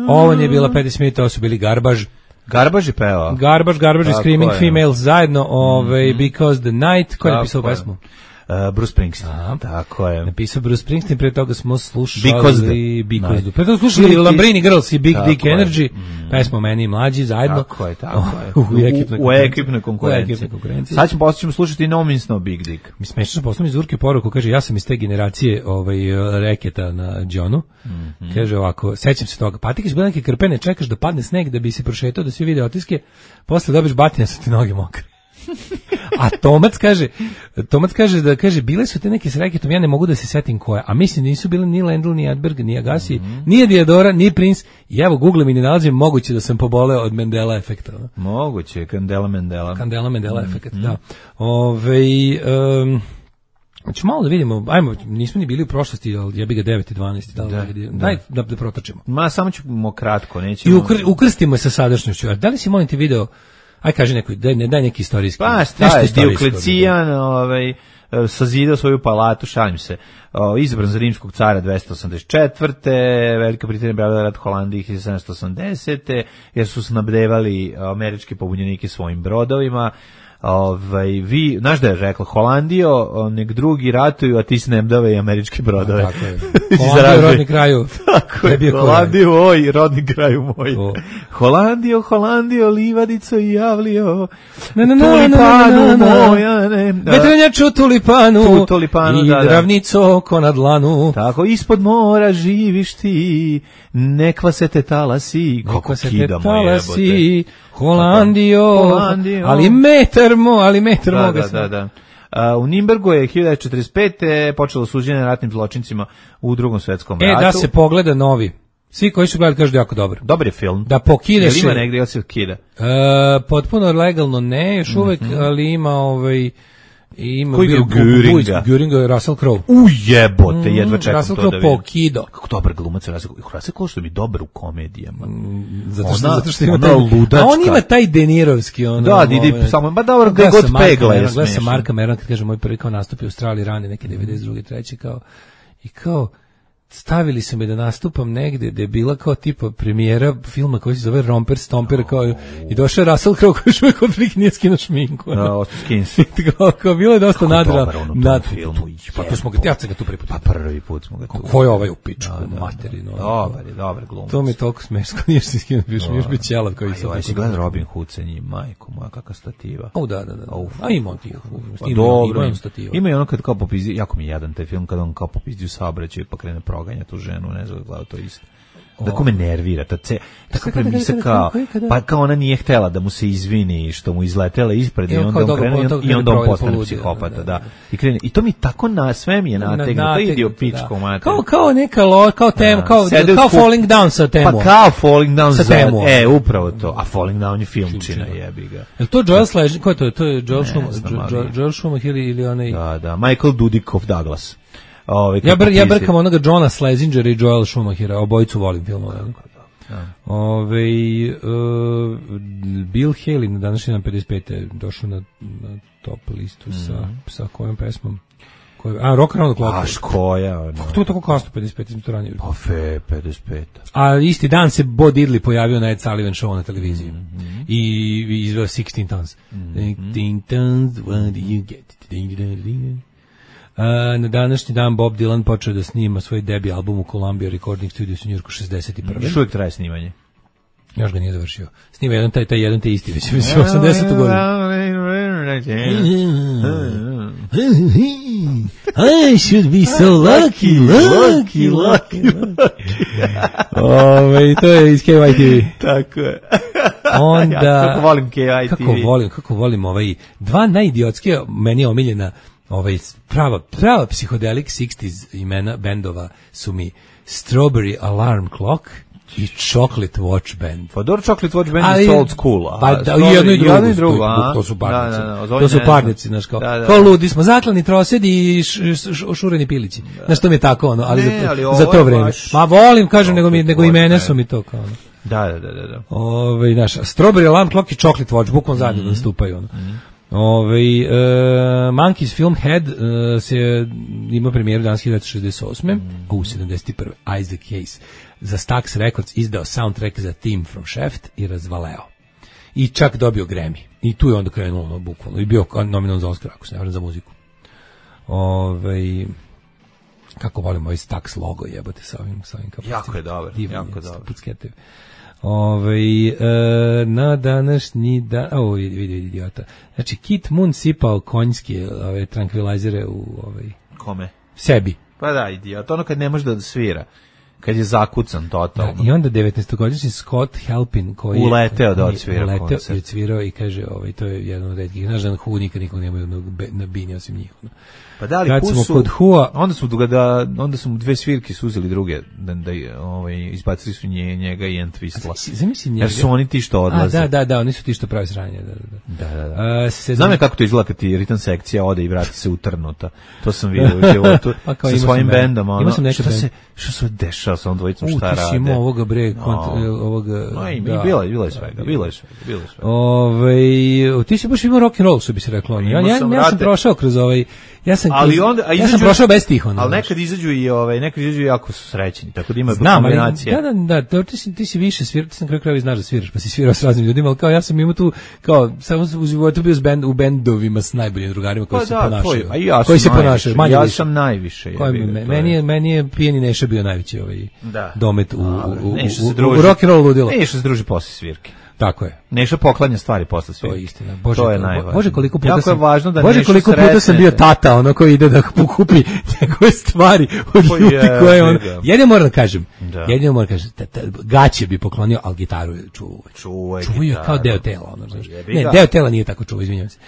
Ovo nije bila Patti Smith, ovo su bili Garbage. Garbage je pevao. Garbage i Screaming Females zajedno, Because the Night. Ko je napisao pesmu? Bruce Springsteen. Tako je. Napisao Bruce Springsteen, pre toga smo slušali Pre toga slušali Lambrini Girls i Big Dick Energy. Pesmo Meni i mlađi zajedno. Tako je. U ekipnoj konkurenciji. Sad ćemo slušati No Means No Big Dick. Mi smešno poslom iz Urke poruku, kaže ja sam iz te generacije reketa na Johnu. Kaže ovako, sećam se toga. Pa ti kad bila neke krpene, čekaš da padne sneg da bi se prošetao, da svi vide otiske, posle dobiš batine, su ti noge mokre. A Tomac kaže da bile su te neke s reketom, ja ne mogu da se setim koje, a mislim nisu bile ni Lendl, ni Edberg, ni Agassi, ni Diadora, ni Prince, i evo googlam i ne nalazim, moguće da sam poboleo od Mandela efekta. Moguće, Candela Mandela efekt, da. Znači malo da vidimo, ajmo, nismo ni bili u prošlosti, ali ja bi ga 9 i 12, daj da protočimo. Ma, samo ćemo kratko, nećemo. I ukrstimo se sa sadašnjošću. Da li si molim ti video, aj kaži neko, daj neki istorijski. Pa šta je, Dioklecijan sazidao svoju palatu, šalim se, izabran za rimskog cara 284. Velika Britanija branila rat Holandiji 1780. jer su snabdevali američke pobunjenike svojim brodovima. Vi, znaš da je rekla, Holandijo, nek drugi ratuju, a ti snabdeve i američke brodove. Tako je. Holandijo, rodni kraju. Tako je, Holandijo, oj, rodni kraju moj. Holandijo, livadico i javlio, tulipanu moja, ne. Vetrenjaču tulipanu, i ravnico oko na dlanu. Tako, ispod mora živiš ti, nekva se te talasi, kako kidamo jebote. Holandijo, ali metar moga sam. Da. U Nimbergu je 1945. počelo suđenje ratnim zločincima u Drugom svetskom ratu. Da se pogleda novi. Svi koji su gledali kažu da je jako dobar. Dobar je film. Da pokideš. Ima negdje, jel se kida? Potpuno legalno ne, još uvek, ali ima ima koji je Göringa, Russell Crowe. Jebote, jedva čekam Russell to da vidim. Pokido. Kako dobar glumac Russell Crowe, što mi dobar u komedijama. Zato što ima taj ludačka. A on ima taj denirovski samo ba dobro ga god pegla je. Gleda sam Marka Meron kad kaže moj prvi kao nastup u Australiji rane neke 92. 3. kao stavili su me da nastupam negde da je bila kao tipa premijera filma koji se zove Romper Stomper i došao je Russell Crowe koji je kod prilike nije skinuo šminku. Skins. Kao bilo je dosta nadra nad filmu. Pa to smo ga tu prvi put. Pa prvi put smo ga tu. Ko je ovaj u pičku materinu? Dobar glumac. To mi je toliko smešno, nije se skinuo, još bi ćelav koji se. Aj si gleda Robin Hood sa njim, majko moja, kakva stativa. Da. A ima on tih. Ima i ono kad kao popizdi, jako mi je jadan taj film, kad on kao popizdi u saobraćaju pa krene proganja tu ženu, ne znam gledao to isto. Tako me nervira, tako premisa kao, pa kao ona nije htjela da mu se izvini što mu izletela ispred i onda on krene i onda on postane psihopata, da. I to mi tako sve mi je nategno, to ide u pičku mater. Kao neka kao tema, kao Falling Down sa temom. Pa kao Falling Down sa temom. Upravo to, a Falling Down je filmčina, jebi ga. Je to Joel Sledge, ko je to? To je Joel Schumacher ili onaj? Da, Michael Dudikoff Douglas. Ja brkam onoga Johna Schlesingera i Joela Schumachera, obojicu volim filmove. Bill Haley na današnji dan 55. došao na top listu sa kojom pesmom? Rock Around the Clock. Koja? Kako to tako kasno 55. to ranije? Pa 55. A isti dan se Bo Diddley pojavio na Ed Sullivan show na televiziji. I izveo 16 Tons. 16 Tons, what do you get? Na današnji dan Bob Dylan počeo da snima svoj debi album u Columbia Recording Studios u Njujorku 61. Još uvijek traje snimanje. Još ga nije završio. Snima taj jedan te isti, već 80. godinu. I should be so lucky. To je iz KYTV. Tako je. Onda, ja, kako volim KYTV. Kako volim dva najidiotskije, meni je omiljena prava psihodelik 60s imena bendova su mi Strawberry Alarm Clock i Chocolate Watch Band. Pa dobro, Chocolate Watch Band je old school. Pa da, i jedno i drugo. To su parnici. To su parnici, znaš, kao ludi smo, zaklani trosedi i šureni pilići. Znaš, to mi je tako, ali za to vreme. Ma volim, kažem, nego imene su mi to kao. Da. Znaš, Strawberry Alarm Clock i Chocolate Watch, bukvalno zajedno nastupaju. Monkeys film Head ima premijeru danas 1968. U 71. Isaac Hayes za Stax Records izdao soundtrack za Theme from Shaft i razvaleo. I čak dobio Grammy. I tu je onda krenulo bukvalno. I bio nominovan za Oscar, ako se ne varam, za muziku. Kako volim ovaj Stax logo, jebote sa ovim jako je dobar. Jako dobar. Pucketovi. Na današnji dan, vidi idiota. Znači, Kit Moon sipao konjske tranquilizere u Kome? Sebi. Pa da, idiot. Ono kad ne može da svira. Kad je zakucan totalno. Da, i onda 19-godišnji Scott Halpin koji uleteo da odsvira koncert. I cvirao i kaže, to je jedan od retkih. Znaš da Who nikog nemaju na bini osim njih. Pa da li kad smo kod Who-a, onda su mu dve svirke suzeli druge da izbacili su njega i Entwistla. Zamisli njega. Jer su oni ti što odlaze. Da, oni su ti što pravi sranje. Da. Znam je kako to izgleda kad ti ritam sekcija ode i vrati se utrnuta. To sam vidio u životu sa svojim bendom. Što se dešava sa ovom dvojicom, šta rade. Ti si imao ovoga bre, bilo je svega. Ti si baš imao rock'n'roll, što bi se reklo. Ja sam prošao kroz ja sam prošao bez tih onda. Ali nekad izađu i jako su srećni, tako da ima kombinacija. Da, ti si više svirao, ti sam kraju krajeva znaš da sviraš, pa si svirao s raznim ljudima, ali kao ja sam imao tu, kao, samo u životu bio u bendovima s najboljim drugarima koji se ponašaju. Koji se ponašaju, manje više. Ja sam najviše. Meni je Pijeni Neša bio najveći domet u rock'n'roll ludilo. Neša se druži posle svirke. Tako je. Neša poklanja stvari posle svirke. To je istina. To je najvažnije. Bože, koliko puta jako sam, je važno da Bože, koliko puta sam bio tata, koji ide da pokupi njegove stvari od ljudi koje on. Jedino moram da kažem, gaće bi poklonio, al gitaru je čuvao kao deo tela, znaš. Ne, deo tela nije tako čuvao, izvinjavam se.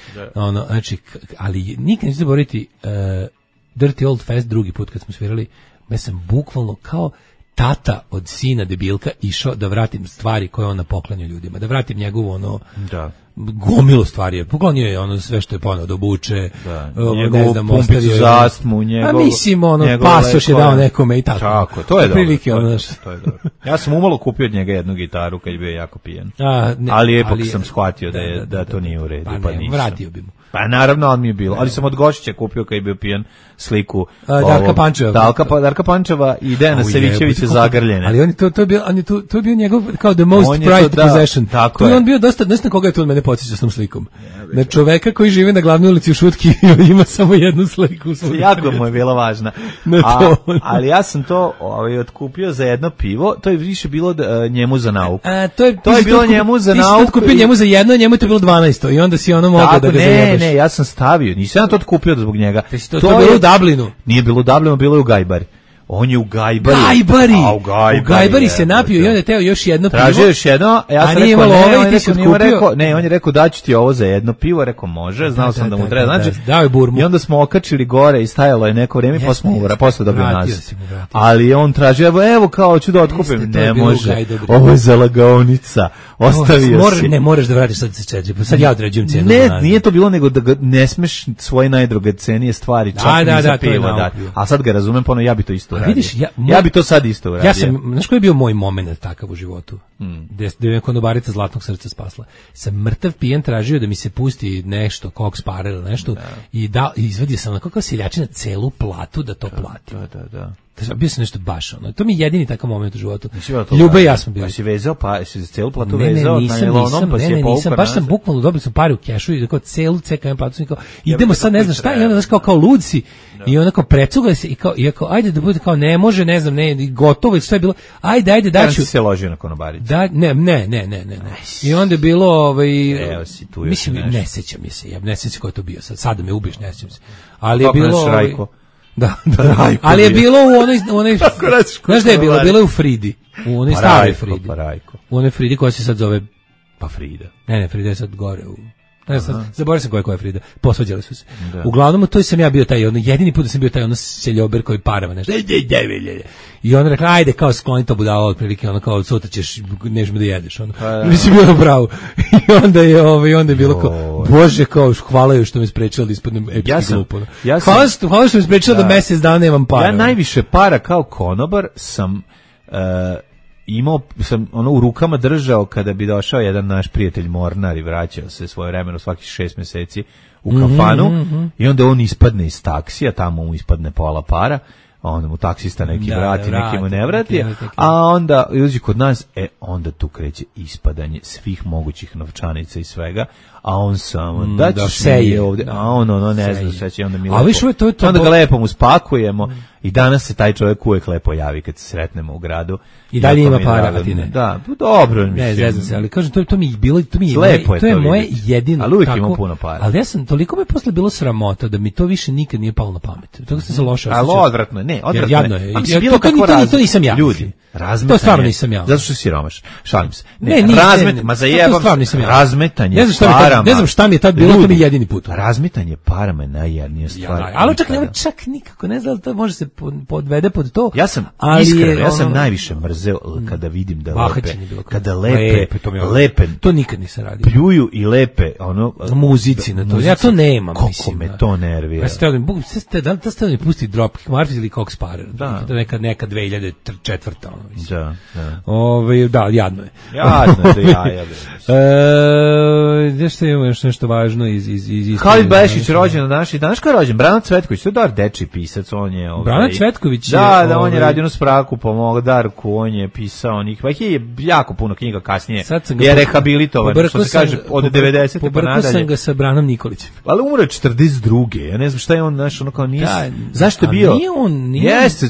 Znači, ali nikad neću zaboraviti Dirty Old Fest drugi put kad smo svirali, ja sam bukvalno kao tata od sina debilka išao da vratim stvari koje on poklanja ljudima, da vratim njegovu gomilu stvari. Poklonio je sve što je poneo da obuče, njegovu pumpicu za astmu, pasoš je dao nekome i tako. Tako, to je dobro. To je dobro. Ja sam umalo kupio od njega jednu gitaru kad je bio jako pijan. Ali ipak sam shvatio da to nije u redu, pa nisam. Vratio bi mu. Pa naravno, on mi je bilo. Ali sam od Gošića kupio kad je bio pijan sliku Darka Pančeva. Darka Pančeva i Dejana Savićevića zagrljene. Ali to je bio njegov kao the most prized possession. Tu je on bio dosta, znaš na koga je to od mene podsjeća s tom slikom? Na čoveka koji žive na glavnoj ulici u Šutki i ima samo jednu sliku. Jako mu je bila važna. Ali ja sam to otkupio za jedno pivo, to je više bilo njemu za nauku. To je bilo njemu za nauku. Ti si to otkupio njemu za jedno, njemu je to bilo 12 i onda si ono mogao da ga zajebaš. Ne, ja sam stavio, nisam to otkupio zbog njega. To je bilo u Dublinu. Nije bilo u Dublinu, bilo je u Gajbari. On je u Gajbari. U Gajbari se napio i onda je teo još jedno pivo. Tražio još jedno, ja sam rekao ne, on je rekao daću ti ovo za jedno pivo, rekao može, znao sam da mu treba. Znači, dao je burmu. I onda smo okačili gore i stajalo je neko vrijeme, pa smo posle dobio nas. Ali on tražio, evo kao ću da otkupim. Ne može, ovo je za lagaonica. Ostavio si. Ne, moraš da vratiš sad se čeđe, sad ja određujem cijenu. Ne, nije to bilo nego da ne smeš svoje najdragocenije stvari čak ni za pivo dati. A sad ga razumem, pa ja bi to isto uradio. Ja bi to sad isto uradio. Ja sam, znaš koji je bio moj moment takav u životu? Gde je konobarica Zlatnog srca spasla. Sam mrtav pijen tražio da mi se pusti nešto, koks pare ili nešto, i izvadio sam onako kao seljačina celu platu da to plati. Da. Bio sam nešto baš ono. To mi je jedini takav moment u životu. Ljube i ja smo bili. Si vezao, pa si celu platu vezao na najlonom, pa si je povukao. Baš sam bukvalno dobili smo pare u kešu i kao celu CKM platu sam kao, idemo sad ne znam šta, i onda znaš kao lud si i onako precuga se i kao ajde da bude kao ne može, ne znam, ne, gotovo je sve bilo. Ajde daću. Se ložio na konobarici. Da, ne. I onda je bilo evo si tu. Mislim, ne sećam se. Ne sećam ko je to bio sad. Sad da me ubiješ, ne sećam se. Ali je bilo Da. Ali je bilo u onoj znaš da je bilo? Bilo je u Fridi. U onoj staroj Fridi. U onoj Fridi koja se sad zove Frida. Ne, Frida je sad gore u... Zaboravio sam koja je Frida. Posvađali su se. Da. Uglavnom, to sam ja bio taj, jedini put da sam bio taj seljober koji parava nešto. I on rekla, ajde, kao skloni to budalo, otprilike, kao, sutra ćeš, nežemo da jedeš. Mislim, bilo pravo. I onda je bilo kao, Bože, kao, hvala joj što me sprečilo da ispadnem epski glupo. Hvala što me sprečilo da mesec dana nemam para. Ja najviše para kao konobar sam... imao sam u rukama držao kada bi došao jedan naš prijatelj Mornar i vraćao se svoje vremeno svakih 6 meseci u kafanu i onda on ispadne iz taksija, tamo mu ispadne pola para, onda mu taksista neki vrati, neki mu ne vrati, a onda uđe kod nas, onda tu kreće ispadanje svih mogućih novčanica i svega, a on samo daćeš mi ovde, a on ne zna šta će, onda mi lepo, onda ga lepo mu spakujemo i danas se taj čovjek uvek lepo javi kad se sretnemo u gradu. I dalje ima para, a ti ne. Da, dobro. Ne, zezam se, ali kažem, to mi je bilo, to je moje jedino. Ali uvijek ima puno para. Ali ja sam, toliko me posle bilo sramota da mi to više nikad nije palo na pamet. Toga sam se loše osjećao. Ali odvratno je, odvratno je. To nisam ja. Ljudi, to stvarno nisam ja. Zato što si siromaš. Šalim se. Ma zajebam se. Razmetanje parama. Ne znam šta mi je tad bilo, to mi je jedini put. Razmetanje parama je najjednija stvar. Ali čak nikako, ne znam, to može se podvede pod to. Ja sam iskreno, ja sam najviše mrzeo kada vidim da lepe, to nikad nisam radio. Pljuju i lepe, muzici na to. Ja to nemam, mislim. Kako me to nervira. Da li ste mi pusti Dropkick Murphys ili Cox Sparer? To je neka 2004. Da. Da, jadno je. Nešto imamo još nešto važno iz Halid Bešić rođen na danas kao rođen, Brano Cvetković, to je dar dečiji pisac, on je Brano Cvetković da, on je radio na Spraku, pomogao Darku, on je pisao onih, pa je jako puno knjiga kasnije, je rehabilitovan, što se kaže, od 90. pa nadalje. Pobrkao sam ga sa Branom Nikolićem. Ali umro je 42. Ja ne znam šta je on, znaš, kao nije, zašto je bio?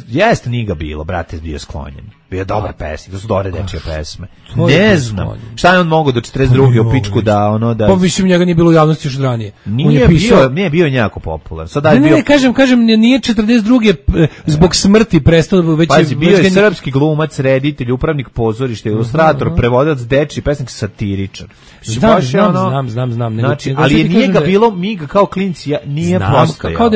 Jeste, nije ga bilo, brate, bio sklonjen. Bio dobar pesnik, to su dobre dečije pesme. Ne znam, šta je on mogao do 42. u pičku da Pa mislim, njega nije bilo u javnosti još od ranije. Nije bio njako popularan. Ne, kažem, nije 42. zbog smrti prestao. Pazi, bio je srpski glumac, reditelj, upravnik pozorišta, ilustrator, prevodilac, dečiji pesnik, satiričar. Znam. Znači, ali nije ga bilo, mi ga kao klinci nije postojao.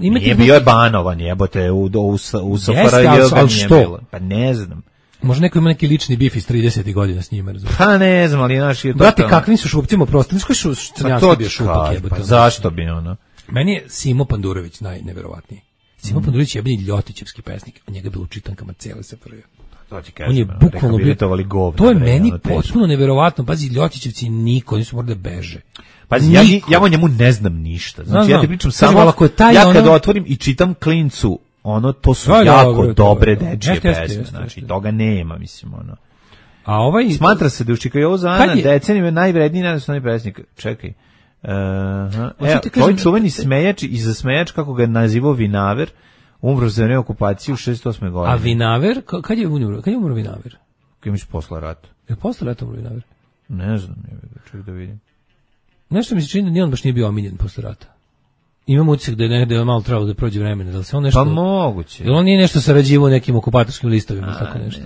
Nije bio je banovan, jebote, u SFRJ ga nije bilo. Pa ne znam. Možda neko ima neki lični bif iz 30. godina s njima, razumiješ? Pa ne znam, ali naš je to... Brate, kakvim su šupcima prosto? Niš koji su crnjanski bio šupak jebote? Pa zašto bi ono? Meni je Simo Pandurović najneverovatniji. Simo Pandurović je jebeni ljotićevski pesnik, a njega je bilo u čitankama cijele SFRJ. On je bukvalno bio... To je meni potpuno neverovatno. Pazi, ljotićevci niko, nisu morali da beže. Pazi, ja o njemu ne znam ništa. Znači, ja ti pričam samo... Ja kad otvorim i čitam klincu, to su jako dobre dečije pesme, znači toga nema, mislim, A smatra se da u Čikajovu Zana decenijima najvredniji nacionalni pesnik. Čekaj. Tvoj čuveni smejač i za smejač, kako ga je nazivao Vinaver, umro za vreme okupacije u 68. godine. A Vinaver, kad je umro Vinaver? Kad imaš posle rata. Je posle rata umro Vinaver? Ne znam, čekaj da vidim. Nešto mi se čini da nijedan baš nije bio omiljen posle rata. Imam utisak da je malo trebalo da prođe vremena, da li se on nešto... Pa moguće. Jel on nije nešto sarađivao nekim okupatorskim listovima, tako nešto?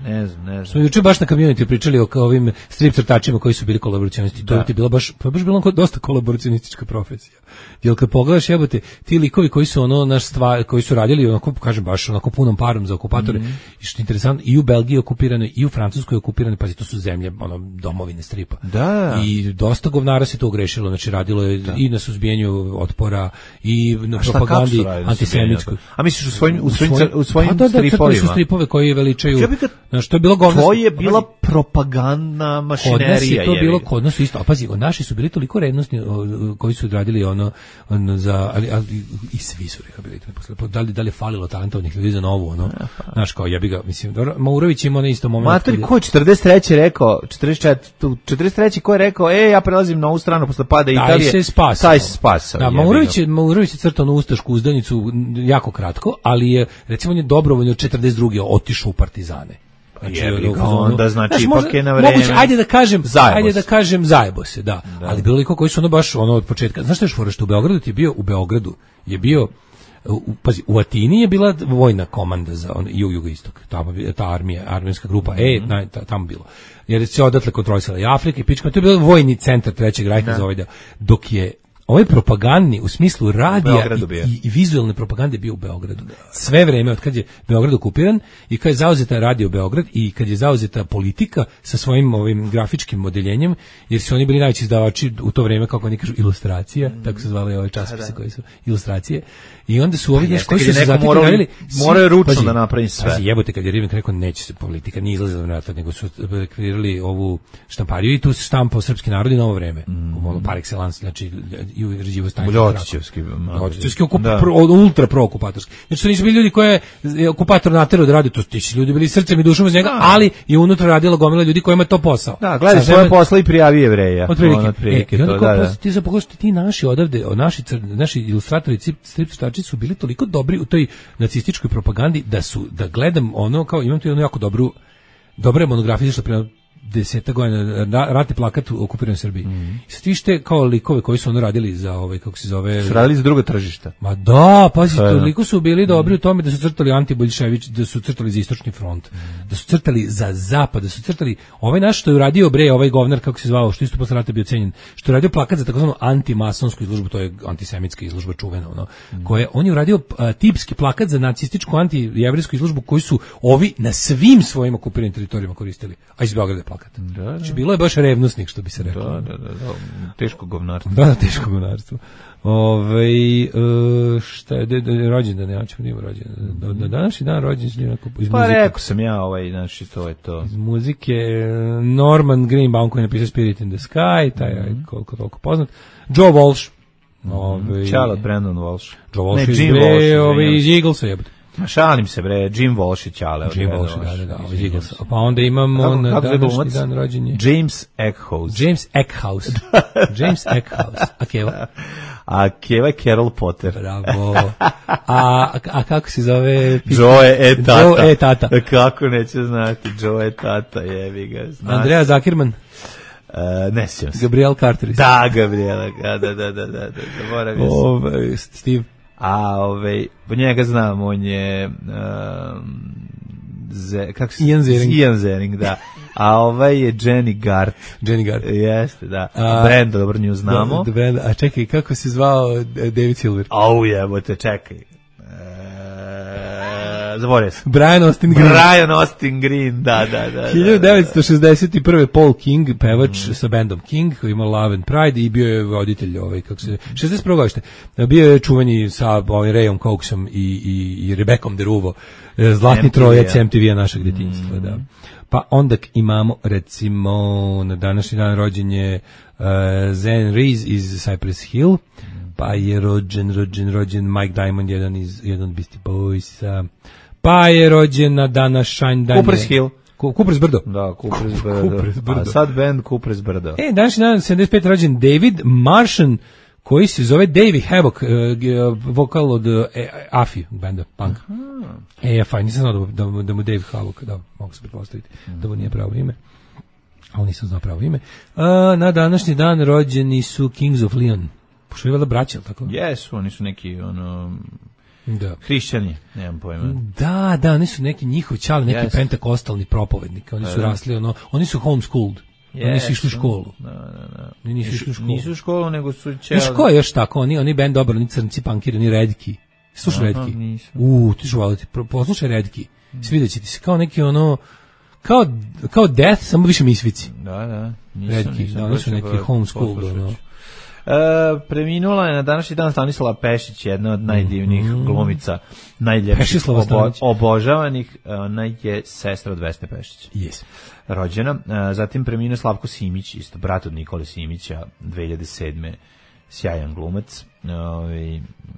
Ne znam. Smo juče baš na community pričali o ovim strip crtačima koji su bili kolaboracionisti. To je bilo baš bilo dosta kolaboracionistička profesija. Jel kad pogledaš, jebote, ti likovi koji su koji su radili onako, kažem baš onako punom parom za okupatore, i što je interesantno, i u Belgiji okupirano, i u Francuskoj okupirano, pazi, to su zemlje, domovine stripa. Da. I dosta govnara se to ogrešilo, znači radilo je i na suzbijanju otpora otpora i na propagandi antisemitskoj. A misliš u svojim stripovima? Su stripove koji veličaju. Znaš, to je bilo govno. To je bila propagandna mašinerija. To bilo kod nas isto. A pazi, naši su bili toliko revnosni koji su odradili ono za ali i svi su rehabilitovani posle. Da li je falilo talentovnih ljudi za novu ono. Znaš, kao jebi ga, mislim, Maurović ima na isto moment. Matori ko 43 rekao, 43 ko je rekao, ja prelazim na ovu stranu posle pada Italije. Taj se spasao. Da, Maurović je crtao na ustašku uzdanicu jako kratko, ali je, recimo, on je dobrovoljno 42. otišao u partizane. Onda znači ipak je na vreme. Moguće, ajde da kažem zajebo se, da. Ali bilo liko koji su baš od početka. Znaš što je fora, što u Beogradu je bio pazi, u Atini je bila vojna komanda za jugoistok, ta armijska grupa, tamo bilo. Jer se odatle kontrolisala i Afrika i pička, to je bio vojni centar Trećeg rajha za ovaj deo. Dok je ovaj propagandni u smislu radija i vizualne propagande bio u Beogradu. Sve vreme od kad je Beograd okupiran i kad je zauzeta radio Beograd i kad je zauzeta politika sa svojim ovim grafičkim modeljenjem, jer su oni bili najveći izdavači u to vreme, kako oni kažu, ilustracija, tako se zvali ove časopise koji su ilustracije. I onda su ovi koji su se zatim radili, moraju ručno da napravi sve. Pazi, jebote, kad je Rivnik rekao neće se politika, nije izlazila na rat, nego su kreirali ovu štampariju i tu se štampao srpski narod i novo vreme. Par excellence, znači i uređivo stanje. Ljotićevski ultra pro-okupatorski. Znači, to nisu bili ljudi koje je okupator naterao da radi, to ti su ljudi bili srcem i dušom iz njega, ali je unutra radila gomila ljudi kojima je to posao. Da, gledaj svoje posla i prijavi Jevreja. Otprilike. I onda ti se pogledaš, ti naši odavde, naši ilustratori, stripčitači su bili toliko dobri u toj nacističkoj propagandi da gledam ono, kao imam tu jednu jako dobra monografija što prema 10 godina ratni plakat u okupiranoj Srbiji. I sad vište kao likove koji su ono radili za kako se zove... Su radili za druga tržišta. Ma da, pazi, toliko su bili dobri u tome da su crtali antiboljšević, da su crtali za istočni front, da su crtali za zapad, da su crtali ovaj naš što je uradio ovaj govnar, kako se zvao, što isto posle rata bio cenjen, što je uradio plakat za takozvanu antimasonsku izložbu, to je antisemitska izložba čuvena, koje on je uradio tipski plakat za nacističku antijevrijsku izložbu koju su ovi na svim svojim okupiranim teritorijama koristili, a iz Beograda plakat. Znači, bilo je baš revnosnik, što bi se reklo. Da. Teško govnarstvo. Da, teško govnarstvo. Šta je rođendan, ja ćemo da imamo rođendan. Na današnji dan rođendan iz muzike. Pa rekao sam ja, znači to je to. Iz muzike Norman Greenbaum koji je napisao Spirit in the Sky, taj je koliko toliko poznat. Joe Walsh. Charlotte Brandon Walsh. Joe Walsh iz Eaglesa jebate. Šalim se bre, Jim Walsh i Ćale. Jim Walsh, da. Pa onda imamo na današnji dan rođenje. James Eckhouse. James Eckhouse. A Keva? A Keva je Carol Potter. Bravo. A kako se zove? Joe Tata. Kako neće znati, Joe Tata, jebi ga. Andrea Zakirman. Ne sjećam se. Gabriel Carteris. Da, Gabriela, da, zaboravio sam. Steve. A po njega znam, on je Ian Ziering, da. A je Jenny Gart. Jeste, da. Brenda, dobro nju znamo. A čekaj, kako se zvao David Silver? Jebote, čekaj. Zaboravio sam. Brian Austin Green, da. 1961. Paul King, pevač sa bandom King, koji ima Love and Pride i bio je voditelj 61. godište. Bio je čuveni sa Rayom Coxom i Rebecom Deruvo, zlatni trojac MTV-a našeg detinjstva, da. Pa onda imamo, recimo, na današnji dan rođenje Zen Rees iz Cypress Hill, pa je rođen Mike Diamond, jedan od Beastie Boysa, pa je rođen na današnji dan Cooper's Hill. Cooper's Brdo. Da, Cooper's Brdo. A sad band Cooper's Brdo. Današnji dan 75 rođen David Martian, koji se zove Davey Havoc, vokal od AFI benda punk. AFI, nisam znao da mu Dave Havoc, da, mogu se pretpostaviti da mu nije pravo ime, ali nisam znao pravo ime. Na današnji dan rođeni su Kings of Leon. Pošto je vela braća, tako? Jesu, oni su neki, hrišćani, nemam pojma. Da, oni su neki njihov čali, neki pentakostalni propovednik. Oni su rasli, oni su homeschooled. Oni su išli u školu. Da. Nisu u školu, nego su čeli. Znaš ko je još tako? Oni band dobar, oni crnci, punkiri, oni Redki. Slušaj Redki. Ti ću valiti. Poslušaj Redki. Svidjet će ti se kao neki kao Death, samo više misvici. Da. Redki, oni su neki homeschooled, Preminula je na današnji dan Stanislava Pešić, jedna od najdivnijih glumica, najljepših, obožavanih. Ona je sestra od Vesne Pešić. Yes. Rođena. Zatim preminuo Slavko Simić, isto brat od Nikole Simića, 2007. Sjajan glumac,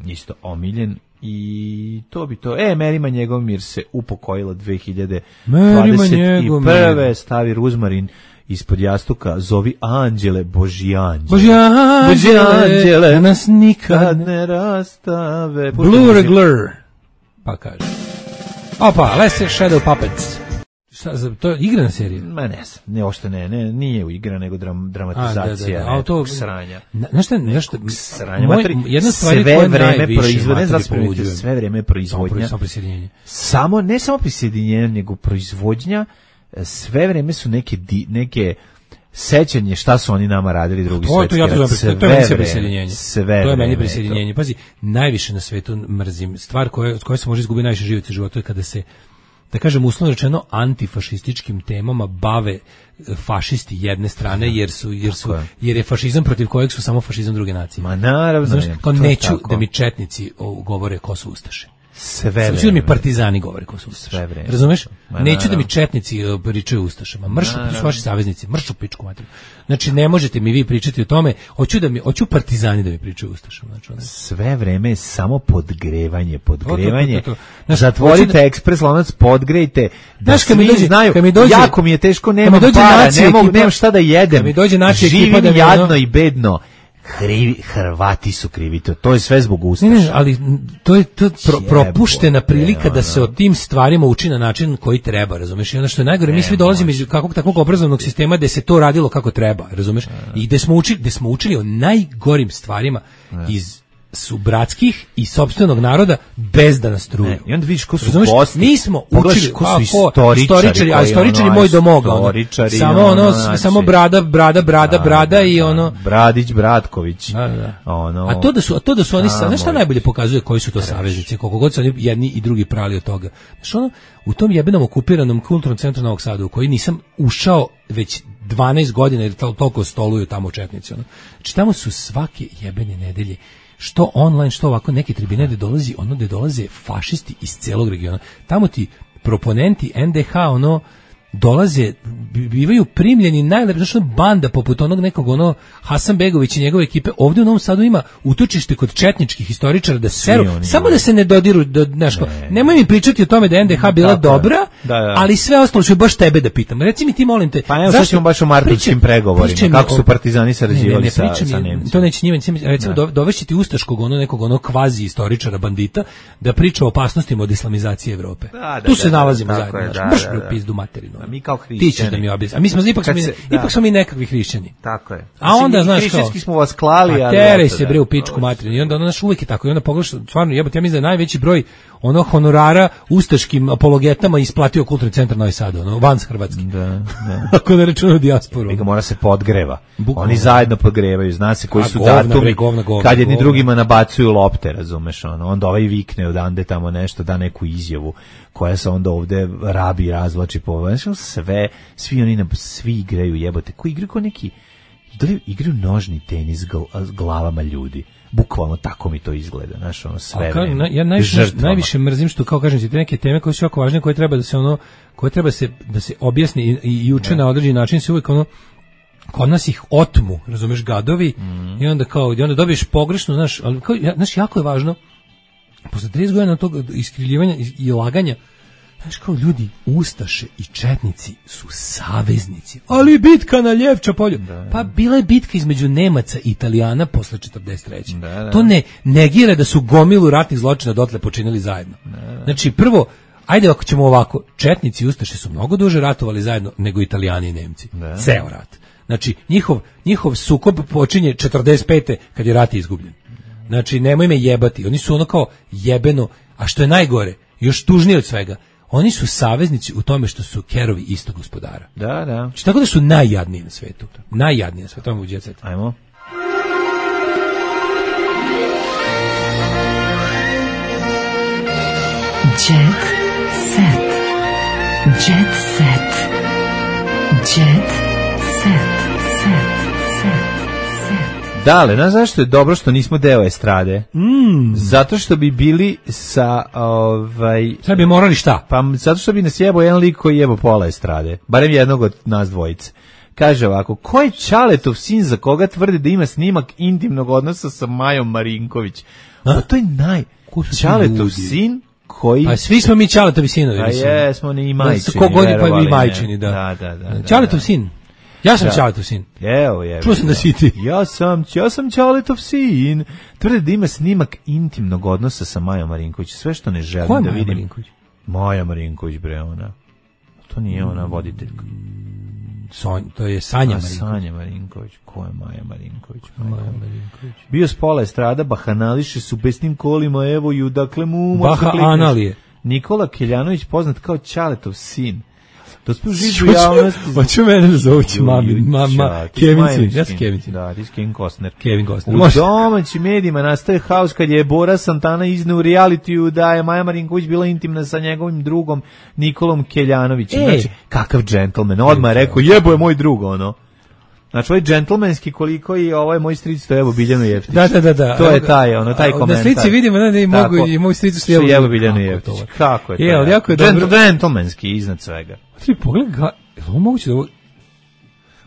isto omiljen. I to bi to. Merima Njegomir se upokojila 2021. Stavi ruzmarin ispod jastuka, zovi anđele, Božji anđele, nas nikad ne rastave. Blue Regular. Pa kaže. Opa, Lesser Shadow Puppets. To je igrana serija? Ma ne, ošte nije igra, nego dramatizacija. A to sranja. Nešto sranja. Jedna stvar koja vreme proizvodnja, sve vreme proizvodnja. Ne samo prisjedinjenje, nego proizvodnja, sve vreme su neke sećanje šta su oni nama radili drugi svetski rat. To je meni prisjedinjenje. To je meni prisjedinjenje. Pazi, najviše na svetu mrzim. Stvar koja se može izgubiti najviše života je kada se, da kažem uslovno rečeno, antifašističkim temama bave fašisti jedne strane, jer je fašizam protiv kojeg su samo fašizam druge nacije. Ma naravno. Znaš, neću da mi četnici govore ko su ustaše. Sve vreme. Sve da mi partizani govore ko su ustaše. Razumeš? Neću da mi četnici pričaju o ustašama. Mršu vaši saveznici, mršu pičku materiju. Znači ne možete mi vi pričati o tome, hoću partizani da mi pričaju o ustašama. Znači, sve vreme je samo podgrevanje. To. Zatvorite ekspres lonac, podgrejte. Da svi znaju. Jako mi je teško, nemam para, nemam šta da jedem. Živim jadno i bedno. Hrvati su krivi, to je sve zbog ustaša. Ne, ali to je propuštena prilika da se o tim stvarima uči na način koji treba, razumeš? I ono što je najgore, mi svi dolazimo iz kakvog takvog obrazovnog sistema gde se to radilo kako treba, razumeš? I gde smo učili o najgorim stvarima iz subratskih i sopstvenog naroda bez da nas truju. I onda vidiš ko su gosti. Mi smo učili ko su istoričari, a istoričari moj domoga. Samo brada i ono Bradić, Bratković. A to da su oni, znaš šta najbolje pokazuje koji su to saveznici, koliko god su oni jedni i drugi prali od toga. Znaš ono, u tom jebenom okupiranom kulturnom centru Novog Sada u koji nisam ušao već 12 godina jer toliko stoluju tamo četnici. Znači tamo su svake jebene nedelje što online, što ovako neke tribine gde dolaze fašisti iz celog regiona. Tamo ti proponenti NDH dolaze, bivaju primljeni najlepša, znači banda poput onog nekog Hasanbegović i njegove ekipe. Ovdje u Novom Sadu ima utočište kod četničkih historičara da seru, samo da se ne dodiru, nemoj mi pričati o tome da je NDH bila dobra, ali sve ostalo ću baš tebe da pitam. Reci mi ti, molim te. Pa evo sad ćemo baš o martovskim pregovorima, kako su partizani sarađivali sa Nemcima. To neće njima, recimo dovešći ti ustaškog nekog kvazi istoričara bandita da priča o opasnostima od islamizacije Evrope. Tu se nalazimo zajedno, baš pizdu materinu. Mi kao hrišćani. Ti ćeš da mi objasni. A mi smo ipak smo mi nekakvi hrišćani. Tako je. A onda znaš kao smo vas klali, ali teraj se bre u pičku materinu. I onda naš uvijek je tako. I onda pogledaš, stvarno jebote, ja mislim da je najveći broj honorara ustaškim apologetama isplatio Kulturni centar Novi Sad, van Hrvatski. Da. Ako ne računamo dijasporu. Mi ga mora se podgreva. Oni zajedno podgrevaju, zna se koji su datumi. Kad jedni drugima nabacuju lopte, razumeš, onda ovaj vikne odande tamo nešto, da neku izjavu koja se onda ovde rabi, razvlači po svi igraju jebote, koji igraju kao neki igraju nožni tenis s glavama ljudi. Bukvalno tako mi to izgleda, znaš, sve vreme. Ja najviše mrzim što, kao kažem ti, te neke teme koje su jako važne, koje treba da se objasni i uče na određeni način, se uvijek kod nas ih otmu, razumeš, gadovi, i onda dobiješ pogrešno, znaš, jako je važno, posle 30 godina tog iskriljivanja i laganja, znaš, kao ljudi, ustaše i četnici su saveznici, ali bitka na Ljevča polju. Pa bila je bitka između Nemaca i Italijana posle 43. To ne negira da su gomilu ratnih zločina dotle počinili zajedno. Znači, prvo, ajde ako ćemo ovako, četnici i ustaše su mnogo duže ratovali zajedno nego Italijani i Nemci. Ceo rat. Znači, njihov sukob počinje 45. kad je rat izgubljen. Znači, nemoj me jebati. Oni su kao jebeno, a što je najgore, još tužnije od svega, oni su saveznici u tome što su kerovi istog gospodara. Da. Znači, tako da su najjadniji na svetu. Najjadniji na svetu. Ajmo u Jet Set. Ajmo. Jet Set. Jet Set. Jet Set. Dale, znaš zašto je dobro što nismo deo estrade? Zato što bi bili sa... Sad bi morali šta? Pa zato što bi nas jebao jedan lik koji jebao pola estrade. Barem jednog od nas dvojice. Kaže ovako, ko je Ćaletov sin za koga tvrde da ima snimak intimnog odnosa sa Majom Marinković? Pa to je Ćaletov sin koji... A svi smo mi Ćaletovi sinovi. A jesmo ni majčini. Kogod pa i majčini, da. Ćaletov sin. Ja sam Ćaletov sin. Evo. Čuo sam da si ti. Ja sam Ćaletov sin. Tvrde da ima snimak intimnog odnosa sa Majom Marinković. Sve što ne želim da vidim. Maja Marinković? Maja Marinković, bre, ona. To nije ona voditeljka. To je Sanja Marinković. Sanja Marinković. Ko je Maja Marinković? Maja Marinković. Bio s pola estrada, bahanališe su besnim kolima, evo ju, dakle mu... Baha analije. Nikola Keljanović, poznat kao Ćaletov sin. To smo živu javnosti. Hoću mene da zovući mama Kevin sin. Ja sam Kevin sin. Da, ti si Kevin Costner. Kevin Costner. U domaćim medijima nastaje haos kad je Bora Santana izneo u realitiju da je Maja Marinković bila intimna sa njegovim drugom Nikolom Keljanovićem. Znači, kakav džentlmen. Odmah je rekao, jebo je moj drug, ono. Znači, ovaj džentlmenski koliko i ovo je moj stric, to je evo Biljanu Jeftić. Da. To je taj komentar. Na slici vidimo da i mogu i moj stric što je evo Biljanu Jeftić. Kako je to? Je, jako je dobro. Džentlmenski iznad svega. Tri pogledaj, ovo moguće da ovo...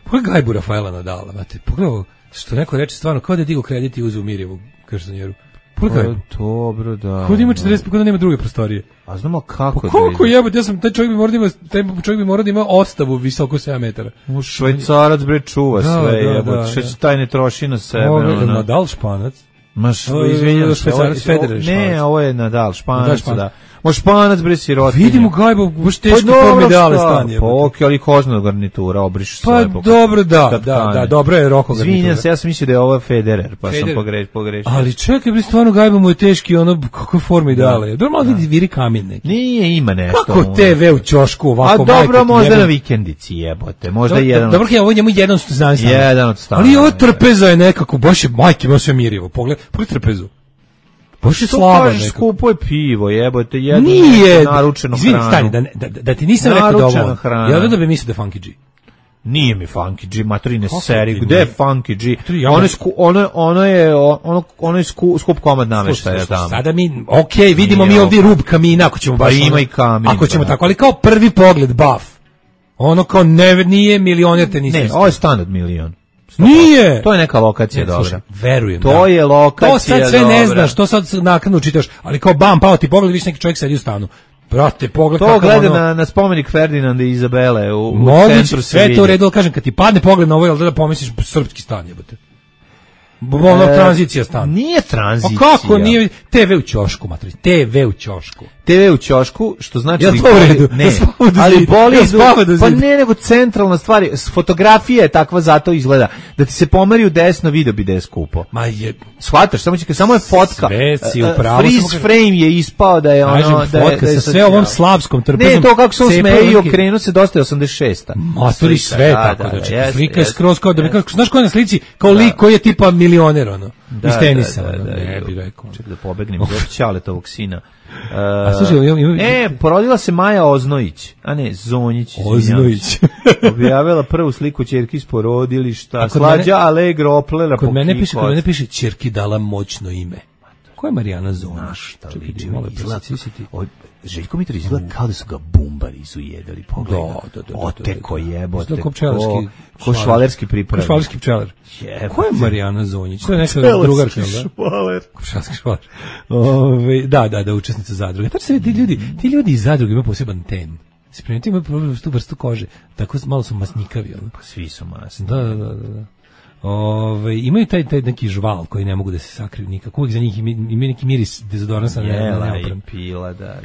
Pogledaj gajbu Rafaela Nadala, znate, pogledaj što neko reče stvarno, kao da je digo kredit i uzeo Mirjevu garsonjeru. Pogledaj. Dobro, da. Kod ima 40, kod nema druge prostorije. A znamo kako da... Koliko jebote, taj čovjek bi morao da ima ostavu visoko 7 metara. U Švajcarac, bre, čuva sve, jebote, što se taj ne troši na sebe. Ovo je Nadal Španac. Izvinjam se, ne, ovo je Nadal Španac, da. Španac, bre, sirotinja. Vidimo gajbo, baš teški form ideale stanje. Pa ok, ali kožna garnitura, obriš sve. Pa dobro, da, dobro je Roko garnitura. Izvinjam se, ja sam mislio da je ovo Federer, pa sam pogrešio. Ali čekaj, bre, stvarno gajbo mu je teški, ono, kakve forme ideale. Dobro, malo viri kamen neki. Nije, ima nešto. Kako TV u ćošku ovako, majko? A dobro, možda na vikendici jebote, možda jedan. Dobro, ovo njemu jedan od stana. Jedan od stana. Ali ovo trpeza je nekako, baš je majke, ima sve mirjevo, pogledaj trpezu. Baš je slabo nekako. Skupo je pivo, jebote, jedno naručeno hranu. Stani, da ti nisam rekao da ovo. Ja da bi mislio da Funky G. Nije mi Funky G, matrine seri, gde je Funky G? Ono je skup komad nameštaja tamo. Sada mi, okej, vidimo mi ovdje rub kamina, ako ćemo baš... Pa ima i kamin. Ako ćemo tako, ali kao prvi pogled, buff. Ono kao nije milioner te nisam. Ne, ovo je stan od milion. Nije! To je neka lokacija dobra. Slušaj, verujem. To je lokacija dobra. To sad sve ne znaš, to sad naknadno čitaš, ali kao bam, pao ti pogled, viš neki čovjek sedi u stanu. Brate, pogled to gleda na spomenik Ferdinanda i Izabele u centru sve to u redu, kažem, kad ti padne pogled na ovo, jel da pomisliš srpski stan, jebote. Tranzicija stan. Nije tranzicija. A kako nije? TV u ćošku, matri. TV u ćošku. TV u ćošku, što znači... Ja to u redu. Ne, ali boli pa ne, nego centralna stvar. Fotografija je takva, zato izgleda. Da ti se pomeri u desno, video bi da je skupo. Ma je... Shvataš, samo je fotka. Freeze frame je ispao da je ono... Fotka sa sve ovom slavskom trpezom. Ne, to kako se on smeje i okrenu se dosta je 86. Matri sve tako. Slika je skroz kao da bi... Znaš ko je na slici? Kao lik koji je tipa milioner, ono. Iz tenisa. Ne bi rekao. Čekaj da pobegnem od Ćaletovog sina. Slušaj, porodila se Maja Oznojić, a ne Zonjić. Oznojić. Objavila prvu sliku ćerki iz porodilišta. Slađa Allegro oplela po kod mene piše ćerki dala moćno ime. Ko je Marijana Zonaš? Željko Mitrović izgleda kao da su ga bumbari izujedali. Pogledaj. Oteko jebote. Ko švalerski pripravnik. Ko švalerski pčelar. Ko je Marijana Zonjić? To je neka drugarka, da? Švaler. Švalerski švaler. Da, učesnica zadruge. Tačno se vidi, ti ljudi iz zadruge imaju poseban ten. Se primetio, imaju problem s tu vrstu kože. Tako malo su masnikavi. Pa svi su masni. Da. Imaju taj neki žval koji ne mogu da se sakriju nikako. Uvijek za njih imaju neki miris dezodorans na neopran. Pila, da.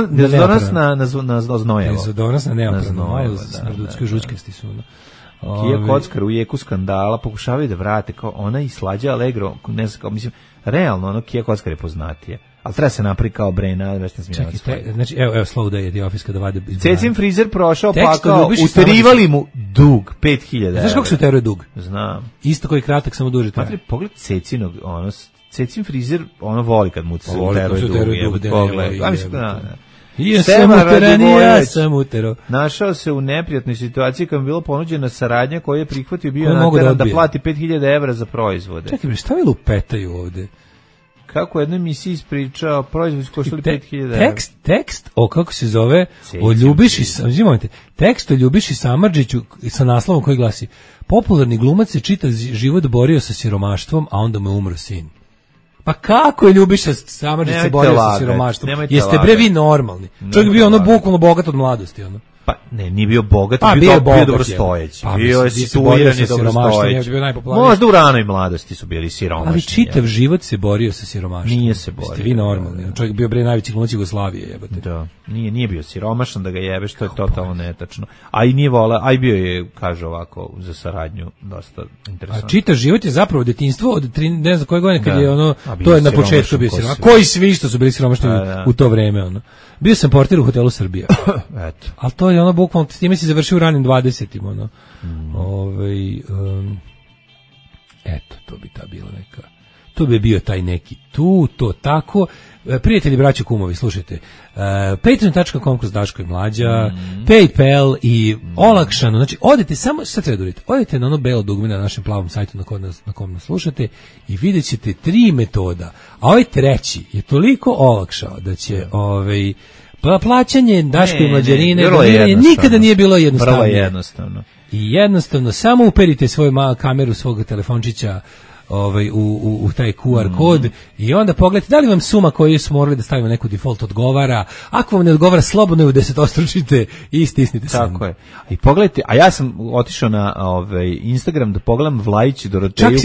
Dezodorans na znojavo. Dezodorans na neopran. Smrdutsko žučkasti su. Kija Kockar u jeku skandala pokušavaju da vrate kao ona i Slađa Allegro, ne znam, kao, mislim, realno ono Kija Kockar je poznatije. Ali treba se napraviti kao Brena, već ne smijem. Znači, evo Slow Day je The Office kada vade... Cecin frizer prošao, pa kao, uterivali mu dug, 5000 €. Znaš kako se uteruje dug? Znam. Isto koji kratak, samo duže traje. Pogled Cecinog, Cecin frizer, voli kad mu se uteruje dug. Pogled, Ja sam uteran, ja sam utero. Našao se u neprijatnoj situaciji kad mu bilo ponuđena saradnja koju je prihvatio, bio nateran da plati 5000 evra za proizvode. Čekaj, šta vi lupetaju ovde? Kako jedna emisija ispričao, proizvod koštali 5000 evra. Tekst, kako se zove, o Ljubiši, tekst o Ljubiši Samardžiću sa naslovom koji glasi: popularni glumac se čitav život borio sa siromaštvom, a onda mu je umro sin. Pa kako je Ljubiša Samardžić se borio sa siromaštvom? Jeste bre vi normalni? Čovjek bio ono bukvalno bogat od mladosti, ono. Pa ne, nije bio bogat, bio dobrostojeći. Bio je situirani dobrostojeći. Možda u ranoj mladosti su bili siromašni. Ali čitav život se borio sa siromaštvom. Nije se borio. Jeste vi normalni? Čovjek bio bre najveći glumac Jugoslavije, jebote. Da. Nije bio siromašan da ga jebeš, to je totalno netačno. A i nije vola, a i bio je, kaže ovako, za saradnju dosta interesantno. A čitav život je zapravo detinjstvo od ne znam koje godine kad je ono, to je na početku bio siromašan. Koji svi što su bili siromašni u to vreme, ono. Bio sam portir u hotelu Srbija. Eto. Ali to je ono bukvalno, s time si završio u ranim 20-im, ono. Eto, to bi ta bila neka. To bi bio taj neki to tako. Prijatelji, braćo, kumovi, slušajte. Patreon.com kroz Daško i Mlađa, PayPal i olakšano. Znači, odete samo, sad treba da uradite, odete na ono belo dugme na našem plavom sajtu na kom nas slušate i vidjet ćete 3 metoda. A ovaj treći je toliko olakšao da će plaćanje Daško i Mlađarine nikada nije bilo jednostavno. Vrlo jednostavno. I jednostavno, samo uperite svoju kameru svog telefončića u taj QR kod i onda pogledajte da li vam suma koju smo morali da stavimo neku default odgovara. Ako vam ne odgovara, slobodno ju 10-ostručite i stisnite sam. Tako je. I pogledajte, a ja sam otišao na Instagram da pogledam Vlajić Doroteju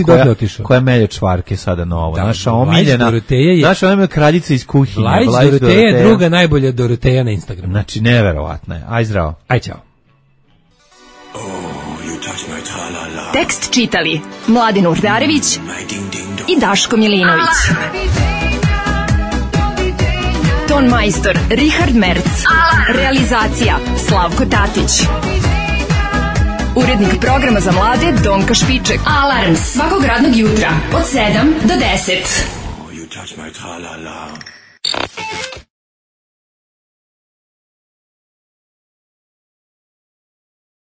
koja melje čvarke sada novo. Naša omiljena, naša omiljena kraljica iz kuhinje. Vlajić Doroteja je druga najbolja Doroteja na Instagramu. Znači, neverovatno je. Aj zdravo. Aj čao. Tekst čitali Mladen Urdarević i Daško Milinović. Ton majstor Richard Merc. Realizacija Slavko Tatić. Urednik programa za mlade Donka Špiček. Alarms svakog radnog jutra od 7 do 10.